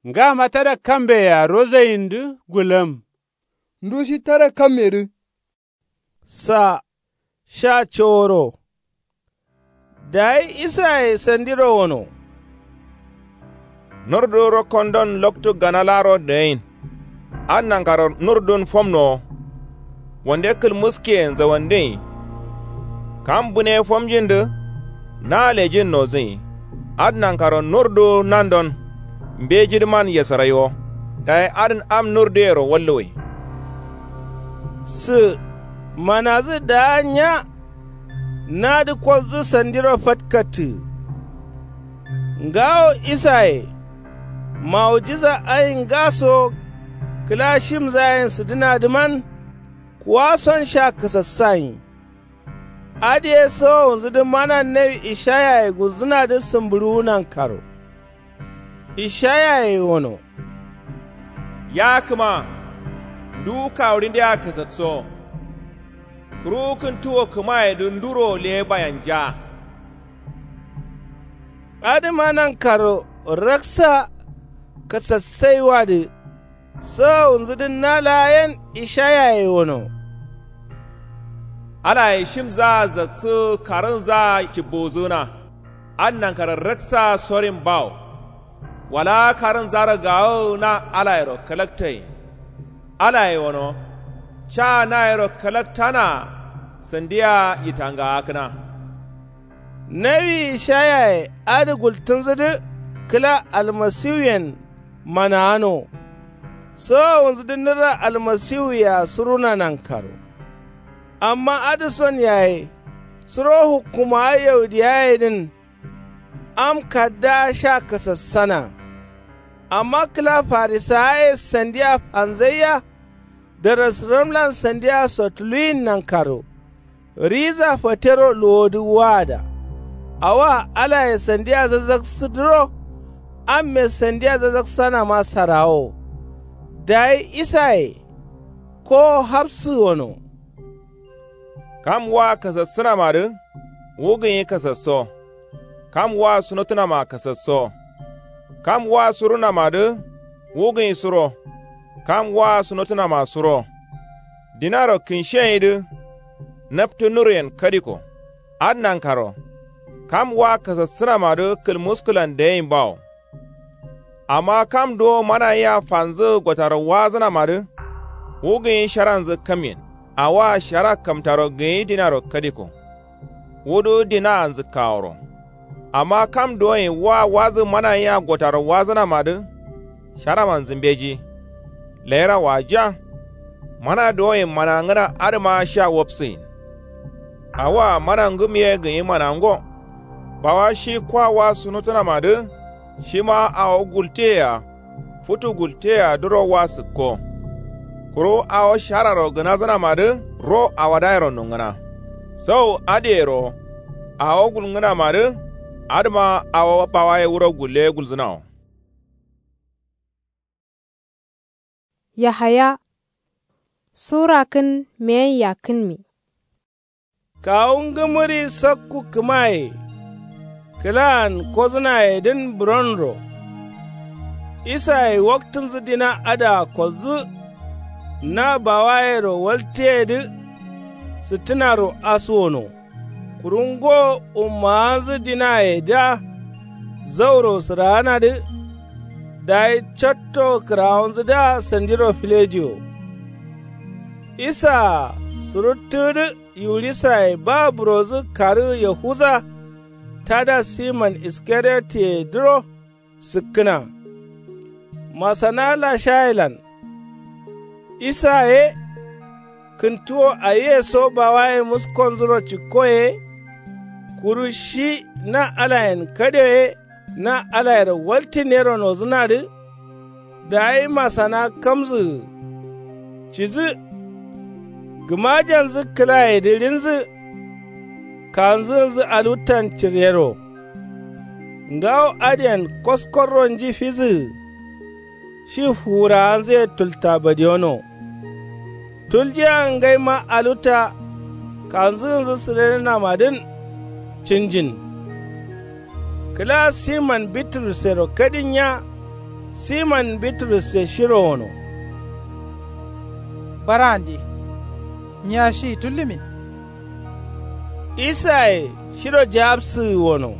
Ngama tada kambe-a rozaindǝ gullam. Ndu shi tada kammedǝ. Sa sha coworo. Dayi isaye sandiro wono. Nurdǝ rokkondon loktu gana laaro dǝgain. Adǝ nankaro nurdǝn fomnowo. Wande kǝlmǝskiyen zawandǝnyi. Kam bǝne fomjindǝ na lejin nozǝnyi. Adǝ nankaro nurdǝ nandon. Mbejidǝman yesaraiwo. Dayi adǝn am nurdǝyero wallowe. Sǝ manazǝ daa nya. Nadǝ koldǝ sandiro fatkattǝ. Ngawo isaye mawujiza ayin ngaso. Kǝla shimzayen sǝdǝnadǝman. Kuwason sha kǝsassayin. Adǝ ye sowowunzǝdǝ mana nawi ishayaye gulzǝnadǝ sǝmbǝɍuwu nankaro. Ishayaye wono. Ya kǝma nduwu kawuɍindea kǝsatsowo. Kǝruwu kǝntuwo kǝmayedǝ nduro leyebayanja. Adǝma nankaro raksa kǝsassaiwadǝ. Sowowunzǝdǝ na laa yen ishayaye wono. Alaye shimzaa zaksǝ karǝnzaa cibbowuzǝgǝna. Adǝ nankaro raksa sorin bawo. Wala karǝnzaro gawuwu na alayero kalaktayin. Alaye wono. Ca nayero kalaktanaa. Sandiya yitangaakǝna. Nawi ishayaye adǝ gultǝnzǝdǝ kǝla almasiwuyen manaano. Sowowunzǝdǝ nǝrra almasiwuyea suruna nankaro. Amma adǝson yaye suro hukkumawa yaudiyayedǝn. Am kaddaa sha kasassana. Amma kǝla farisawaye sandiya fanzaiya. Darasǝramlan sandiya sotuluyin nankaro. Riza fatero luwodǝ waada. Awoa alaye sandiya zazaksǝdǝro. Amme sandiya zazaksanama sarawo. Dayi isaye kowo hafsǝ wono. Kam wa kasassǝnamadǝ wu gǝnyi kasassowo. Kam wa sunotǝnama kasassowo. Kam wa surunamadǝ wu gǝnyi suro. Kam wa sunotǝnama suro. Dinaro kǝnshiyenyi dǝ. Naptǝ nuruyen kadiko. Adǝ nankaro. Kam wa kasassǝnamadǝ kǝlmuskǝlan dagain bawo. Amma kam duwo manayia fanzǝ gotaro wazǝnamadǝ. Wu gǝnyi sharanzǝ kamyen. Awoa shara kamtaro gǝnyi dinaro kadiko. Wudǝ dinaanzǝ kaworo. Amma kam duwonyi wa wazǝ manayia gotaro wazǝnamadǝ. Sharamanzǝ mbeji. Layira waja. Mana duwonyi manangǝna adǝma sha wapsǝyin. Awoa mana ngǝm ye gǝnyi manango. Bawa shi kwa wa sunutǝnamadǝ. Shima awo gulteyea futu gulteyea duro wa sǝkko. Kuru awo shararo gǝnazǝnamadǝ ro awadayero nongǝna. Sau adǝyero awo gulngǝnamadǝ. Adǝma awo bawaye wuro gulle gulzǝnawo. Yahaya sura kǝn meyen yakkǝnmi. Kawu ngǝmǝri sakku kǝmaye kǝlaan kozǝnayedǝn buronro. Isaye waktǝnzǝ dina adǝa kolzǝ. Na bawayero waltǝyedǝ sǝttǝnaro asuwono. Kuru ngo ummawanzǝ dinayedǝa zauro sǝraanadǝ. Dayi catto kǝrawonzǝdǝa sandiro filejiwo. Isaa suruttǝgǝdǝ yiwurisaye ba burodǝ karǝ yahuza tada siman iskariyotiye dǝro sǝkkǝna. Masana lashayelan. Isa ye kǝntuwo ayiye so bawaye muskonzuro cikko ye. Kuru shi na alayen kadio ye na alayero waltǝnero nozǝnadǝ. Dayi masana kamzǝgǝ cidǝ. Gǝmajanzǝ kǝlayedǝ rinzǝ. Kanzǝgǝnzǝ aluttan ciryero. Ngawo adǝyen koskorro nji fizǝgǝ. Shi fuwurawanzǝye tulta badiyono. Tuljiya ngaima alutta. kanzǝgǝnzǝ sǝrenǝnamadǝn cinjin. Kǝla siman bitrusero kadinya siman bitrusse shiro wono. Bara'ande, nyiya shiyi tullumin. Isaye shiro jawabsǝgǝ wono.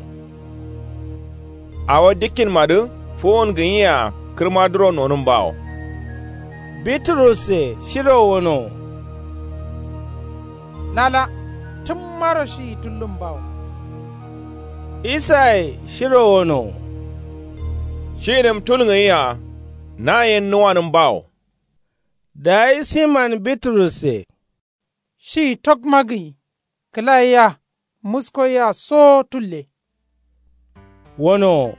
Awo dikkinmadǝ fuwun gǝnyia kǝrmaduro nonǝm bawo. Bitrusse shiro wono. Lala, tǝmmaro shiyi tullum bawo. Isaye shiro wono. Shiyinǝm tulgǝnyia na yen nuwanǝm bawo. Dayi siman bitrusse. Shiyi tokma gǝnyi. Kǝla yea musko yea sowo tulle. Wonowo.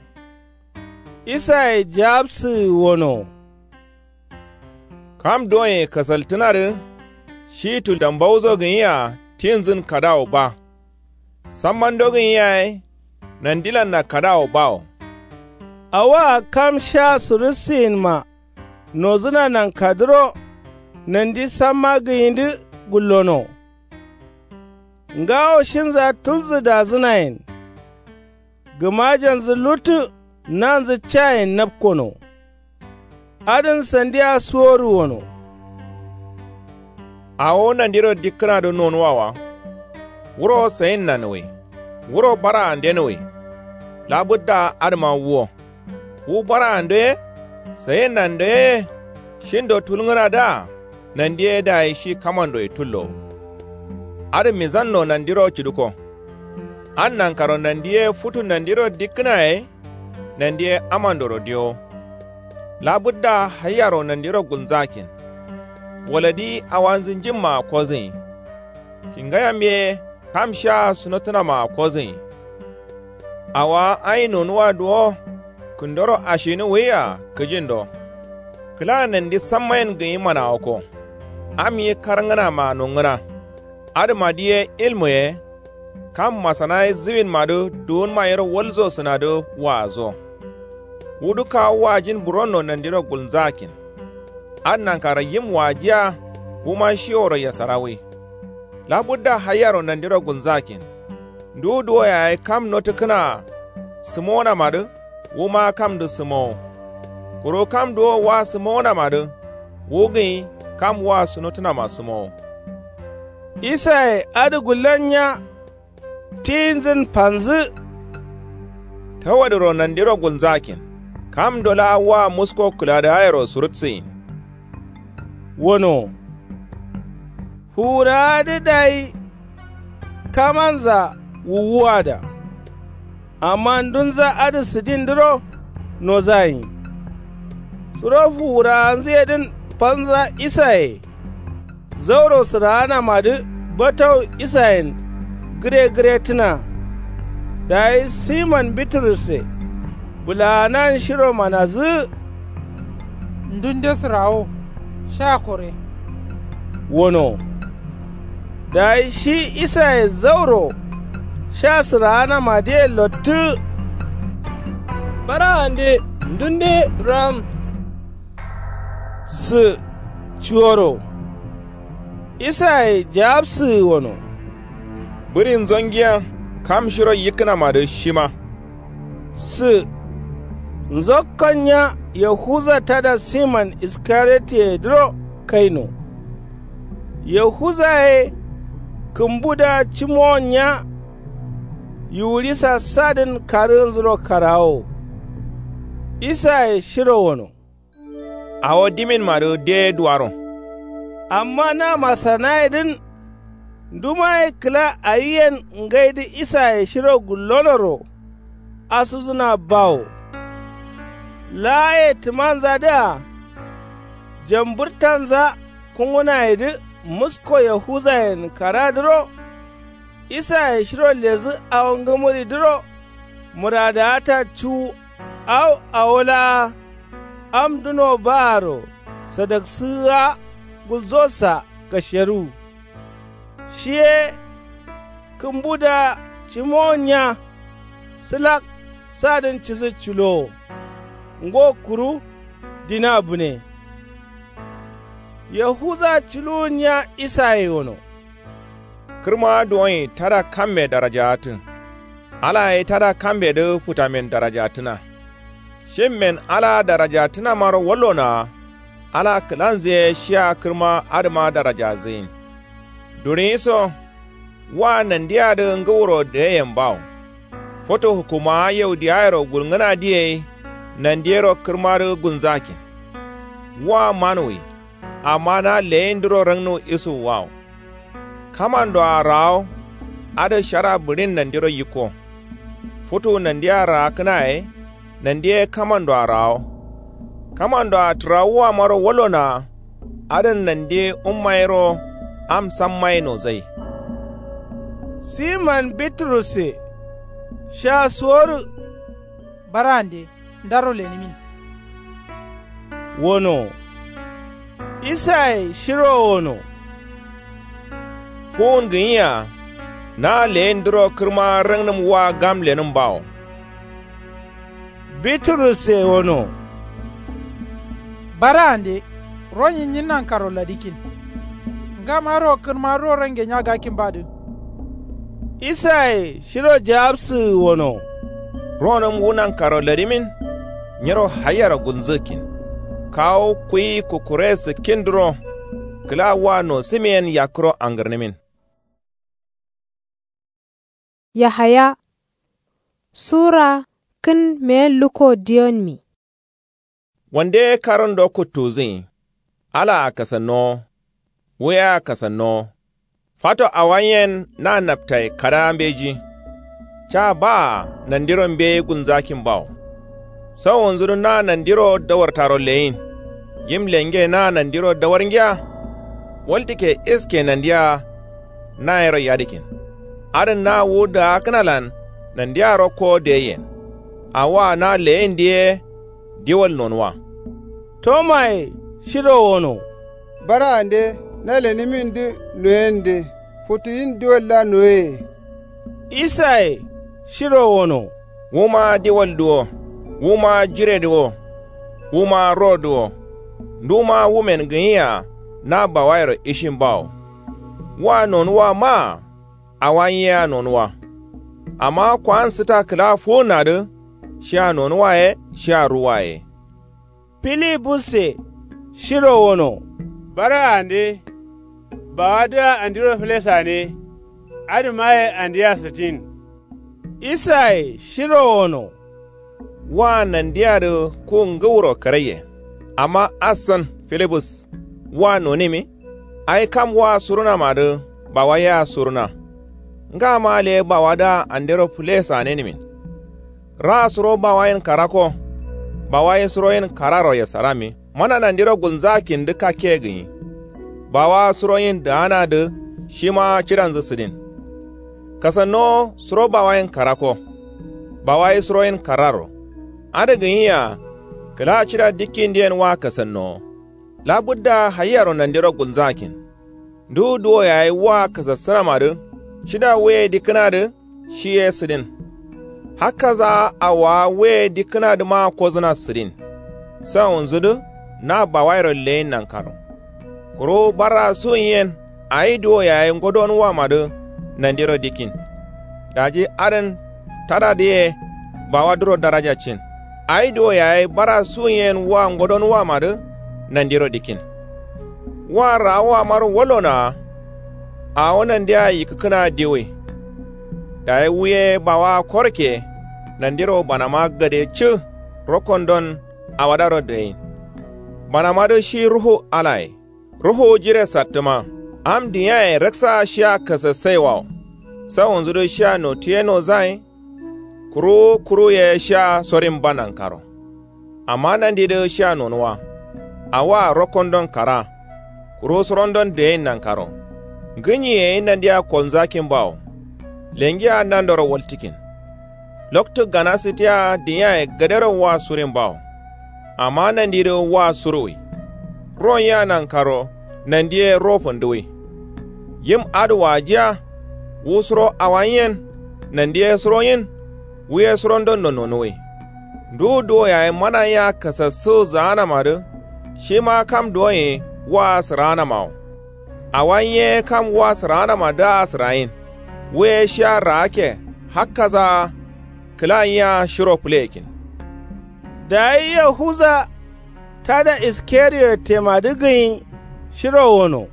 Isaye jawabsǝgǝ wonowo. Kam duwonye kasaltǝnadǝ shi tuldambauso gǝnyia tinzǝn kadawo ba. Sammando gǝnyi yaye nandilanna kadawo bawo. Awoa kam sha surusǝyinma nozǝna nankadǝro nandi samma gǝnyidǝ gullono. Ngawo shinza tulzǝdazǝnayen. Gǝmajanzǝ luttǝ nanzǝ cayen napkono. Adǝn sandiya suworu wono. Awo nandiro dikkǝnadǝ nonuwawa. Wuro sayinnanǝwwi. Wuro bara'andenǝwwi. Labǝdda adǝma wuwo. Wu bara'ando ye sayinnando ye shindo tulngǝnadǝa. Nandi ye dayi shi kamandoye tullowo. Adǝ mizanno nandiro cǝdǝko. Adǝ nankaro nandi ye futu nandiro dikkǝnaye. Nandi ye amandoro diyowo. Labǝdda haiyaro nandiro gulnzakin. Waladi awanzǝ njimmaa kozǝnyi. Kingayam ye kam shaa sunotǝnamaa kozǝnyi. Awowa ayi nonuwa duwo kǝndoro ashinǝwwiya kǝjindo. Kǝla nandi sammayen gǝnyi manawakko. Am ye karngǝnamaa nongǝna. Adǝmadǝ ye ilmu ye kam masanaye zǝwinmadǝ duwunma yero walzo sǝnadǝ waazo. Wu dukka wajin buronno nandiro gulnzakin. Adǝ nankaro yim wajiya wuma shiworo yasarawwi. Labudda haiyaro nandiro gulnzakin. Nduwu duwo yaye kam notǝkkǝnaa sǝmonamadǝ wuma kamdǝ sǝmowo. Kuru kam duwo wa sǝmonamadǝ wu gǝnyi kam wa sunotǝnama sǝmowo. Isaye adǝ gullonya tiyinzǝn fanzǝ. Tawadǝro nandiro gulnzakin. Kamdo laa wa musko kǝladǝgayero surutsǝyin. Wono. Fuwurawa dǝ dayi kamanza wuwuwada. Amma ndunza adǝ sǝdindǝro nozayin. Suro fuwurawanzǝyedǝn fanza isaye zauro sǝraanamadǝ batau isayen gǝre gǝretǝna. Dayi siman bitrusse bǝlaanan shiro manazǝgǝ. Ndunde sǝrawo sha kore. Wono. Dayi shi isaye zauro sha sǝraanamadǝye lottǝgǝ. Bara'ande ndunde ram. Sǝ cuworo. Isaye jawabsǝgǝ wono. Bǝrin zongiya kam shiro yikkǝnamadǝ shima. Sǝ nzokkonnya yahuza tada siman iskariyotiye dǝro kaino. Yahuza ye kǝmbuda cimowonnya. Yiwurisa sadǝn karǝgǝnzuro karawowo. Isaye shiro wono. Awo diminmadǝ deye duwaro. Amma na masanayedǝn ndumaye kǝla ayiyen ngaidǝ isaye shiro gullonoro asudǝna bawo. Laaye tǝmanzadǝa jambǝrtanza kungǝnayedǝ musko yahuzayen karadǝro. Isaye shiro ledǝ awo ngǝmǝridǝro mǝradawata cuwu. Au awo laa am duno baaro sadaksǝgǝa gulzosa kasheruwu. Shi ye kǝmbuda cimowonnya sǝlak sadǝn cidǝ culowo. Ngo kuru dina bǝne. Yahuza culuwunnya isaye wono. Kǝrma duwoin tada kamme darajaatǝ. Ala ye tada kammedǝ futamen darajaatǝna. Shimmen ala darajaatǝnamaro wallonoa. Ala kǝlanzǝ ye shiya kǝrma adǝma darajazǝyin. Duriyiso. Wa nandiadǝ ngǝwuro deyen bawo. Foto hukumawa yaudiyayero gulngǝna diye. Nandiyero kǝrmadǝ gunzakin. Wa manuwi. Amma na leyindǝro rangnu isuwwawo. Kamandoa rawo. Adǝ shara bǝɍin nandiro yikko. Futu nandia raakkǝna ye. Nandi ye kamandoa rawo. Kamandoa tǝrawuwamaro wallonoa. Adǝn nandi ummayero. Am sammaye nozai. Siman biturusse. Sha suwodu. Barande ndaro lenimin. Wono. Isaye shiro wono. Fuwun gǝnyiya. Na leyindǝro kǝrma rangnǝm wa gam lenǝm bawo. Biturusse wono. Barande. Ronyi nyi nankaro ladikin. Ngam aro kǝrma ro range nya gakin badǝ. Isaye shiro jawabsǝ wono. Ronǝm wu nankaro ladimin. Nyiro hayyaro gulzǝkin. Kawu kuyi kukkure sǝkkindǝro. Kǝla wa nosǝmiyen yakkǝro angǝrnǝmin. Yahaya. Sura kǝn meyen lukko diyonmi. Wande karǝndo kuttuzǝyi. Alaa kasannowo. Wuyea kasannowo. Fato awanyen na naptaye kadaa mbeji. Ca baa nandiro mbeyi gulnzakin bawo. Sawunzudǝ na nandiro dawartaro leyin. Yim lenge na nandiro dawarngiya. Waltǝkke iske nandia. Nayero yadǝkin. Adǝn na wu daakkǝnalan nandia rokko deyen. Awoa na leyindi ye. Diwal nonuwa. Tomaye shiro wono. Barande na lenimindǝ noyende. Futuyin diwalla noyeye. Isaye shiro wono. Wuma diwaldǝ wo. Wuma jiredǝ wo. Wuma rodǝ wo. Nduma wumen gǝnyiya. Na bawayero ishin bawo. Wa nonuwa maa. Awa nyia nonuwa. Amma kowan sǝta kǝla fuwunnadǝ. Shia nonuwa ye shia ruwa ye. Filibusse shiro wono. Bara ande. Bawadǝa andiro fǝlesane. Adǝmaye andia sǝtin. Isaye shiro wono. Wa nandiadǝ ku ngǝwuro karaye. Amma assan filibus. Wa nonimi. Ai kam wa surunamadǝ. Bawa yea suruna. Ngama le bawadǝa andero fǝlesanenimin. Raa suro bawayen karakko. Bawaye suroyen kararo yesarammi mana nandiro gulnzakindǝ kakke gǝnyi. Bawa suroyin daanadǝ shima cidanzǝ sǝdin. Kasannowo suro bawayen karakko. Bawaye suroyin kararro. Adǝ gǝnyiya. Kǝla cida dikkindiyen wa kasannowo. Labǝdda hayyaro nandiro gulnzakin. Ndu duwo yayi wa kasassǝnamadǝ. Cida wuye dikkǝnadǝ. Shi ye sǝdin. Hakkaza awowa wuye dikkǝnadǝma kozǝna sǝdin. Sawunzudǝ na bawayiro leyin nankaro. Kuru barra suwunyen awi duwo yayi ngodonuwamadǝ. Nandiro dikkin. Daji adǝn tadadǝ ye. Bawadǝro daraja cin. Awi duwo yayi barra suwunyen wa ngodonuwamadǝ. Nandiro dikkin. Wa raawuwamaro wallonoa. Awo nandia yikkǝkǝna diwui. Dayi wuye bawa korke. Nandiro banama gade cǝ. Rokkondon awadaro dayin. Banamadǝ shi ruhu alaye. Ruhu jire sattǝma. Am diyaye raksa shiya kasassaiwawo. Sawunzudǝ shiya notiye nozayin. Kuruwu kuruye shiya sorin ba nankaro. Amma nandidǝ shiya nonuwa. Awoa rokkondon kara. Kuru surondon dayin nankaro. Ngǝnyi yayi nandia kolnzakin bawo. Lengiya nandoro waltǝkin. Loktu gana sǝtiya diyaye gadero wa surin bawo. Amma nandidǝ wa suruwi. Ron ya nankaro. Nandiye ro fandǝwi. Yim adǝ wajiya. Wu suro awanyen. Nandiye suroyin. Wuye surondon nononuwi. Ndu duwo yayi mana ya kasassǝ zaanamadǝ. Shima kam duwoye wa sǝraanamawo. Awa nyi ye kam wa sǝraanama dǝa sǝrayin. Wu ye shiya raakke hakkasaa. Kǝla nyi yea shiro fǝleyekin. Dayi yahuza tada iskariyotemadǝ gǝnyi shiro wono.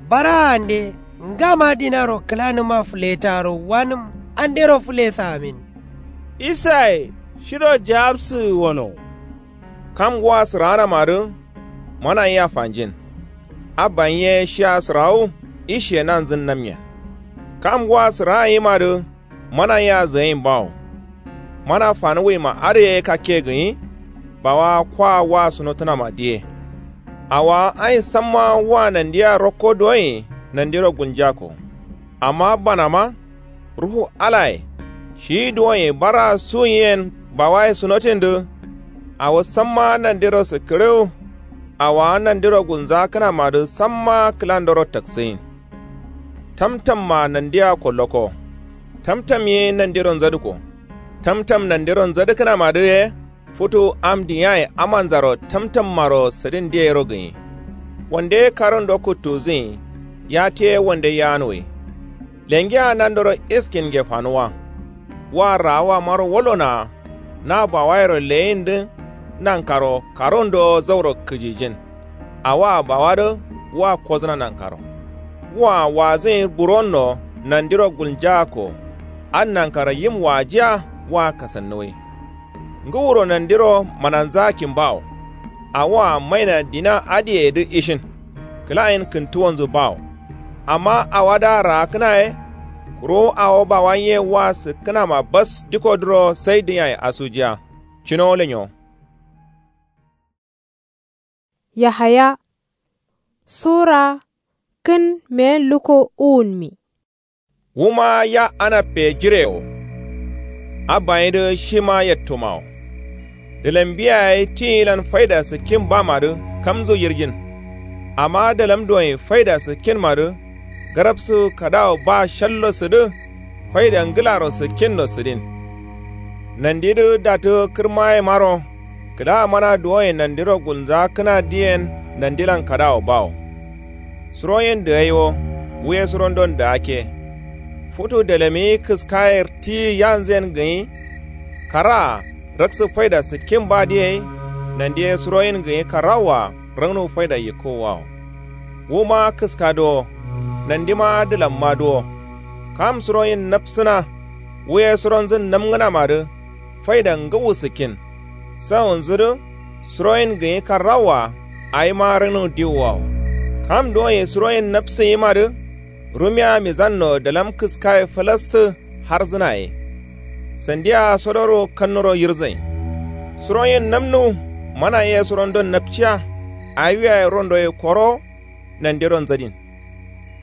Baraande ngama dinaro kǝlanǝma fǝletaro wanǝm andero fǝlesamin. Isaye shiro jawabsǝgǝ wono. Kam wa sǝraanamadǝ mana nyi yea fanjin. Abba nyi ye shiya sǝrawu ishe nanzǝn namyen. Kam wa sǝraanyimadǝ mana nyi yea zǝgain bawo. Mana fanuwima adǝ ye kakke gǝnyi. Bawa kwa wa sunotǝnama diye. Awawa ain samma wa nandiya rokko duwoin nandiro gulnjako. Amma banama ruhu alaye shiyi duwoin bara suwunyen bawaye sunotindǝ. Awo samma nandiro sǝkkǝriwu. Awawa nandiro gulnzakǝnamadǝ samma kǝlandoro taksǝgin. Tamtamma nandiya kolloko. Tamtam ye nandiro nzadǝko. Tamtam nandiro nzadǝkǝnamadǝ ye futu am dǝnyaye amanzaro tamtammaro sǝdin diyero gǝnyi. Wande karundo kǝttuzǝgin. Yatiye wande yanuwi. Lengea nandoro iskin nge fanuwa. Wa raawamaro wallonoa. Na bawayero leyindǝ nankaro karundo zauro kǝjijin. Awoa bawadǝ wa kozǝna nankaro. Wa wazǝgin buronno nandiro gulnjaakko. Adǝ nankaro yim wajiya wa kasannuwi. Ngǝwuro nandiro mananzakin bawo. Awoa maina dina adǝyeyedǝ ishin. Kǝlayin kǝntuwonzǝ bawo. Amma awadǝa raakǝna ye. Kuru awo bawa nyi ye wa sǝkkǝnama bas dikodǝro sai dǝnyaye asujiya. Cino lenyo. Yahaya sura kǝn meyen luko uwunmi. Wuma ya anabbe jirewo. Abbayindǝ shima yattumawo. Dǝlam biyaye tiyilan faida sǝkkin bamadǝ kamzu yirjin. Amma dǝlam duwoin faida sǝkkinmadǝ garabsu kadawo ba shallo sǝdǝ. Faida ngǝlaro sǝkkinno sǝdin. Nandidǝ datǝ kǝrmayemaro. Kǝdamana duwoin nandiro gulnzakǝnadǝyen nandilan kadawo bawo. Suroyin dǝgai wo. Wuye surondon dǝgakke. Futu dalamiyi kǝskaye tiyi yanzuyen gǝnyi. Karaa raksǝ faida sǝkkin badǝ yei. Nandiye suroyin gǝnyi karrawoa raknu faida yikkowawo. Wuma kǝska duwo. Nandima dǝlamma duwo. Kam suroyin napsǝna. Wuye suronzǝn namngǝnamadǝ. Faida ngǝwu sǝkkin. Sawunzudǝ suroyin gǝnyi karrawoa. Awima raknu diwuwawo. Kam duwoin suroyin napsǝnyimadǝ. Rumiya mizanno dalam kǝskaye fǝlastǝ harzǝna ye. Sandiya sodoro kannuro yirzain. Suroyin namnu mana ye surondon napciya. Awiyaye rondoye koro. Nandiro nzadin.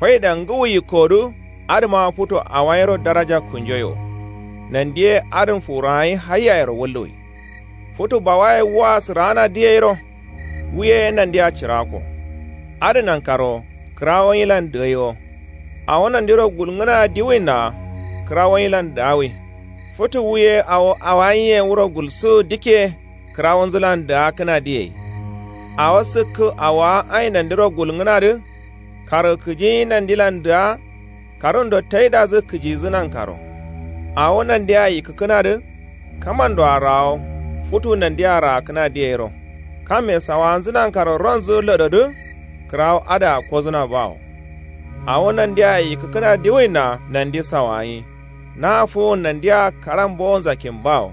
Faida ngǝwu yikkodǝ. Adǝma futu awayiro daraja kunjoyo. Nandiye adǝn fuwuragai haiyayero wulluwi. Futu bawaye wua sǝraana diyeiro. Wuye nandiya cirako. Adǝ nankaro kǝrawo nyilan dǝgai wo. Awo nandiro gulngǝna diwinna. Kǝrawo nyilan dǝgawi. Futu wuye awo awayin ye wuro gulsu dikke. Kǝrawonzǝlan dǝgakkǝna diyei. Awo sǝkkǝ awowa ain nandiro gulngǝnadǝ. Kargǝ kǝjiyi nandilan dǝga. Karundo taidazǝ kǝjizǝ nankaro. Awo nandiya yikkǝkkǝnadǝ. Kamandoa rawo. Futu nandiya raakkǝna diyeiro. Kamme sawawanzǝ nankaro ronzǝ lododǝ. Kǝrawo adǝa kozǝna bawo. Awo nandiya yikkǝkkǝna diwinna nandi sawawanyi. Na fuwun nandiya karan bowonzakin bawo.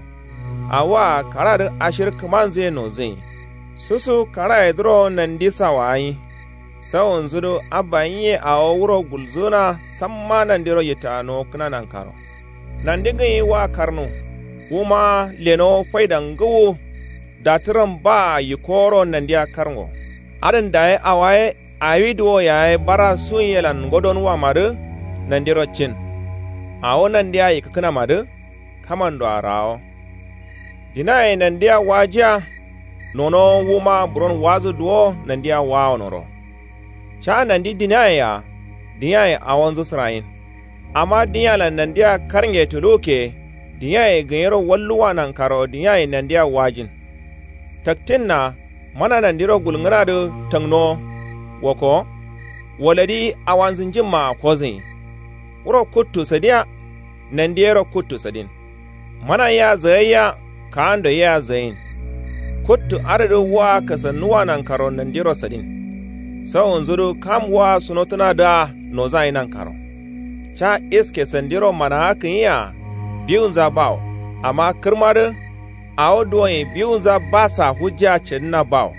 Awoa karadǝ ashir kǝmanzǝye nozǝnyi. Susu karayedǝro nandi sawawanyi. Sawunzudǝ abba nyiye awo wuro gulzǝna samma nandiro yitta nowokkǝna nankaro. Nandi gǝnyi wa karnu. Wuma lenowo faida ngǝwu. Datǝram baa yikkoworo nandiya karngo. Adǝn dayi awaye awi duwo yaye bara suwunyelan ngodonuwamadǝ. Nandiro cin. Awo nandiya yikkǝkkǝnamadǝ. Kamandoa rawo. Dinaye nandiya wajiya. Nonowo wuma buron wazǝ duwo nandiya wawonoro. Ca nandi dinayea. Dinaye awonzǝ sǝrayin. Amma dinalan nandiya karnge tuluwukke. Dinaye gǝnyiro walluwa nankaro dinaye nandiya wajin. Taktinna mana nandiro gulngǝnadǝ tangnowo. Woko. Waladi awanzǝnjimmaa koziyin. Wuro kuttu sadiya. Nandi yero kuttu sadin. Mana yea zayayya. Kaando yea zayin. Kuttu adǝdǝ wa kasannuwa nankaro nandiro sadin. Sawunzudǝ kam wa sunotǝnadǝa nozayi nankaro. Ca iske sandiro manawa kǝnyia. Biwunza bawo. Amma kǝrmadǝ. Awo duwonyi biwunza basa hujja cǝdǝna bawo.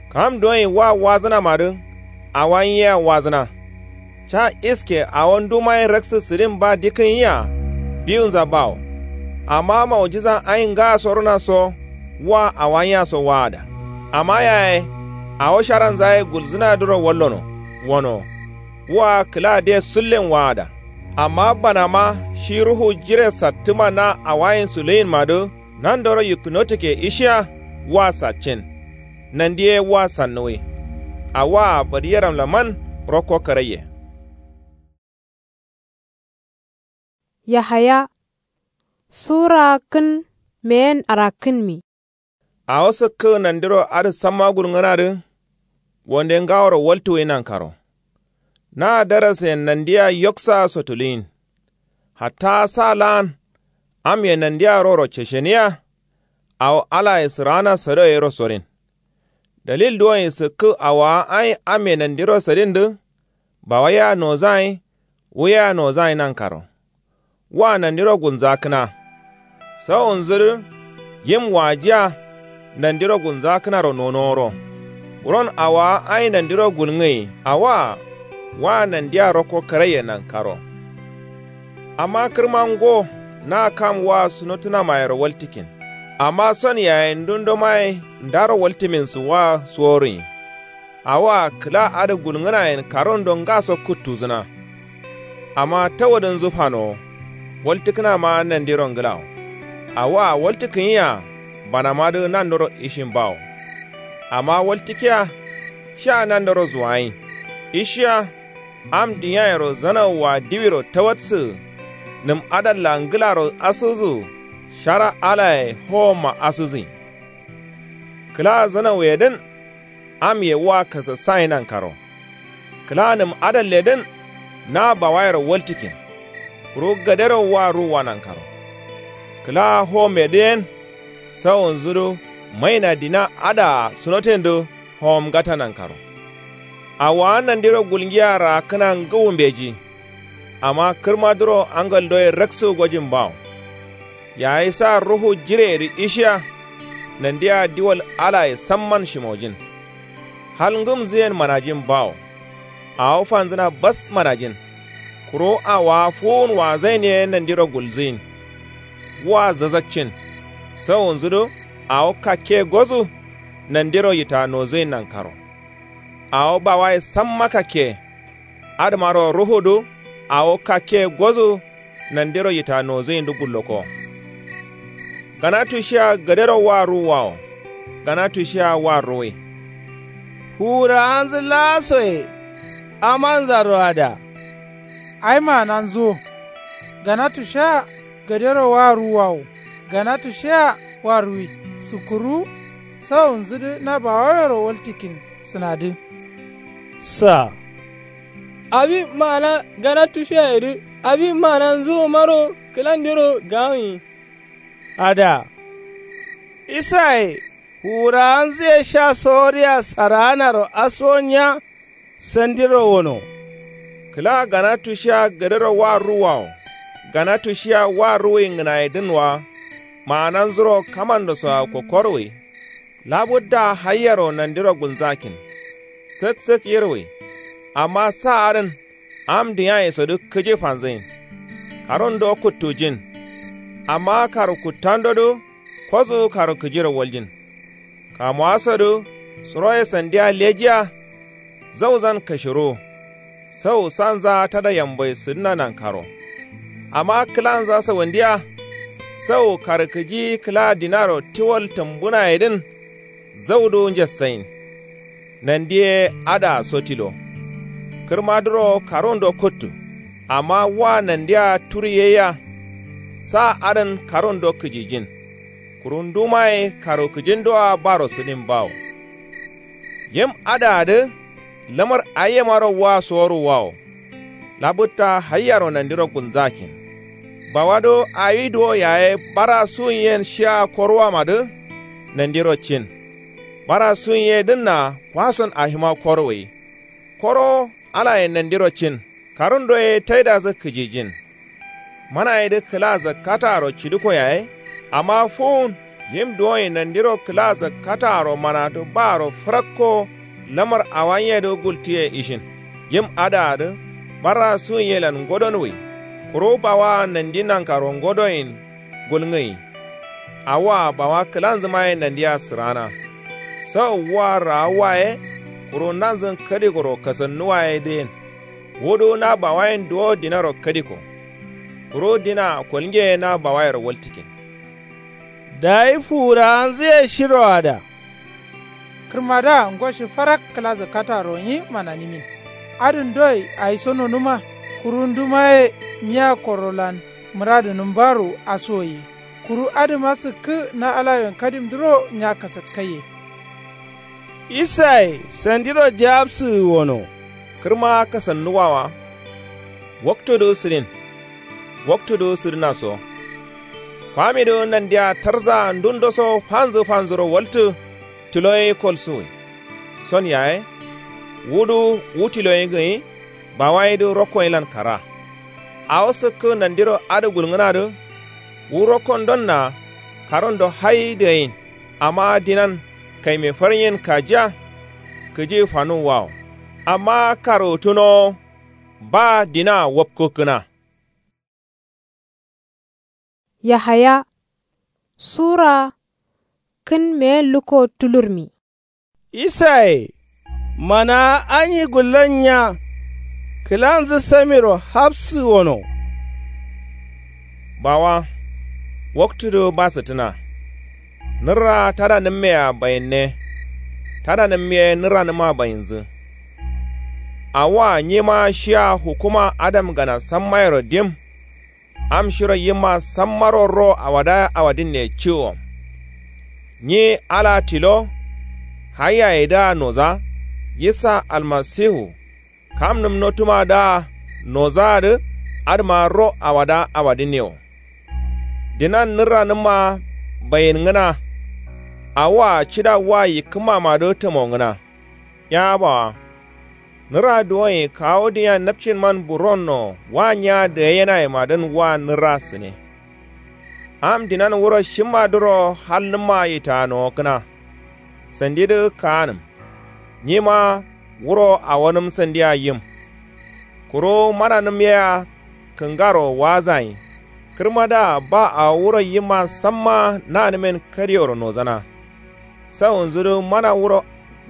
Kam duwonyi wa wazǝnamadǝ. Awa nyia wazǝna. Ca iske awo ndumaye raksǝ sǝdin ba dikkǝn yia. Biwunza bawo. Amma maujiza ayi ngaso runa so. Wa awa nyaso waada. Amma yaye. Awo sharanzaye gulzǝnadǝro wallono. Wono. Wa kǝla de sullen waada. Amma banama shi ruhu jire sattǝma na awayin suluyinmadǝ. Nandoro yikkǝnotǝkke ishiya. Wa saccin. Nandiye wa sannuwi. Awaa badiyeramlaman. Rokko karaiye. Yahaya. Sura kǝn meyen arakkǝnmi. Awo sǝkkǝ nandiro adǝ samma gulngǝnadǝ. Wonde ngaworo waltǝwi nankaro. Na darasen nandiya yoksaa sotuluyin. Hatta sa laan. Amye nandiya roro cesheniya. Awo alaye sǝraana sado yero sorin. Dalil duwonyi sǝkkǝ awowa ayi amye nandiro sadindǝ. Bawaiya nozayin. Wuya nozayin nankaro. Wa nandiro gulnzakkǝna. Sawunzudǝ. Yim wajiya. Nandiro gulnzakkǝnaro nonoworo. Buron awowa ayi nandiro gulngǝyi awoa. Wa nandiya rokko karaiye nankaro. Amma kǝrma ngo. Na kam wa sunotǝnamayero waltǝkkin. Amma son yaye ndundo maye ndaro waltǝmin suwwa suworuyin. Awoa kǝla adǝ gulngǝnayen karundo ngaso kuttuzǝna. Amma tawudǝnzǝ fanowo. Waltǝkkǝnama nandiro ngǝlawo. Awoa waltǝkkǝnyia. Banamadǝ nandoro ishin bawo. Amma waltǝkkiya. Sha nandoro zuwayin. Ishiya. Am diyayero zanauwa diwiro tawatsǝ. Nǝm adalla ngǝlaro asǝzǝ. Shara alaye howomma asǝzǝyin. Kǝla zanauyedǝn. Amye wa kasassayin nankaro. Kǝla nǝm adalledǝn. Na bawayero waltǝkkin. Kuru gadero wa ruwwa nankaro. Kǝla howomyedǝ yen. Sawunzudǝ. Maina dina adǝa sunotendǝ. Howomngata nankaro. Awowa nandiro gulngiya raakkǝna ngǝwu mbeji. Amma kǝrmadǝro angaldoye raksǝ gojin bawo. Yayi sa ruhu jireyedǝ ishiya. Nandiya diwal alaye samman shimojin. Hal ngǝmzǝyen manajin bawo. Awo fanzǝna bas manajin. Kuru awowa fuwun wazain ye nandiro gulzǝyin. Wa zazakcin. Sawunzudǝ. Awo kakke gozǝ. Nandiro yita nozǝyin nankaro. Awo bawaye samma kakke. Adǝmaro ruhudǝ. Awo kakke gozǝ. Nandiro yita nozǝyindǝ gulloko. Gana tushiya gadero wa ruwwawo. Gana tushiya wa ruwi. Fuwurawanzǝ laasoye. Amanzaro ada. Ai maananzǝ wo. Gana tushiya gadero wa ruwwawo. Gana tushiya wa ruwi. Sukkuru. Sawunzǝdǝ na bawawero waltǝkkin. Sǝnadǝ. Sa. Awi maana gana tushiyayedǝ awi maananzǝ wumaro kǝlandero gawunyi. Ada. Isaye fuwurawanzǝye sha sowodiya saraanaro asuwonnya. Sandiro wono. Kǝla gana tushiya gadero wa ruwwawo. Gana tushiya wa ruwi ngǝnayedǝn wa. Maananzuro kamandosoa kokkoruwi. Labudda hayyaro nandiro gulnzakkin. Sǝk sǝk yirwi. Amma sa adǝn. Am dǝnyayesodǝ kǝji fanzǝyin. Karundo kuttujin. Amma karu kuttandodǝ. Kosu karu kǝjiro waljin. Kamuwasodǝ. Suroye sandiya lejiya. Zauzan kashiruwu. Sau sanza tada yambai sǝdǝna nankaro. Amma kǝlanza sawandiya. Sau karkǝji kǝla dinaro tiwal tǝmbunayedǝn. Zaudǝ njassayin. Nandiye adǝa sotilo. Kǝrmadǝro karundo kuttu. Amma wa nandiya turi yeiya. Sa adǝn karundo kǝjijin. Kuru ndumaye karu kǝjindoa baro sǝdin bawo. Yim adǝadǝ. Lamar ayyemaro wa soruwawo. Labutta hayyaro nandiro gulnzakin. Bawado awi duwo yaye bara suyin yen shiya koruwamadǝ. Nandiro cin. Bara suyin ye dǝnna kwason ahima koruwai. Koro alaye nandiro cin. Karun doye taidazǝ kǝjijin. Manayedǝ kǝla zakkataro cidǝko yaye. Amma fuwun yim duwoyin nandiro kǝla zakkataro manadǝ baro fǝrakko. Lamar awanyedǝ gultiye ishin. Yim adǝadǝ bara suwunyelan ngodon wǝyi. Kuru bawa nandi nankaro ngodoyin gulngǝyi. Awoa bawa kǝlanzǝmaye nandiya sǝrana. Sau wua raawuwa ye. Kuru nanzǝn kadikoro kasannuwa ye dǝyen. Wudu na bawayen duwo dinaro kadiko. Kuru dina kolnge ye na bawayero waltikin. Dayi fuwurawanzǝye shiroada. Kǝrmadǝa ngoshi farak kǝla zakkataro nyi mananimin. Adǝn doi aiso nonuma. Kuru ndumaye nyiya korolan mǝradǝnǝm baru asuwoye. Kuru adǝma sǝkkǝ na alawiyen kadimdǝro nya kasatkaiye. Isaye sandiro jawabsǝgǝ wono. Kǝrma kasannuwawa. Waktudǝ sǝdin. Waktudǝ sǝdǝna so. Kwamidǝ nandiya tarzaa ndundoso fanzǝ fanzǝro waltǝ. Tilo ye kolsuwǝ. Son yaye. Wudu wu tilo ye gǝnyi. Bawayedǝ rokkoyelan kara. Awo sǝkkǝ nandiro adǝ gulngǝnadǝ. Wu rokkondonna. Karundo hayi dǝgayin. Amma dinan kaime farnyen kajiya. Kǝji fanuwwawo. Amma karwutǝnowo. Ba dinaa wapkukkǝna. Yahaya sura kǝn meyen lukko tulurmi. Isaye manaa anyi gullon nya. Kǝlanzǝ samiro hapsǝ wono. Bawa. Waktudǝ basǝttǝna. Nǝrra tadanǝmmea bayinne. Tadanǝm ye nǝrranǝma bayinzǝ. Awoa nyima shiya hukuma adam gana sammayero dim. Am shiro yimma sammaro ro awada awadinne ciwo. Nyi ala tilo. Haiyayedǝa noza. Yisa almasihu. Kamnǝm notumadǝa nozaadǝ. Adǝma ro awada awadinne wo. Dinan nǝrranǝmma bayinnǝna. Awoa cida wa yikkǝmmamadǝ tamongǝna. Ya bawa. Nǝra duwonyi kawu dinya napcinman buronno wa nya dǝgaiyenayemadǝn wa nǝra sǝne. Am dinan wuro shimmadǝro halnǝmma yitanowokkǝna. Sandidǝ kaanǝm. Nyima wuro awonǝm sandia yim. Kuru mananǝm yea kǝngaro waazayin. Kǝrmadǝa ba awo wuro yimma samma nanǝmen kadiyoro nozana. Sawunzudǝ mana wuro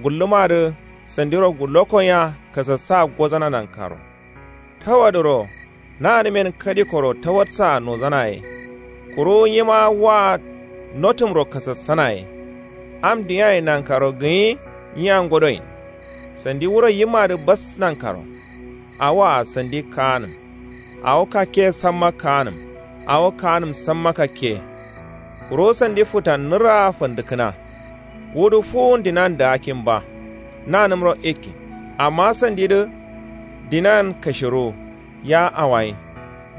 gullǝmadǝ sandiro gullokkonya kasassa gozana nankaro. Tawadǝro nanǝmen kadikoro tawadsa nozanaye. Kuru nyima wa notǝmro kasassanaye. Am diyaye nankaro gǝnyi nyiya ngodoyin. Sandi wuro yimmadǝ bas nankaro. Awoa sandi kaanǝm. Awo kakke samma kaanǝm. Awo kaanǝm samma kakke. Kuru sandi futan nǝrraa fandǝkkǝna. Wudǝ fuwun dinan daakkin ba. Nanǝmro ikkin. Amma sandidǝ dinan kashiruwu. Ya awayi.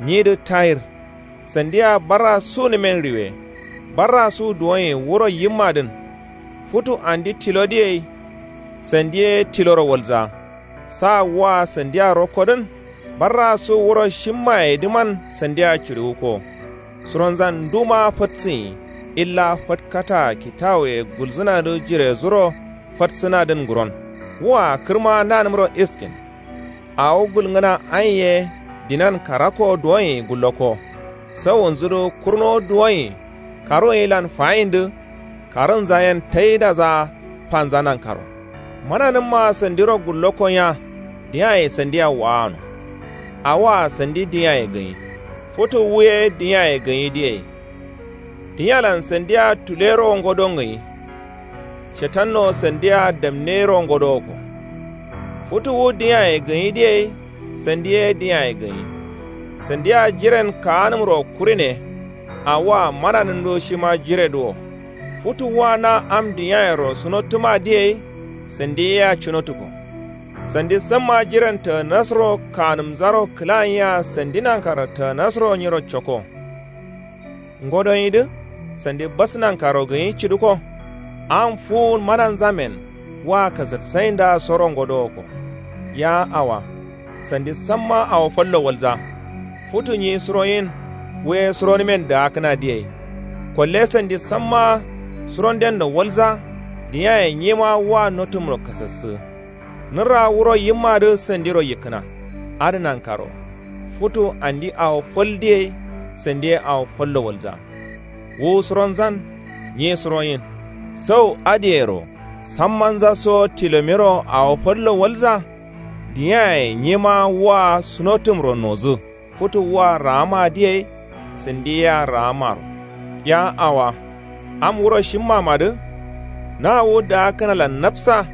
Nyidǝ tayir. Sandia barra sunǝmen riwe. Barra su duwonye wuro yimmadǝn. Futu andi tilodǝ yei. Sandi ye tiloro walza. Sa wua sandia rokkodǝn. Barra su wuro shimmayedǝman sandia ciriwukko. Suronzan nduma fatsǝnyi. Illa fatkataa kitawuye gulzǝnadǝ jirezuro fatsǝnadǝn nguron. Wua kǝrma nanǝmro iskin. Awo gulngǝna anye dinan karakko duwonyi gullokko. Sawunzudǝ kurno duwonyi karunyilan fayindǝ. Karunza yen taidaza fanza nankaro. Mananǝmma sandiro gullokkonya. Diyaye sandia waano. Awoa sandi diyaye gǝnyi. Futu wu ye diyaye gǝnyidǝ yei. Diyalan sandia tulero ngodo ngǝnyi. Shetanno sandia damnero ngodowokko. Futu wu diyaye gǝnyidǝ yei. Sandi ye diyaye gǝnyi. Sandia jiren kaanǝmro kurine. Awoa mananǝmdǝ shima jiredǝ wo. Futu wua na am diyayero sunottǝmadǝ yei. Sandi yea cunottukko. Sandi samma jiran tǝgǝnasro kanǝmzaro kǝla yea sandi nankaro tǝgǝnasro nyiro coko. Ngodonyi dǝ sandi bas nankaro gǝnyi ciduko. Am fuwun mananzamen wa kasatsayinda soro ngodowoko. Ya awa, sandi samma awo fallo walza. Futu nyi suroyin. Wuye suronǝmen daakǝna diyai. Kolle sandi samma surondenno walza. Diyaye nyima wa notumro kasassǝ. Nǝrra wuro yimmadǝ sandiro yikkǝna. Adǝ nankaro futu andi awo fal diyai. Sandiye awo fallo walza. Wu suronzan nyi suroyin. Sau adǝyero sammanza so tilomiro awo fallo walza. Diyaye nyima wa sunotumro nozǝ. Futu wa raama diyai. Sandi yea raamaro. Ya awa, am wuro shimmamadǝ. Na wu daakǝnalan napsa.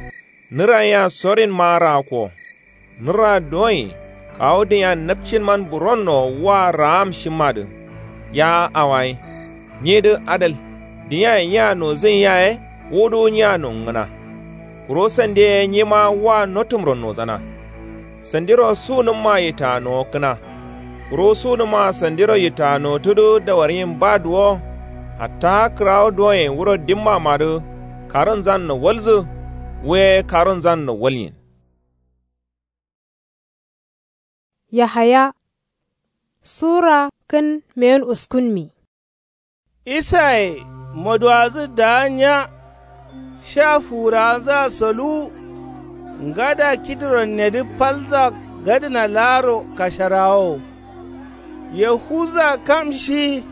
Nǝran yea sorinma raakko. Nǝra duwonyi kawu dǝnya napcinman buronno wa raam shimmadǝ. Ya awayi, nyidǝ adal. Dǝnyaye nya nozǝn yaye. Wudu nya nongǝna. Kuru sandiye nyima wa notumro nozana. Sandiro sunǝmma yitta nowokkǝna. Kuru sunǝmma sandiro yitta nowottudǝ dawaryin ba duwo. Hatta kǝrawo duwonye wuro dimmamadǝ. Karunzanno walzǝ. Wuye karunzanno walnyin. Yahaya sura kǝn meyen uskunmi. Isaye moduwazǝ daa nya. Sha fuwurawanzǝa soluwu. Ngada kidron nedǝ falza gadǝna laaro kasharawawo. Yahuza kam shi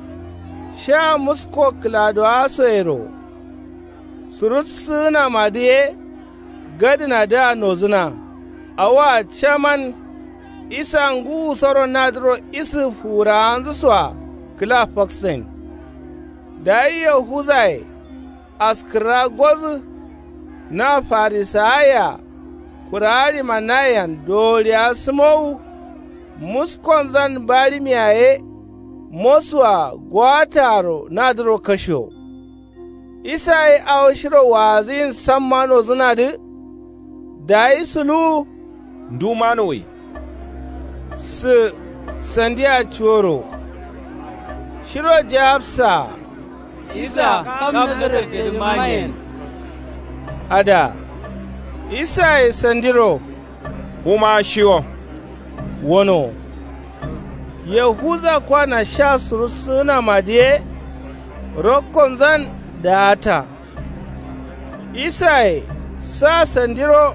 sha musko kǝladowasoyero. Surussǝgǝnamadǝ ye. Gadǝnadǝa nozǝna. Awoa caman. Isa ngǝwusoro nadǝro isǝ fuwurawanzǝsoa kǝla faksain. Dayi yahuzaye askǝrra gozǝ. Na farisawayea kurawa ɍimanayean dowoliya sǝmowu. Muskonzan baɍimiya ye. Mosua gowataaro nadǝro kashiyo. Isa ye awo shiro waazǝyin samma nozǝnadǝ. Dayi suluwu. Ndu manuwwi. Sǝ sandia cuworo. Shiro jawabsaa. Isa kam nazarette dǝ mayen. Ada. Isaye sandiro. Wuma shiwo. Wono. Yahuza kwana sha surussǝgǝnamadǝ ye. Rokkonzan daata. Isaye sa sandiro.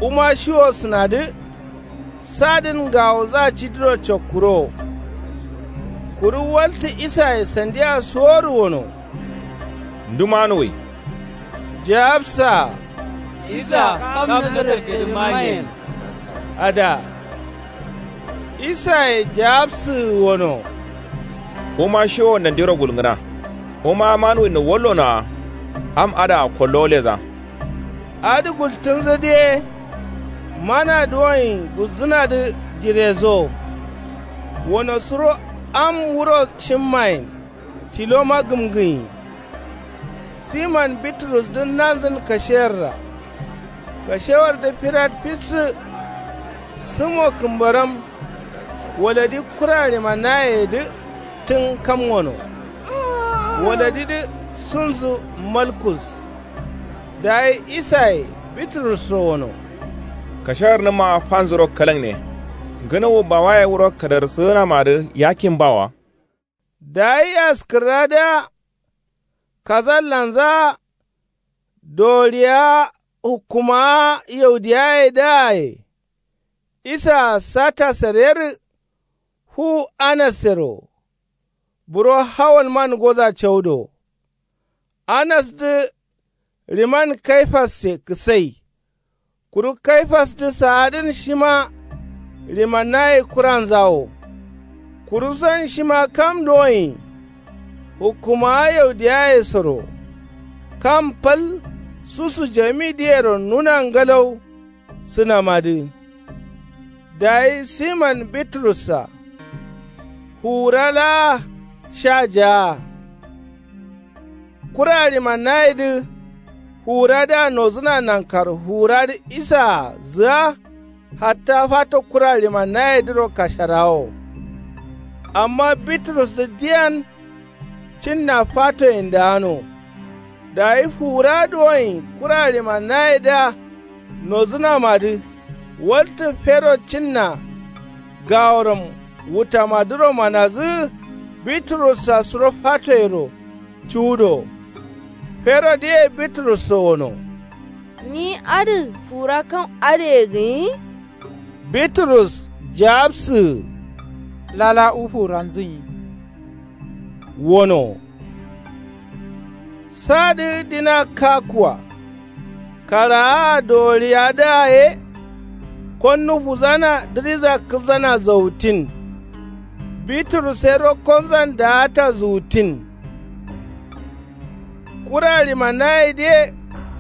Wuma shiwo sǝnadǝ. Sadǝn ngawoza cidiro cokkurowo. Kuru waltǝ isaye sandia suworǝ wono. Ndu manuwwi. Jawabsaa. Isa kam nazarette dǝ mayen. Ada. Isaye jawabsǝgǝ wono. Wuma shiwo nandiro gulngǝna. Wuma manuwwinno wallonoa. Am adǝa kollo leza. Adǝ gultǝnzǝdǝ ye. Mana duwonyi gulzǝnadǝ jireso. Wono suro am wuro shimmayen. Tiloma gǝmgǝnyi. Siman biturusdǝ nanzǝn kashewarra. Kashewardǝ firat fissǝ. Sǝmo kǝmbaram. Waladi kura ɍimanayedǝ tǝn kam wono. Waladidǝ sunzǝ malkus. Dayi isaye biturusso wono. Kashewarnǝmma fanzuro kalaŋne. Ngǝnuwu bawaye wuro kadarsǝgǝnamadǝ yakin bawa. Dayi askǝrradǝa. Kasallanzaa. Doriya hukkumawa yaudiyayedǝaye. Isaa sata sarerǝ. Fuwu anassero. Buro hawalman goza caudo. Anasdǝ. Ɍiman kaifasse kǝsai. Kuru kaifasdǝ saadǝn shima. Ɍimanaye kuranza wo. Kuruson shima kam duwonyi. Hukkumawa yaudiyayesoro. Kam fal susu jamidǝyero nuna ngalau. Sǝnamadǝ. Dayi siman biturussa. Fuwura laa sha jaa. Kura ɍimanayedǝ. Fuwuradǝa nozǝna nankaro fuwuradǝ isaa zǝa. Hatta fato kura limannayedǝro kasharawo. Amma bitrusdǝ diyan cinna fatoyendǝano. Dayi fuwura duwoin kura limannayedǝa nozǝnamadǝ waltǝ fero cinna gaworam wutamadǝro manazǝ. Bitrus-a suro fatoyero cuwudo. Ferodǝye bitrusro wono. Nyi adǝ fuwura kam adǝye gǝnyi? Bitrus jawabsǝgǝ. Lala wu fuwuranzǝnyi. Wono. Sadǝ dina kakkua. Karaa dowoliyadǝa ye. Konnu fuzana dǝriza kǝzana zautin. Bitrus ye rokkonzan daata zuwutin. Kura limannayedǝ ye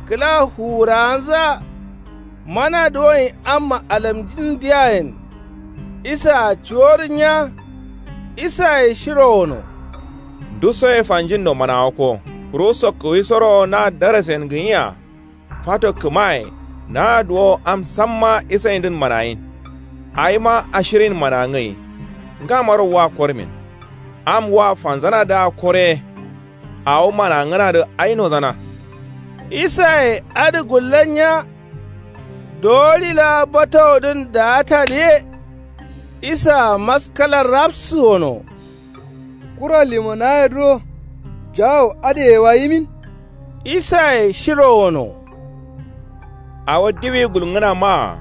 kǝla fuwurawanzǝa. Mana duwoin amma alamjin diyayen. Isaa cuworǝnya. Isaye shiro wono. Ndusoye fanjinno manawakko kuru sokkuwisoro na darasen gǝnyia. Fato kǝmaye naa duwo am samma isayindǝn manayin. Awima ashirin manangai. Ngamaro wa kormin. Am wa fanzanadǝa kore. Awo manangǝnadǝ ai nozana. Isaye adǝ gullannya. Dowoli laa batawodǝn daatadǝ ye. Isaa maskala rapsǝ wono. Kura limanayedǝro jawo adǝye wa yimin? Isaye shiro wono. Awo diwi gulngǝna maa.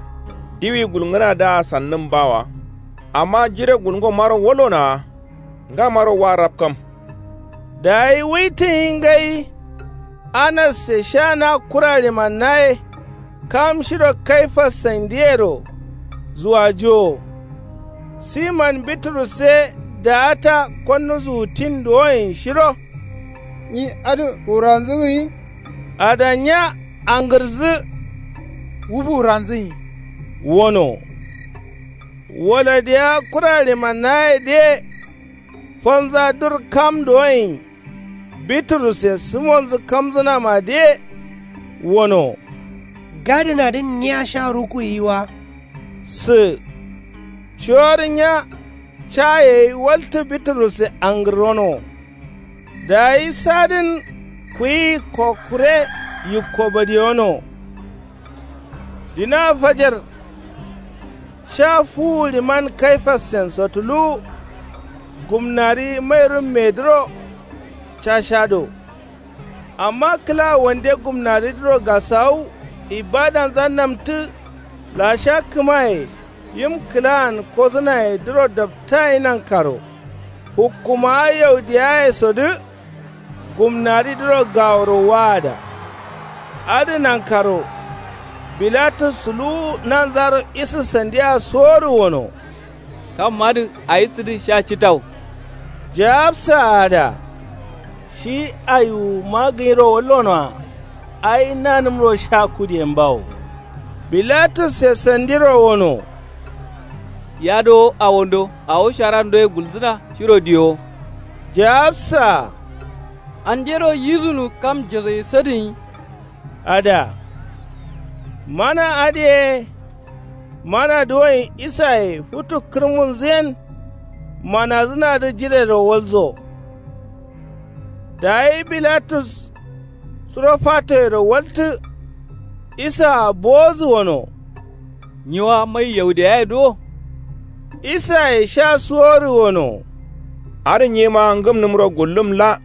Diwi gulngǝnadǝa sannǝm bawa. Amma jire gulngomaro walonawa. Ngamaro wa rapkam. Dayi wuitǝnyi ngai. Anasse sha na kura limannaye. Kam shiro kaifas sandiyero. Zuwajuwo. Siman bitrus ye daata konnu zuwutin duwoin shiro. Nyi adǝ fuwuranzǝgǝnyi? Adanya angǝrzǝ. Wu fuwuranzǝnyi. Wono. Wala diya kura limannayedǝ ye. Fanza dur kam duwoin. Bitrus ye simonzǝ kamzǝnamadǝ ye. Wono. Gadǝnadǝn nyiya sha rukuyiwa. Sǝ. Cuworǝnya. Ca yeyi waltǝ bitrus ye angǝrono. Dayi sadǝn kuyi kokkure yikko badiyono. Dina fajar. Sha fuwu liman kaifassen sotuluwu. Gumnari mairummedǝro. Cashado. Amma kǝla wande gumnaridǝro gasawu ibadanza namtǝ. Lasha kǝmaye yim kǝlaan kosǝnayedǝro daptayi nankaro. Hukkumawa yaudiyayesodǝ. Gumnaridǝro gaworo waada. Adǝ nankaro. Bilatus suluwu nanzaro isǝ sandiya suworǝ wono. Kammadǝ ayi sǝdǝ sha citau. Jawabsa ada. Shi ayiwuma gǝnyiro wallonoa. Ayi nanǝmro sha kudiyen bawo. Bilatusse sandiro wono. Yadowo awondo awo sharando ye gulzǝna shiro diyowo. Jawabsa. Andero yizǝnu kam josoyi sadǝnyi. Ada. Mana adǝ ye. Mana duwoin isaye futu kǝrmunzǝ yen. Manazǝnadǝ jirero walzo. Dayi bilatus suro fatoyero waltǝ. Isaa bowozǝ wono. Nyiwa mai yaudiyaye duwo. Isaye sha suworǝ wono. Adǝ nyima ngǝmnǝmro gullum la.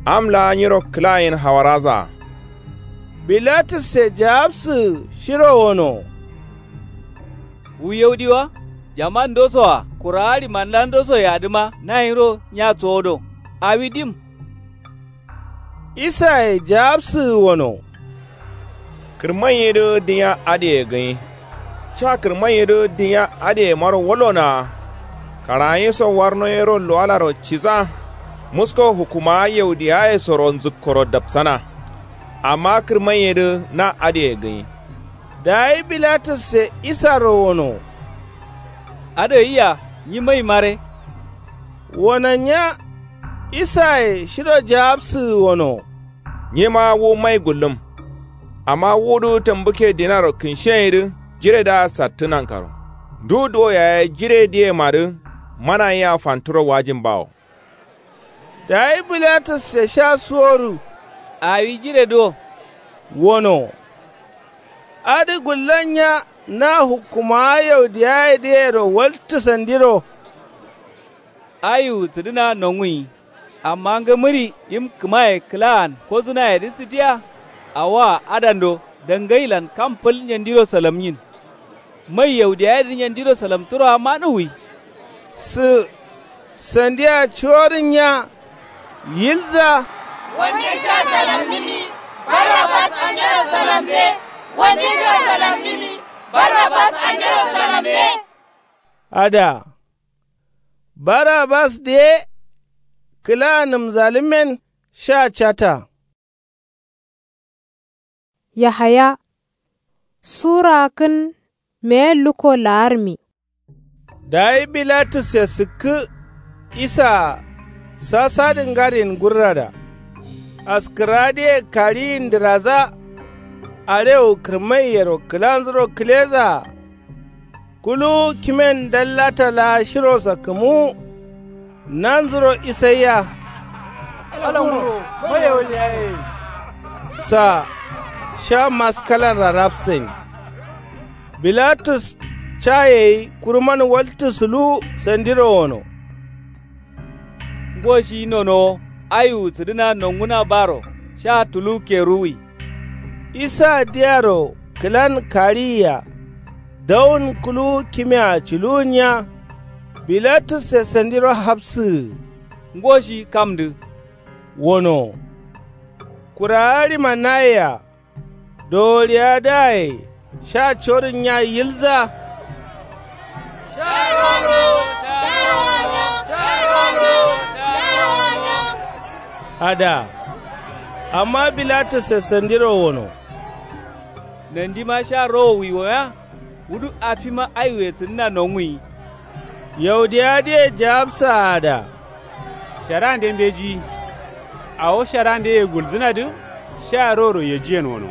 Am laa nyiro kǝlayen hawarazaa. Bilatusse jawabsǝgǝ shiro wono. Wu yaudiwa. Jamandosoa kurawa limandandosoyadǝma nayiro nya sowodo. Awi dim. Isaye jawabsǝgǝ wono. Kǝrmaiyedǝ dinya adǝye gǝnyi. Ca kǝrmaiyedǝ dinya adǝyemaro walonawa. Karaanyi so warno yero luwalaro cisa. Musko hukkumawa yaudiyayesoro nzǝkkoro dapsana. Amma kǝrmaiyedǝ na adǝye gǝnyi. Dayi bilatusse isaro wono. Adǝ yiya nyi mai mare. Wonannya. Isaye shiro jawabsǝgǝ wono. Nyima wu mai gullum. Amma wudu tambukke dinaro kǝnshiyenyi dǝ jiredǝa sattǝ nankaro. Ndu duwo yaye jiredǝyemadǝ mana yea fanturo wajin bawo. Dayi bilatusse sha suworu awi jiredǝ wo wono. Adǝ gullannya na hukkumawa yaudiyayedǝyero waltǝ sandiro. Ayiwu sǝdǝna nonguyi. Amma ngǝmǝri yim kǝmaye kǝlaan kodǝnayedǝ sǝdiya. Awoa adando dangailan kam fǝl nyandiro salamnyin. Mai yaudiyayedǝ nyandiro salamtǝroa manuwwi. Sǝ sandia cuworǝnnya yilza. Wande ca salamnǝmi barabas andero salambe. Wande ca salamnǝmi barabas andero salambe. Ada barabas diye kǝla nǝmzalǝmmen sha cata. Yahaya sura kǝn meye lukko laarmi. Dayi bilatusse sǝkkǝ isaa sasadǝ ngarin gurrada. Askǝradǝye kariyin dǝraza. Arewu kǝrmaiyero kǝlanzuro kǝlezaa. Kuluwu kimen dallata laa shiro sakkǝmuwu. Nanzuro isaiya. Alanguro maye wal yaye. Sa sha maskalan rarapsain. Bilatus ca yeyi kuruman waltǝ suluwu sandiro wono. Ngo shi nonowo ayiwu sǝdǝna nonguna baro sha tuluwu keruwwi. Isa diyaro kǝlan kariyiya. Dawun kuluwu kimea culuwunya. Bilatusse sandiro hapsǝgǝ. Ngo shi kamdǝ wono. Kurawa rima nayeya. Doworiya dǝaye sha corǝnnya yilza. Ada amma bilatusse sandiro wono. Nandima sha rowowwi woya. Wudu afima aiwe sǝdǝna nonguyi. Yaudiyadǝye jawabsaa ada. Sharande mbeji. Awo sharandeye gulzǝnadǝ sha roro yejiyen wono.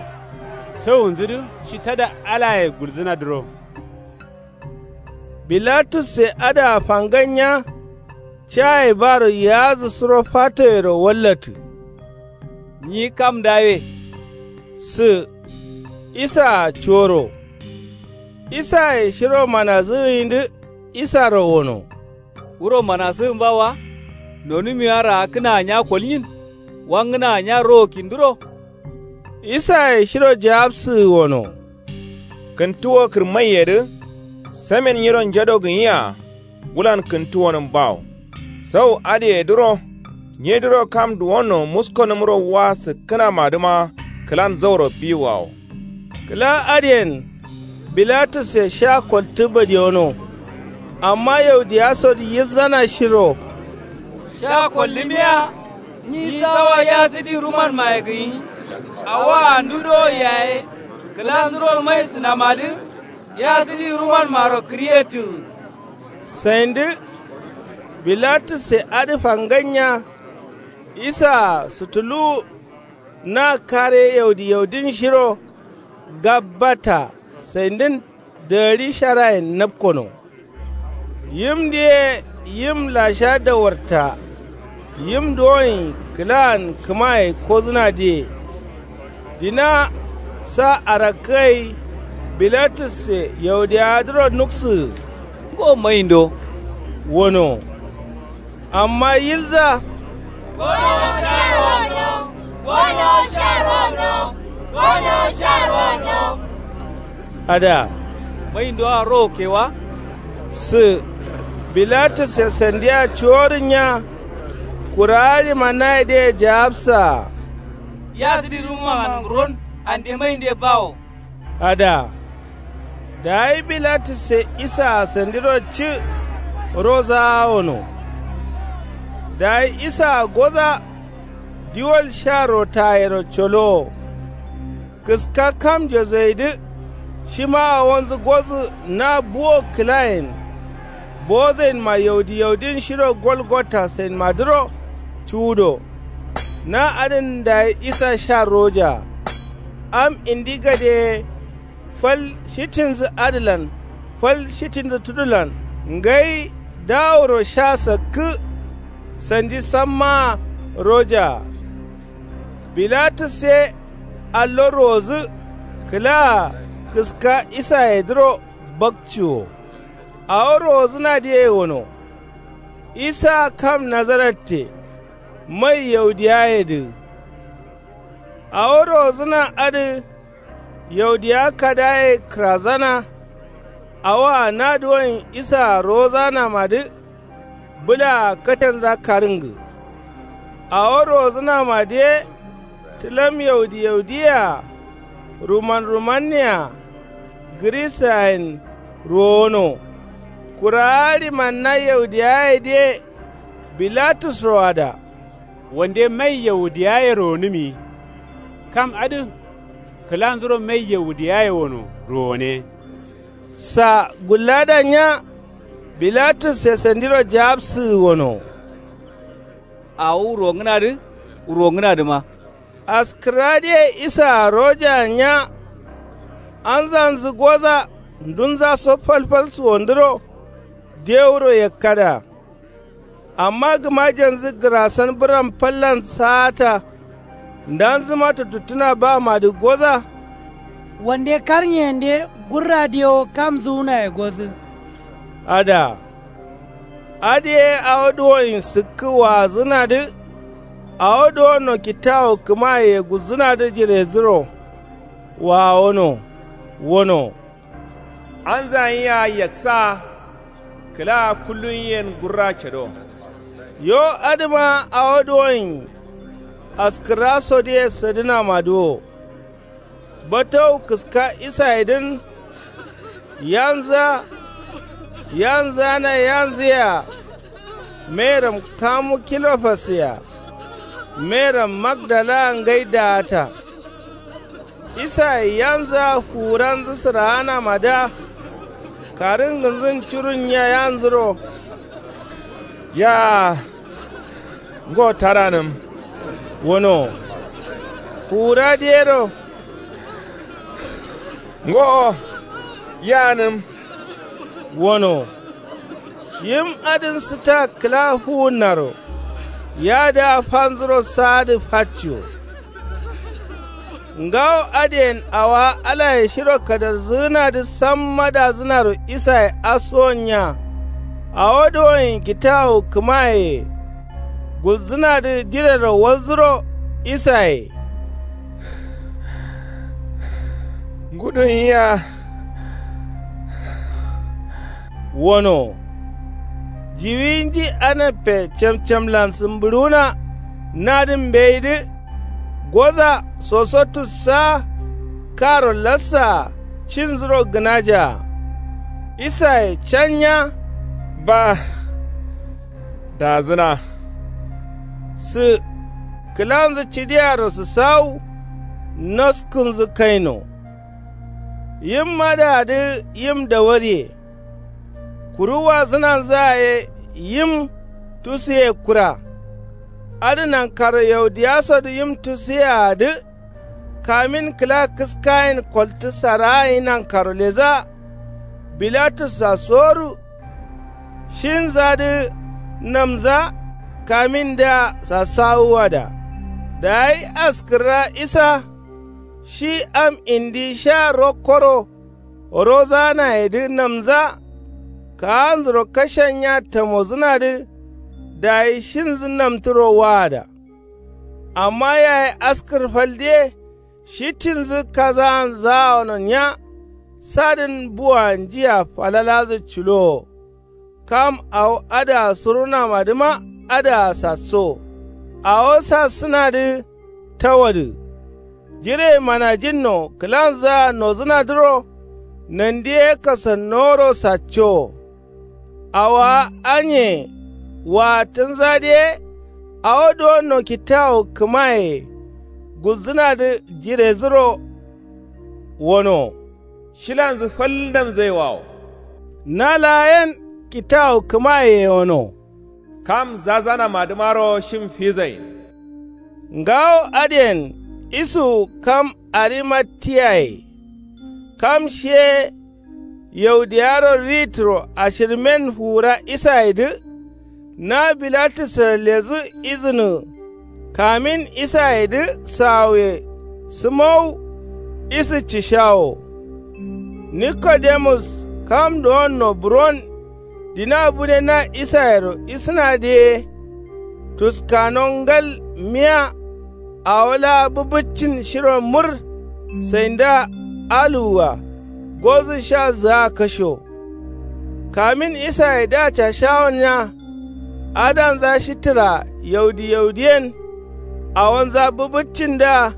Sawunzǝdǝ shi tada alaye gulzǝnadǝro. Bilatusse adǝa fangannya. Caye baro yaazǝ suro fatoyero wallatǝ. Nyi kam ndawe. Sǝ isaa coro. Isaye shiro manasǝgǝyindǝ isaro wono. Wuro manasǝgǝmba wa. Nonumiwa raakkǝnaa nya kolnyin. Wangǝnaa nya rowo kinduro. Isaye shiro jawabsǝgǝ wono. Kǝntuwo kǝrmaiyedǝ. Samen nyiro njado gǝnyi-a. Wulan kǝntuwonǝm bawo. Sau adǝyedǝro. Nyidǝro kam duwonno muskonǝmro wa sǝkkǝnamadǝma kǝlan zauro biwawo. Kǝla adǝyen bilatusse sha koltǝ badiyono. Amma yaudiyasodǝ yilzana shiro. Sha kollǝmiya. Nyi sawa yasǝdi rumanmaye gǝnyi. Awoa ndu dowo yaye kǝlanzuro mai sǝnamadǝ. Yasǝdi rumanmaro kǝriyettǝgǝ. Saindǝ bilatusse adǝ fangannya. Isaa sutuluwu na kare yaudi yaudin shiro. Gabbata saindǝn dagari sharayen napkono. Yimdǝ ye yim lasha dawarta. Yim duwonyi kǝlaan kǝmaye kozǝnadǝye. Dina sa arakkǝ gai. Bilatusse yaudiyawadǝro nuksǝgǝ. Ngo maindo wono. Amma yilza. Gono sha rono. Gono sha rono. Gono sha rono. Ada maindoa rowo kewa. Sǝ bilatusse sandiya cuworǝnya. Kurawa ɍimanayedǝye jawabsaa. Yasǝdi rumanman nguron ande mainde bawo. Ada dayi bilatusse isaa sandiro cǝ. Rozaa wono. Dayi isaa goza. Diwol sha rotayero colowo. Kǝska kamnjo zaidǝ. Shima awonzǝ gozǝ na buwo kǝlayen. Bozainma yaudi yaudin shiro golgota sainmadǝro. Cuwudo na adǝn dayi isa sha rojaa. am indi gade ye fal shitinzǝ adǝlan fal shitinzǝ tudulan ngai daworo sha sakkǝ. Sandi sammaa rojaa. Bilatus ye allo ruwozǝ kǝlaa kǝska isayedǝro bakciwo. Awo ruwozǝnadǝ ye wono. Isa kam nazaratte mai yaudiyayedǝ. Awo ruwozǝna adǝ yaudiya kadaye kǝrazana. Awoa na duwoin isaa rowozanamadǝ bǝlaa katenza karǝngǝ. Awo rowozǝnamadǝ ye tǝlam yaudi yaudiyea ruman rumanne-a gǝrisayen rowono. Kurawa rimanna yaudiyayedǝ ye bilatus roada. Wande mai yaudiyaye rowonǝmi kam adǝ kǝlanzuro mai yaudiyaye wono rowone. Sa gullada nya bilatus ye sandiro jawabsǝgǝ wono. Awo wurongǝnadǝ wurongǝnadǝma. Askǝradǝye isaa rojaa nya anzanzǝ goza ndunzaso falfal suwondǝro dewuro yakkada. Amma gǝmajenzu gǝrasan bǝram fallan saata ndanzuma tottuttǝna bamadǝ goza. Wande karniyende gurra dewo kam zuwunaye gozǝ. Ada. Adǝ ye awo duwoin sǝkkǝ waazǝnadǝ awo duwonno kitawu kǝmayeye gulzǝnadǝ jirezǝro. Wawono wono. Anzan yea yaksaa kǝlaa kullun yen gurra cado. Yo adǝma awo duwoin askǝrrasodǝye sadǝnamadǝ wo. Batawu kǝska isayedǝn yanzǝa yanzǝana yanzǝyea. Meram kamu kilofas yea. Meram magdalaa ngai daata. Isaye yanzǝa fuwuranzǝ sǝraanamadǝa karǝngǝnzǝn curunnya yanzǝro. Yaa ngo taranǝm. Wono fuwuradǝ yero. Ngo yanǝm. Wono yim adǝn sǝta kǝla fuwunnaro. Yadǝa fanzuro saadǝ facciwo. Ngawo adǝyen awowa alaye shiro kadarzǝgǝnadǝ samma dazǝnaro isaye asuwon nya. Awo duwoin kitawu kǝmayeye gulzǝnadǝ jirero walzuro isaye. Ngudun yea. Wono jiwinji anappe camcamlan sǝmbǝɍuwuna nadǝn mbeyi dǝ. Goza soso tussaa karo lassaa cinzuro gǝnajaa. Isaye canya. Ba dazǝna. Sǝ kǝlanzǝ cidiaro sǝsawu naskǝnzǝ kaino. Yim adǝadǝ yim dawariye. Kuru wazǝnanzǝa ye yim tusiye kura. Adǝ nankaro yaudiyasodǝ yim tusiyeadǝ kamin kǝla kǝskayen koltǝ saragai nankaro ledza. Bilatussa soru shinzadǝ namza kamindǝa sasawuwada. Dayi askǝrra isa shi am indi sha rokkoro rozanayedǝ namza. Kaanzuro kashennya tamozǝnadǝ dayi shinzǝ namtǝro waada. Amma yayi askǝr faldǝ ye shitinzǝ kazaan zawono nya. Sadǝn buwa njia falaladǝ culowo. Kam awo adǝa surunamadǝma adǝa sassowo. Awo sassǝnadǝ tawadǝ. Jire manajinno kǝlanzǝa nozǝnadǝro. Nandi ye kasannoworo saccowo. Awowa anye waattǝnzadǝ ye awo duwonno kitawu kǝmayeye gulzǝnadǝ jirezǝro. Wono shilanzǝ fal namzaiwawo. Na laa yen kitawu kǝmayeye wono. Kam zazanamadǝmaro shim fizain. Ngawo adǝyen Isuwu kam arimatiyaye. Kam shiye yaudiyaro rituro ashirmen fuwura isayedǝ. Na bilatusro ledǝ izǝnu kamin isayedǝ sawuye. Sǝmowu isu cishawo. Nikodemus kam duwonno buron dina bune na isayero isǝnadǝ ye. Tuskano ngal miya awo laa bǝbǝccin shiro mur. Sainda aluwwa gozǝ sha zǝa kasho. Kamin isayedǝa cashawonnya adanza shitǝra yaudi yaudiyen. Awonza bǝbǝccindǝa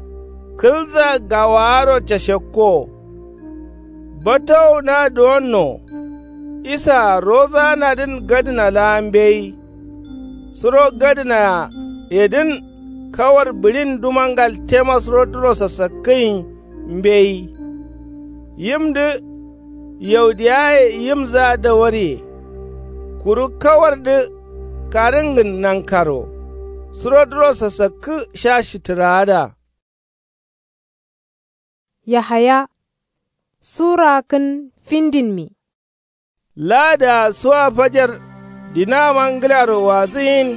kǝlza gawaaro cashekko. Batowu na duwonno isaa rozaanadǝn gadǝna laa mbeyi. Suro gadǝnayedǝn kawar bǝɍin dumangal tema surodǝro sasakkǝyin mbeyi. Yimdǝ yaudiyaye yimzǝa dawarye. Kuru kawardǝ karǝngǝn nankaro surodǝro sasakkǝ sha shitǝraada. Yahaya sura kǝn findinmi. Laadǝa suwa fajar dinaama ngǝlaro wazǝyin.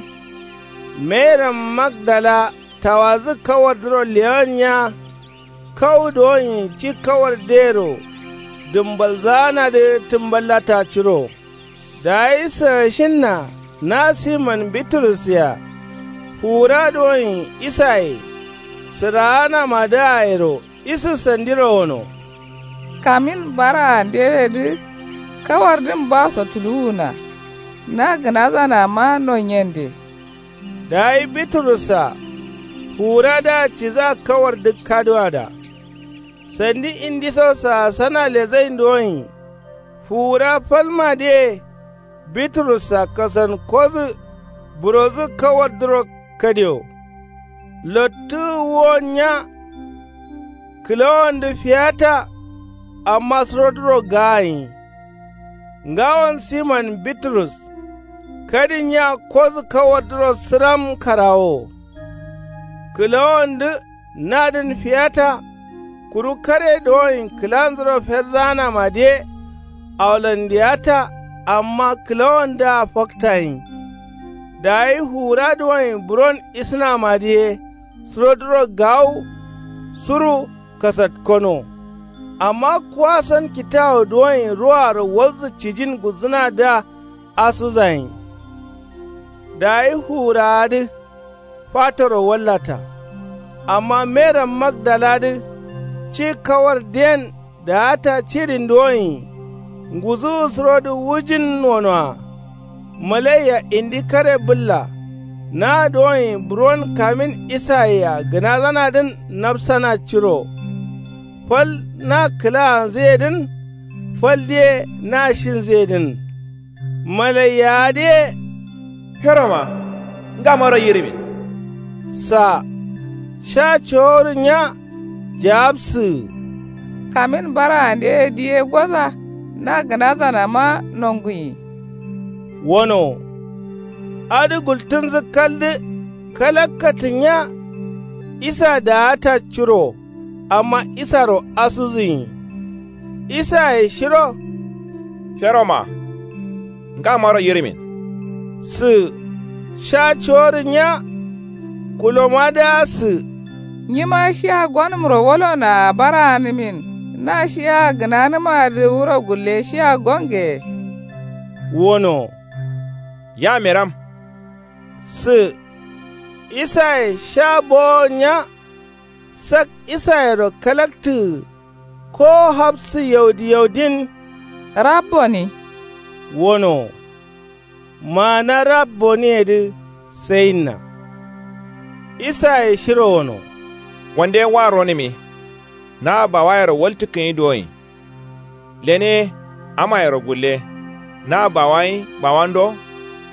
Meram magdala tawadǝ kawardǝro lewanya. Kawu duwonyi ci kawardǝyero dǝmbalzaanadǝ tǝmballata curo. Dayi sǝgashinna na simon biturus-a fuwura duwonyi isaye sǝraanamadǝa yero isu sandiro gono. Kamin baraandeyedǝ kawardǝn baso tuluwuna. Na gǝnazanama nonyende. Dayi biturus-a fuwuradǝa cidǝa kawardǝ kaduwada. Sandi indiso saasana lezain duwonyi fuwura falmadǝye. Biturus-a kasankodǝ burodǝ kawardǝro kadio. Lottǝ wuwonnya kǝlawondǝ fiyata. Amma surodǝro gaayin ngawon simon biturus kadinnya kodǝ kawardǝro sǝram karawo. Kǝlawondǝ nadǝn fiyata. Kuru kare duwonyi kǝlanzuro ferzaanamadǝye. Awolondiyata amma kǝlawondǝa faktayin. Dayi fuwura duwonyi buron isǝnamadǝye surodǝro gawu suru kasatkono. Amma kuwason kitawu duwonyi ruwaro walzǝ cijin gulzǝnadǝa asuzayin. Dayi fuwuraadǝ fatoro wallata. Amma meram magdaladǝ ci kawardǝyen daata cirin duwonyi nguzǝwu surodǝ wujin wonoa. Malaiya indi kare bǝlla na duwonyi buron kamin isayea gǝnazanadǝn napsana curo. Fal na kǝlaanzǝyedǝn faldǝye na shinzǝyedǝn. Malaiyaadǝye feroma ngamaro yirimin. Sa sha coworǝnya jawabsǝgǝ. Kamin baraandeye diye goza na gǝnazanama nonguyi. Wono adǝ gultǝnzǝ kaldǝ kalakkatǝnya. Isa daata curo amma isaro asuzǝnyi. Isaye shiro feroma ngamaro yirimin. Sǝ sha coworǝnya kulomadǝa sǝ. Nyima shia gonǝmro wolonoa baraanǝmin. Na shia gǝnanǝmadǝ wuro gulle shia gonge. Wono ya meram. Sǝ isaye sha bowonya. Sak isayero kalaktǝgǝ ko hafsǝ yaudi yaudin. Rabboni wono. Maana rabboniyedǝ sayinna. Isaye shiro wono wande wa ronǝmi. Na bawayero waltǝkkǝnyi duwonyi. Lene amayero gulle na bawayi bawando.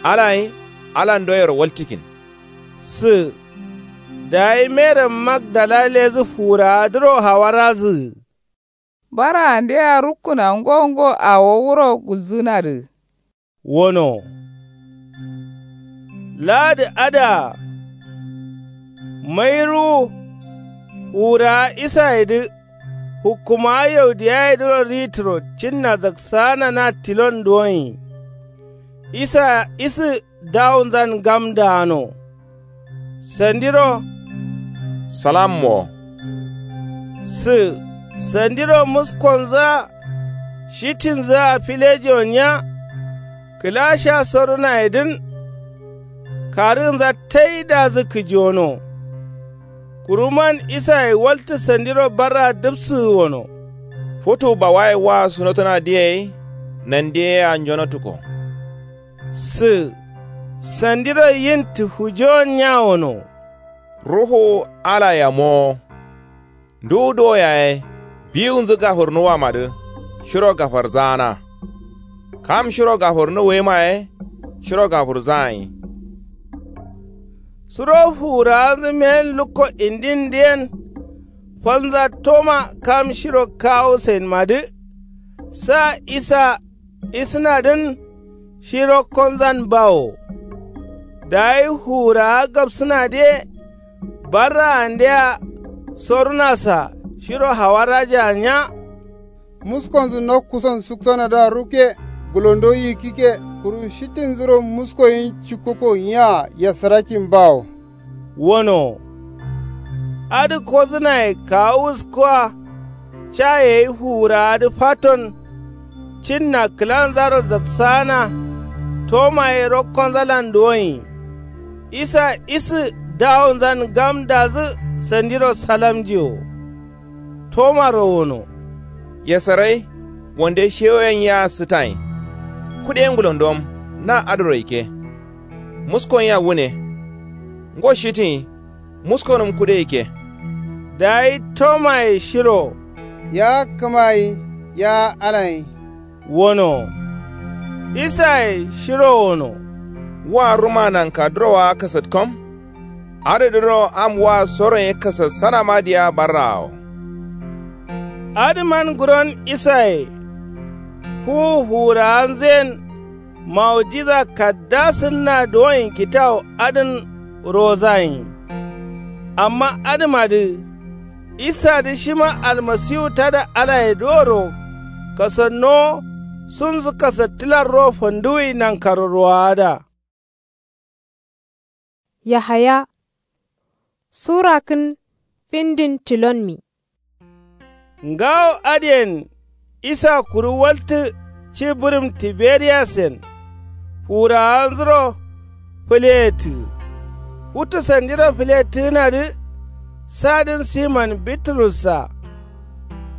Alayi alandoyero waltǝkkin. Sǝ dayi meram magdala ledǝ fuwuraadǝro hawarazǝgǝ. Baraandea rukkǝna ngo ngo awo wuro gulzǝnadǝ. Wono laadǝ adǝa mai ruwu. Fuwurawa isayedǝ hukkumawa yaudiyayedǝro ritǝro cinna zaksaana na tilon duwonyi. Isa isǝ dawunzan gamdaano. Sandiro salam wo. Sǝ sandiro muskonzǝa shitinzǝa filejiwonniya. Kǝla sha sorunayedǝn karǝgǝnza taidazǝ kǝjiwono. Kuruman isaye waltǝ sandiro barraa dǝpsǝgǝ wono. Futu bawaye wa sunotunadǝ ye nandi yea njonotuko. Sǝ sandiro yin tǝfujowonniya wono. Ruhu alaye amowo. Nduwu duwo yaye biwunzǝ gafurnuwamadǝ shiro gafarzaana. Kam shiro gafurnuwuye maye shiro gafurzaanyi. Suro fuwurawanzǝ meyen lukko indindǝ yen falnza toma kam shiro kawu sainmadǝ. Sa isa isǝnadǝn shi rokkonzan bawo. Dayi fuwurawa gabsǝnadǝ ye barraandea sorunasa shiro hawaraja nya. Muskonzǝ nokkuson suksanadǝa rukke gulondo yikkikke kuru shitinzuro muskoyin cikkuko nyiaa yasarakin bawo. Wono adǝ kozǝnaye kawu wuskuwa. Ca yeyi fuwurawadǝ faton cinna kǝlanzaro zaksaana. Toma ye rokkonzalan duwonyi. Isa isǝ dawunzan gamdazǝ sandiro salamjiwo. Tomaro wono. Yasarai wande shewoyen yea sǝtanyi. Kude ngulondom na adǝro yikke. Muskon yea wune. Ngo shitinyi muskonǝm kude yikke. Dayi tomaye shiro ya kǝmayi ya alanyi. Wono isaye shiro wono. Wa ruma nanka durowa kasatkom. Adǝ dǝro am wa soronye kasassanama diya barraawo. Adǝman guron isaye fuwu fuwurawanzǝyen mawujiza kaddasǝnna duwonyi kitawu adǝn rozaanyi. Amma adǝmadǝ isadǝ shima almasiwu tada alayedǝ woro kasannowo sunzǝ kasattǝlarro fanduwwi nankaro rowaada. Yahaya sura kǝn findin tilonmi. Ngawo adǝyen isa kuru waltǝ ci bǝrǝm tiberiyasen. Fuwurawanzuro fǝleyettǝgǝ futu sandiro fǝlettǝgǝnadǝ. Sadǝn siman biturussa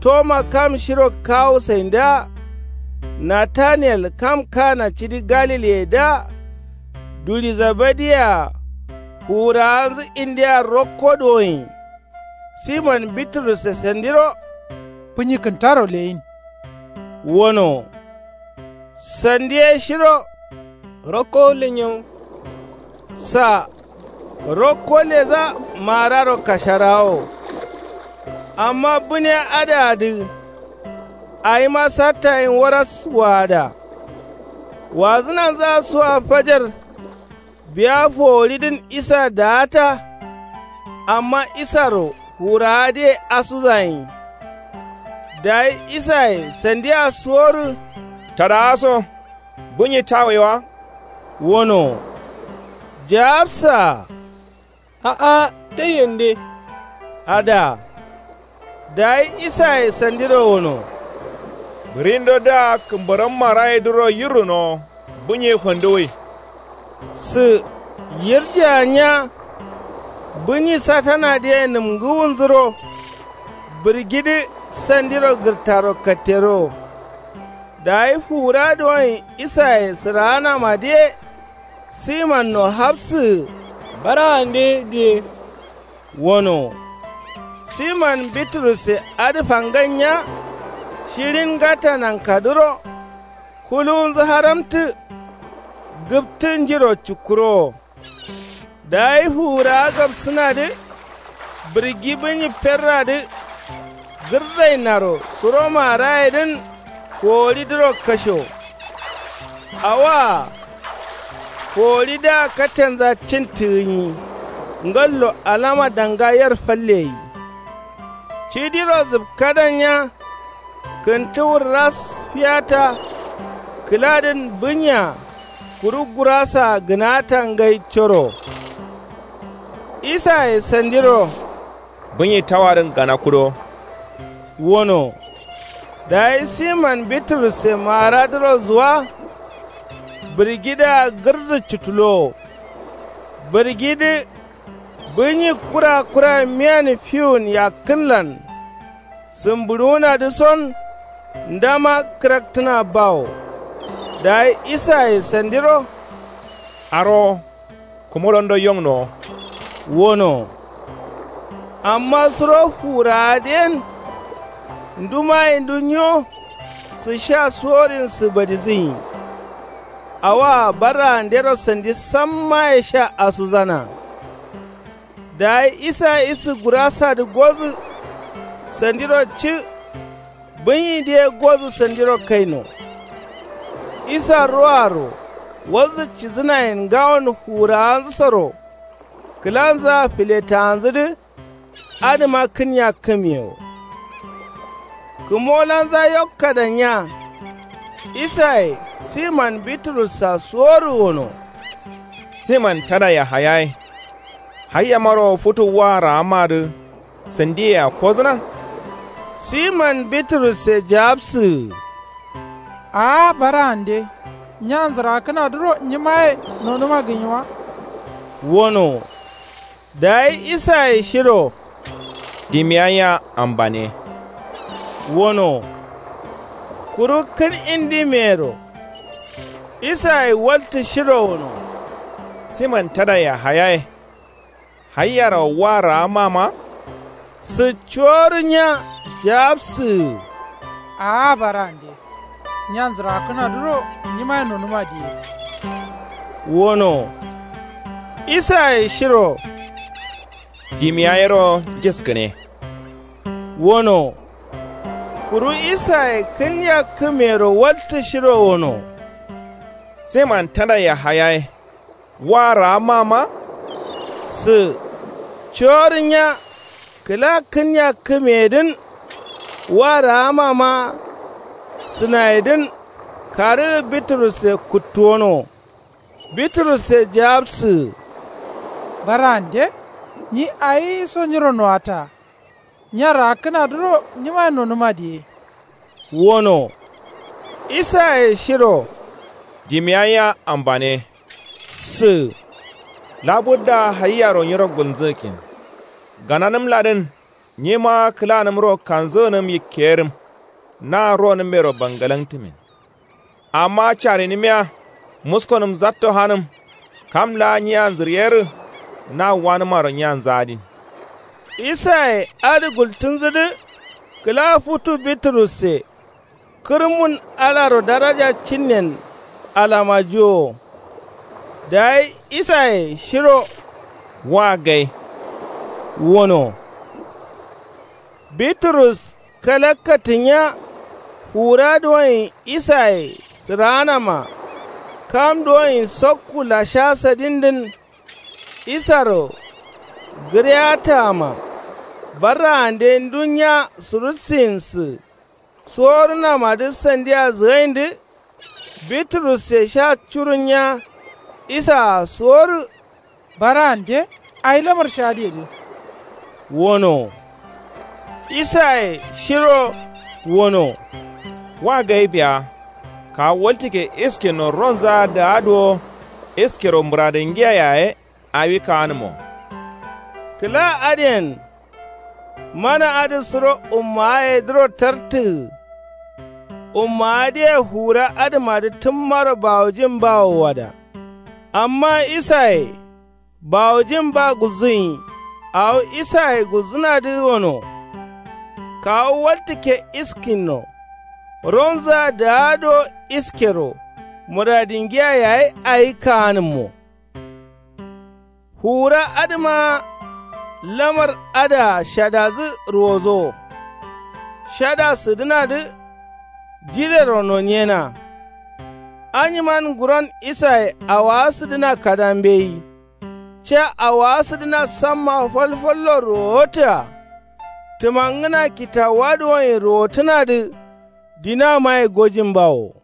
toma kam shiro kawu saindǝa. Nataniyel kam kana cidi galiliyedǝa. Duli zabadiyea fuwurawanzǝ indea rokko duwonyi. Siman biturusse sandiro bǝnyi kǝntaro leyin. Wono sandi ye shiro rokko lenyo. Sa rokko leza mararo kasharawo. Amma bǝniya adǝadǝ awima sattayin waras waada. Wazǝnanzǝa suwa fajar. Biya foworidǝn isa daata. Amma isaro fuwurawadǝye asuzayin. Dayi isaye sandia suworǝ tadaaso bǝnyi tawe wa. Wono jawabsaa a'a taiyende. Ada. Dayi isaye sandiro wono bǝrindo dǝa kǝmbaram marayedǝro yirrunowo bǝnyi fanduwwi. Sǝ yirjea nya. Bǝnyi satanadǝye nǝmgǝwunzuro bǝrgidǝ sandiro gǝrtaro katterowo. Dayi fuwura duwonyi isaye sǝraanamadǝye simanno hafsǝgǝ baraande diye. Wono siman biturusse adǝ fangan nya. Shirin ngata nankadǝro kuluwunzǝ haramtǝ. Gǝptǝ njiro cukkurowo. Dayi fuwurawa gabsǝnadǝ bǝrgi bǝnyi ferradǝ gǝrzainaro suro marayedǝn foworidǝro kasho. Awoa foworidǝa katenza cintǝgǝnyi. Ngallo alama danga yer falleyi. Cidiro zǝpkadanya kǝntǝ wurras fiyata kǝladǝn bǝnya kuru gurasaa gǝnata ngai coro. Isaye sandiro bǝnyi tawadǝn gana kudo wono. Dayi siman biturusse maaradǝro zuwa bǝrgidǝa gǝrzu cutulowo. Bǝrgidǝ bǝnyi kura kura miyan fiwun yakkǝnlan sǝmbǝɍuwunadǝ son ndama kǝraktǝna bawo. Dayi isaye sandiro arowo kǝmolondo yongnowo wono. Amma suro fuwurawadǝ yen ndumayindu nyo sǝ sha suworin sǝbadizǝnyi. Awoa barraandero sandi sammaye sha asuzana. Dayi isa isǝ gurasadǝ gozǝ sandiro cǝ. Bǝnyidǝ ye gozǝ sandiro kaino. Isa roaro walzǝ cidǝnayen ngawon fuwurawanzǝsoro kǝlanzǝa filetawanzǝdǝ adǝma kǝnyakkǝmiye wo. Kǝmolanza yokkadanya isaye siman biturussa suworǝ wono. Siman tada yahayaye. Hayyamaro futu wa raammadǝ sandiyea kozǝna. Siman biturusse jawabsǝgǝ. Aa barande. Nyanzǝrakkǝnadǝro nyimaye nonuma gǝnyi wa. Wono. Dayi isaye shiro dimiya nya ambane wono. Kuru kǝn indimeyero isaye waltǝ shiro wono. Siman tada yahayaye. Hayyaro wa raamma ma. Sǝ cuworǝ nya jawabsǝgǝ. Aa barande. Nyanzǝrakkǝnadǝro nyimaye nonuma diye wono. Isaye shiro dimiya yero njiskǝne wono. Kuru isaye kǝnyakkǝmeyero waltǝ shiro wono. Siman tada yahayaye. Wa raamma ma. Sǝ cuworǝ nya kǝla kǝnyakkǝmeyedǝn. Wa raamma ma sǝnayedǝn karǝgǝ biturusse kuttuwono. Biturusse jawabsǝgǝ. Barande. Nyi ayiso nyiro nowataa. Nyaraakkǝnadǝro nyimaye nonuma diye wono. Isaye shiro dimiya nya ambane. Sǝ labudda hayyaro nyiro gulnzǝgǝkkin. Gananǝmladǝn nyima kǝlanǝmro kanzǝgǝnǝm yikkeyerim. Na ronǝmmero bangalangtǝmin. Amma carinǝmiya muskonǝm zatto hanǝm. Kam laa nyiyanzǝryerǝ na wanǝmaro nyiyanzǝ adin. Isaye adǝ gultǝnzǝdǝ kǝla futu biturusse kǝrmun alaro daraja cinnen alamajuwowo. Dayi isaye shiro wa gai wono. Biturus kalakkatǝnya fuwura duwonyi isaye sǝraanama. Kam duwonyi sokku lasha sadindǝn isaro gǝreyataama. Barraande ndunya surussiyinsǝ suworǝnamadǝ sandia zǝgaindǝ. Biturusse sha curunya isaa suworǝ. Barande ayi lamar shadǝyedǝ wono. Isaye shiro wono. Wa gai biya kawu waltǝkke iskinno ronzǝa daa duwo iskero mǝradǝngiya yaye. Awi kaanǝmo. Kǝla adǝyen mana adǝ suro ummawayedǝro tartǝgǝ. Ummawadǝye fuwura adǝmadǝ tǝmmaro bawujin bawo wada. Amma isaye bawujin ba gulzǝnyi. Awo isaye gulzǝnadǝ wono. Kawu waltǝkke iskinno ronzǝa daa do iskero mǝradingiya yayi ayi kaanǝmmo. Fuwura adǝma lamar adǝa shadazǝ ruwozowo. Shada sǝdǝnadǝ jidero noniyena. Anyiman nguron isaye awowa sǝdǝna kada mbeyi. Ca awowa sǝdǝna samma falfallo ruwowotǝa. Tǝmangǝna kitawuwa duwonye ruwotǝnadǝ dinamaye gojin bawo.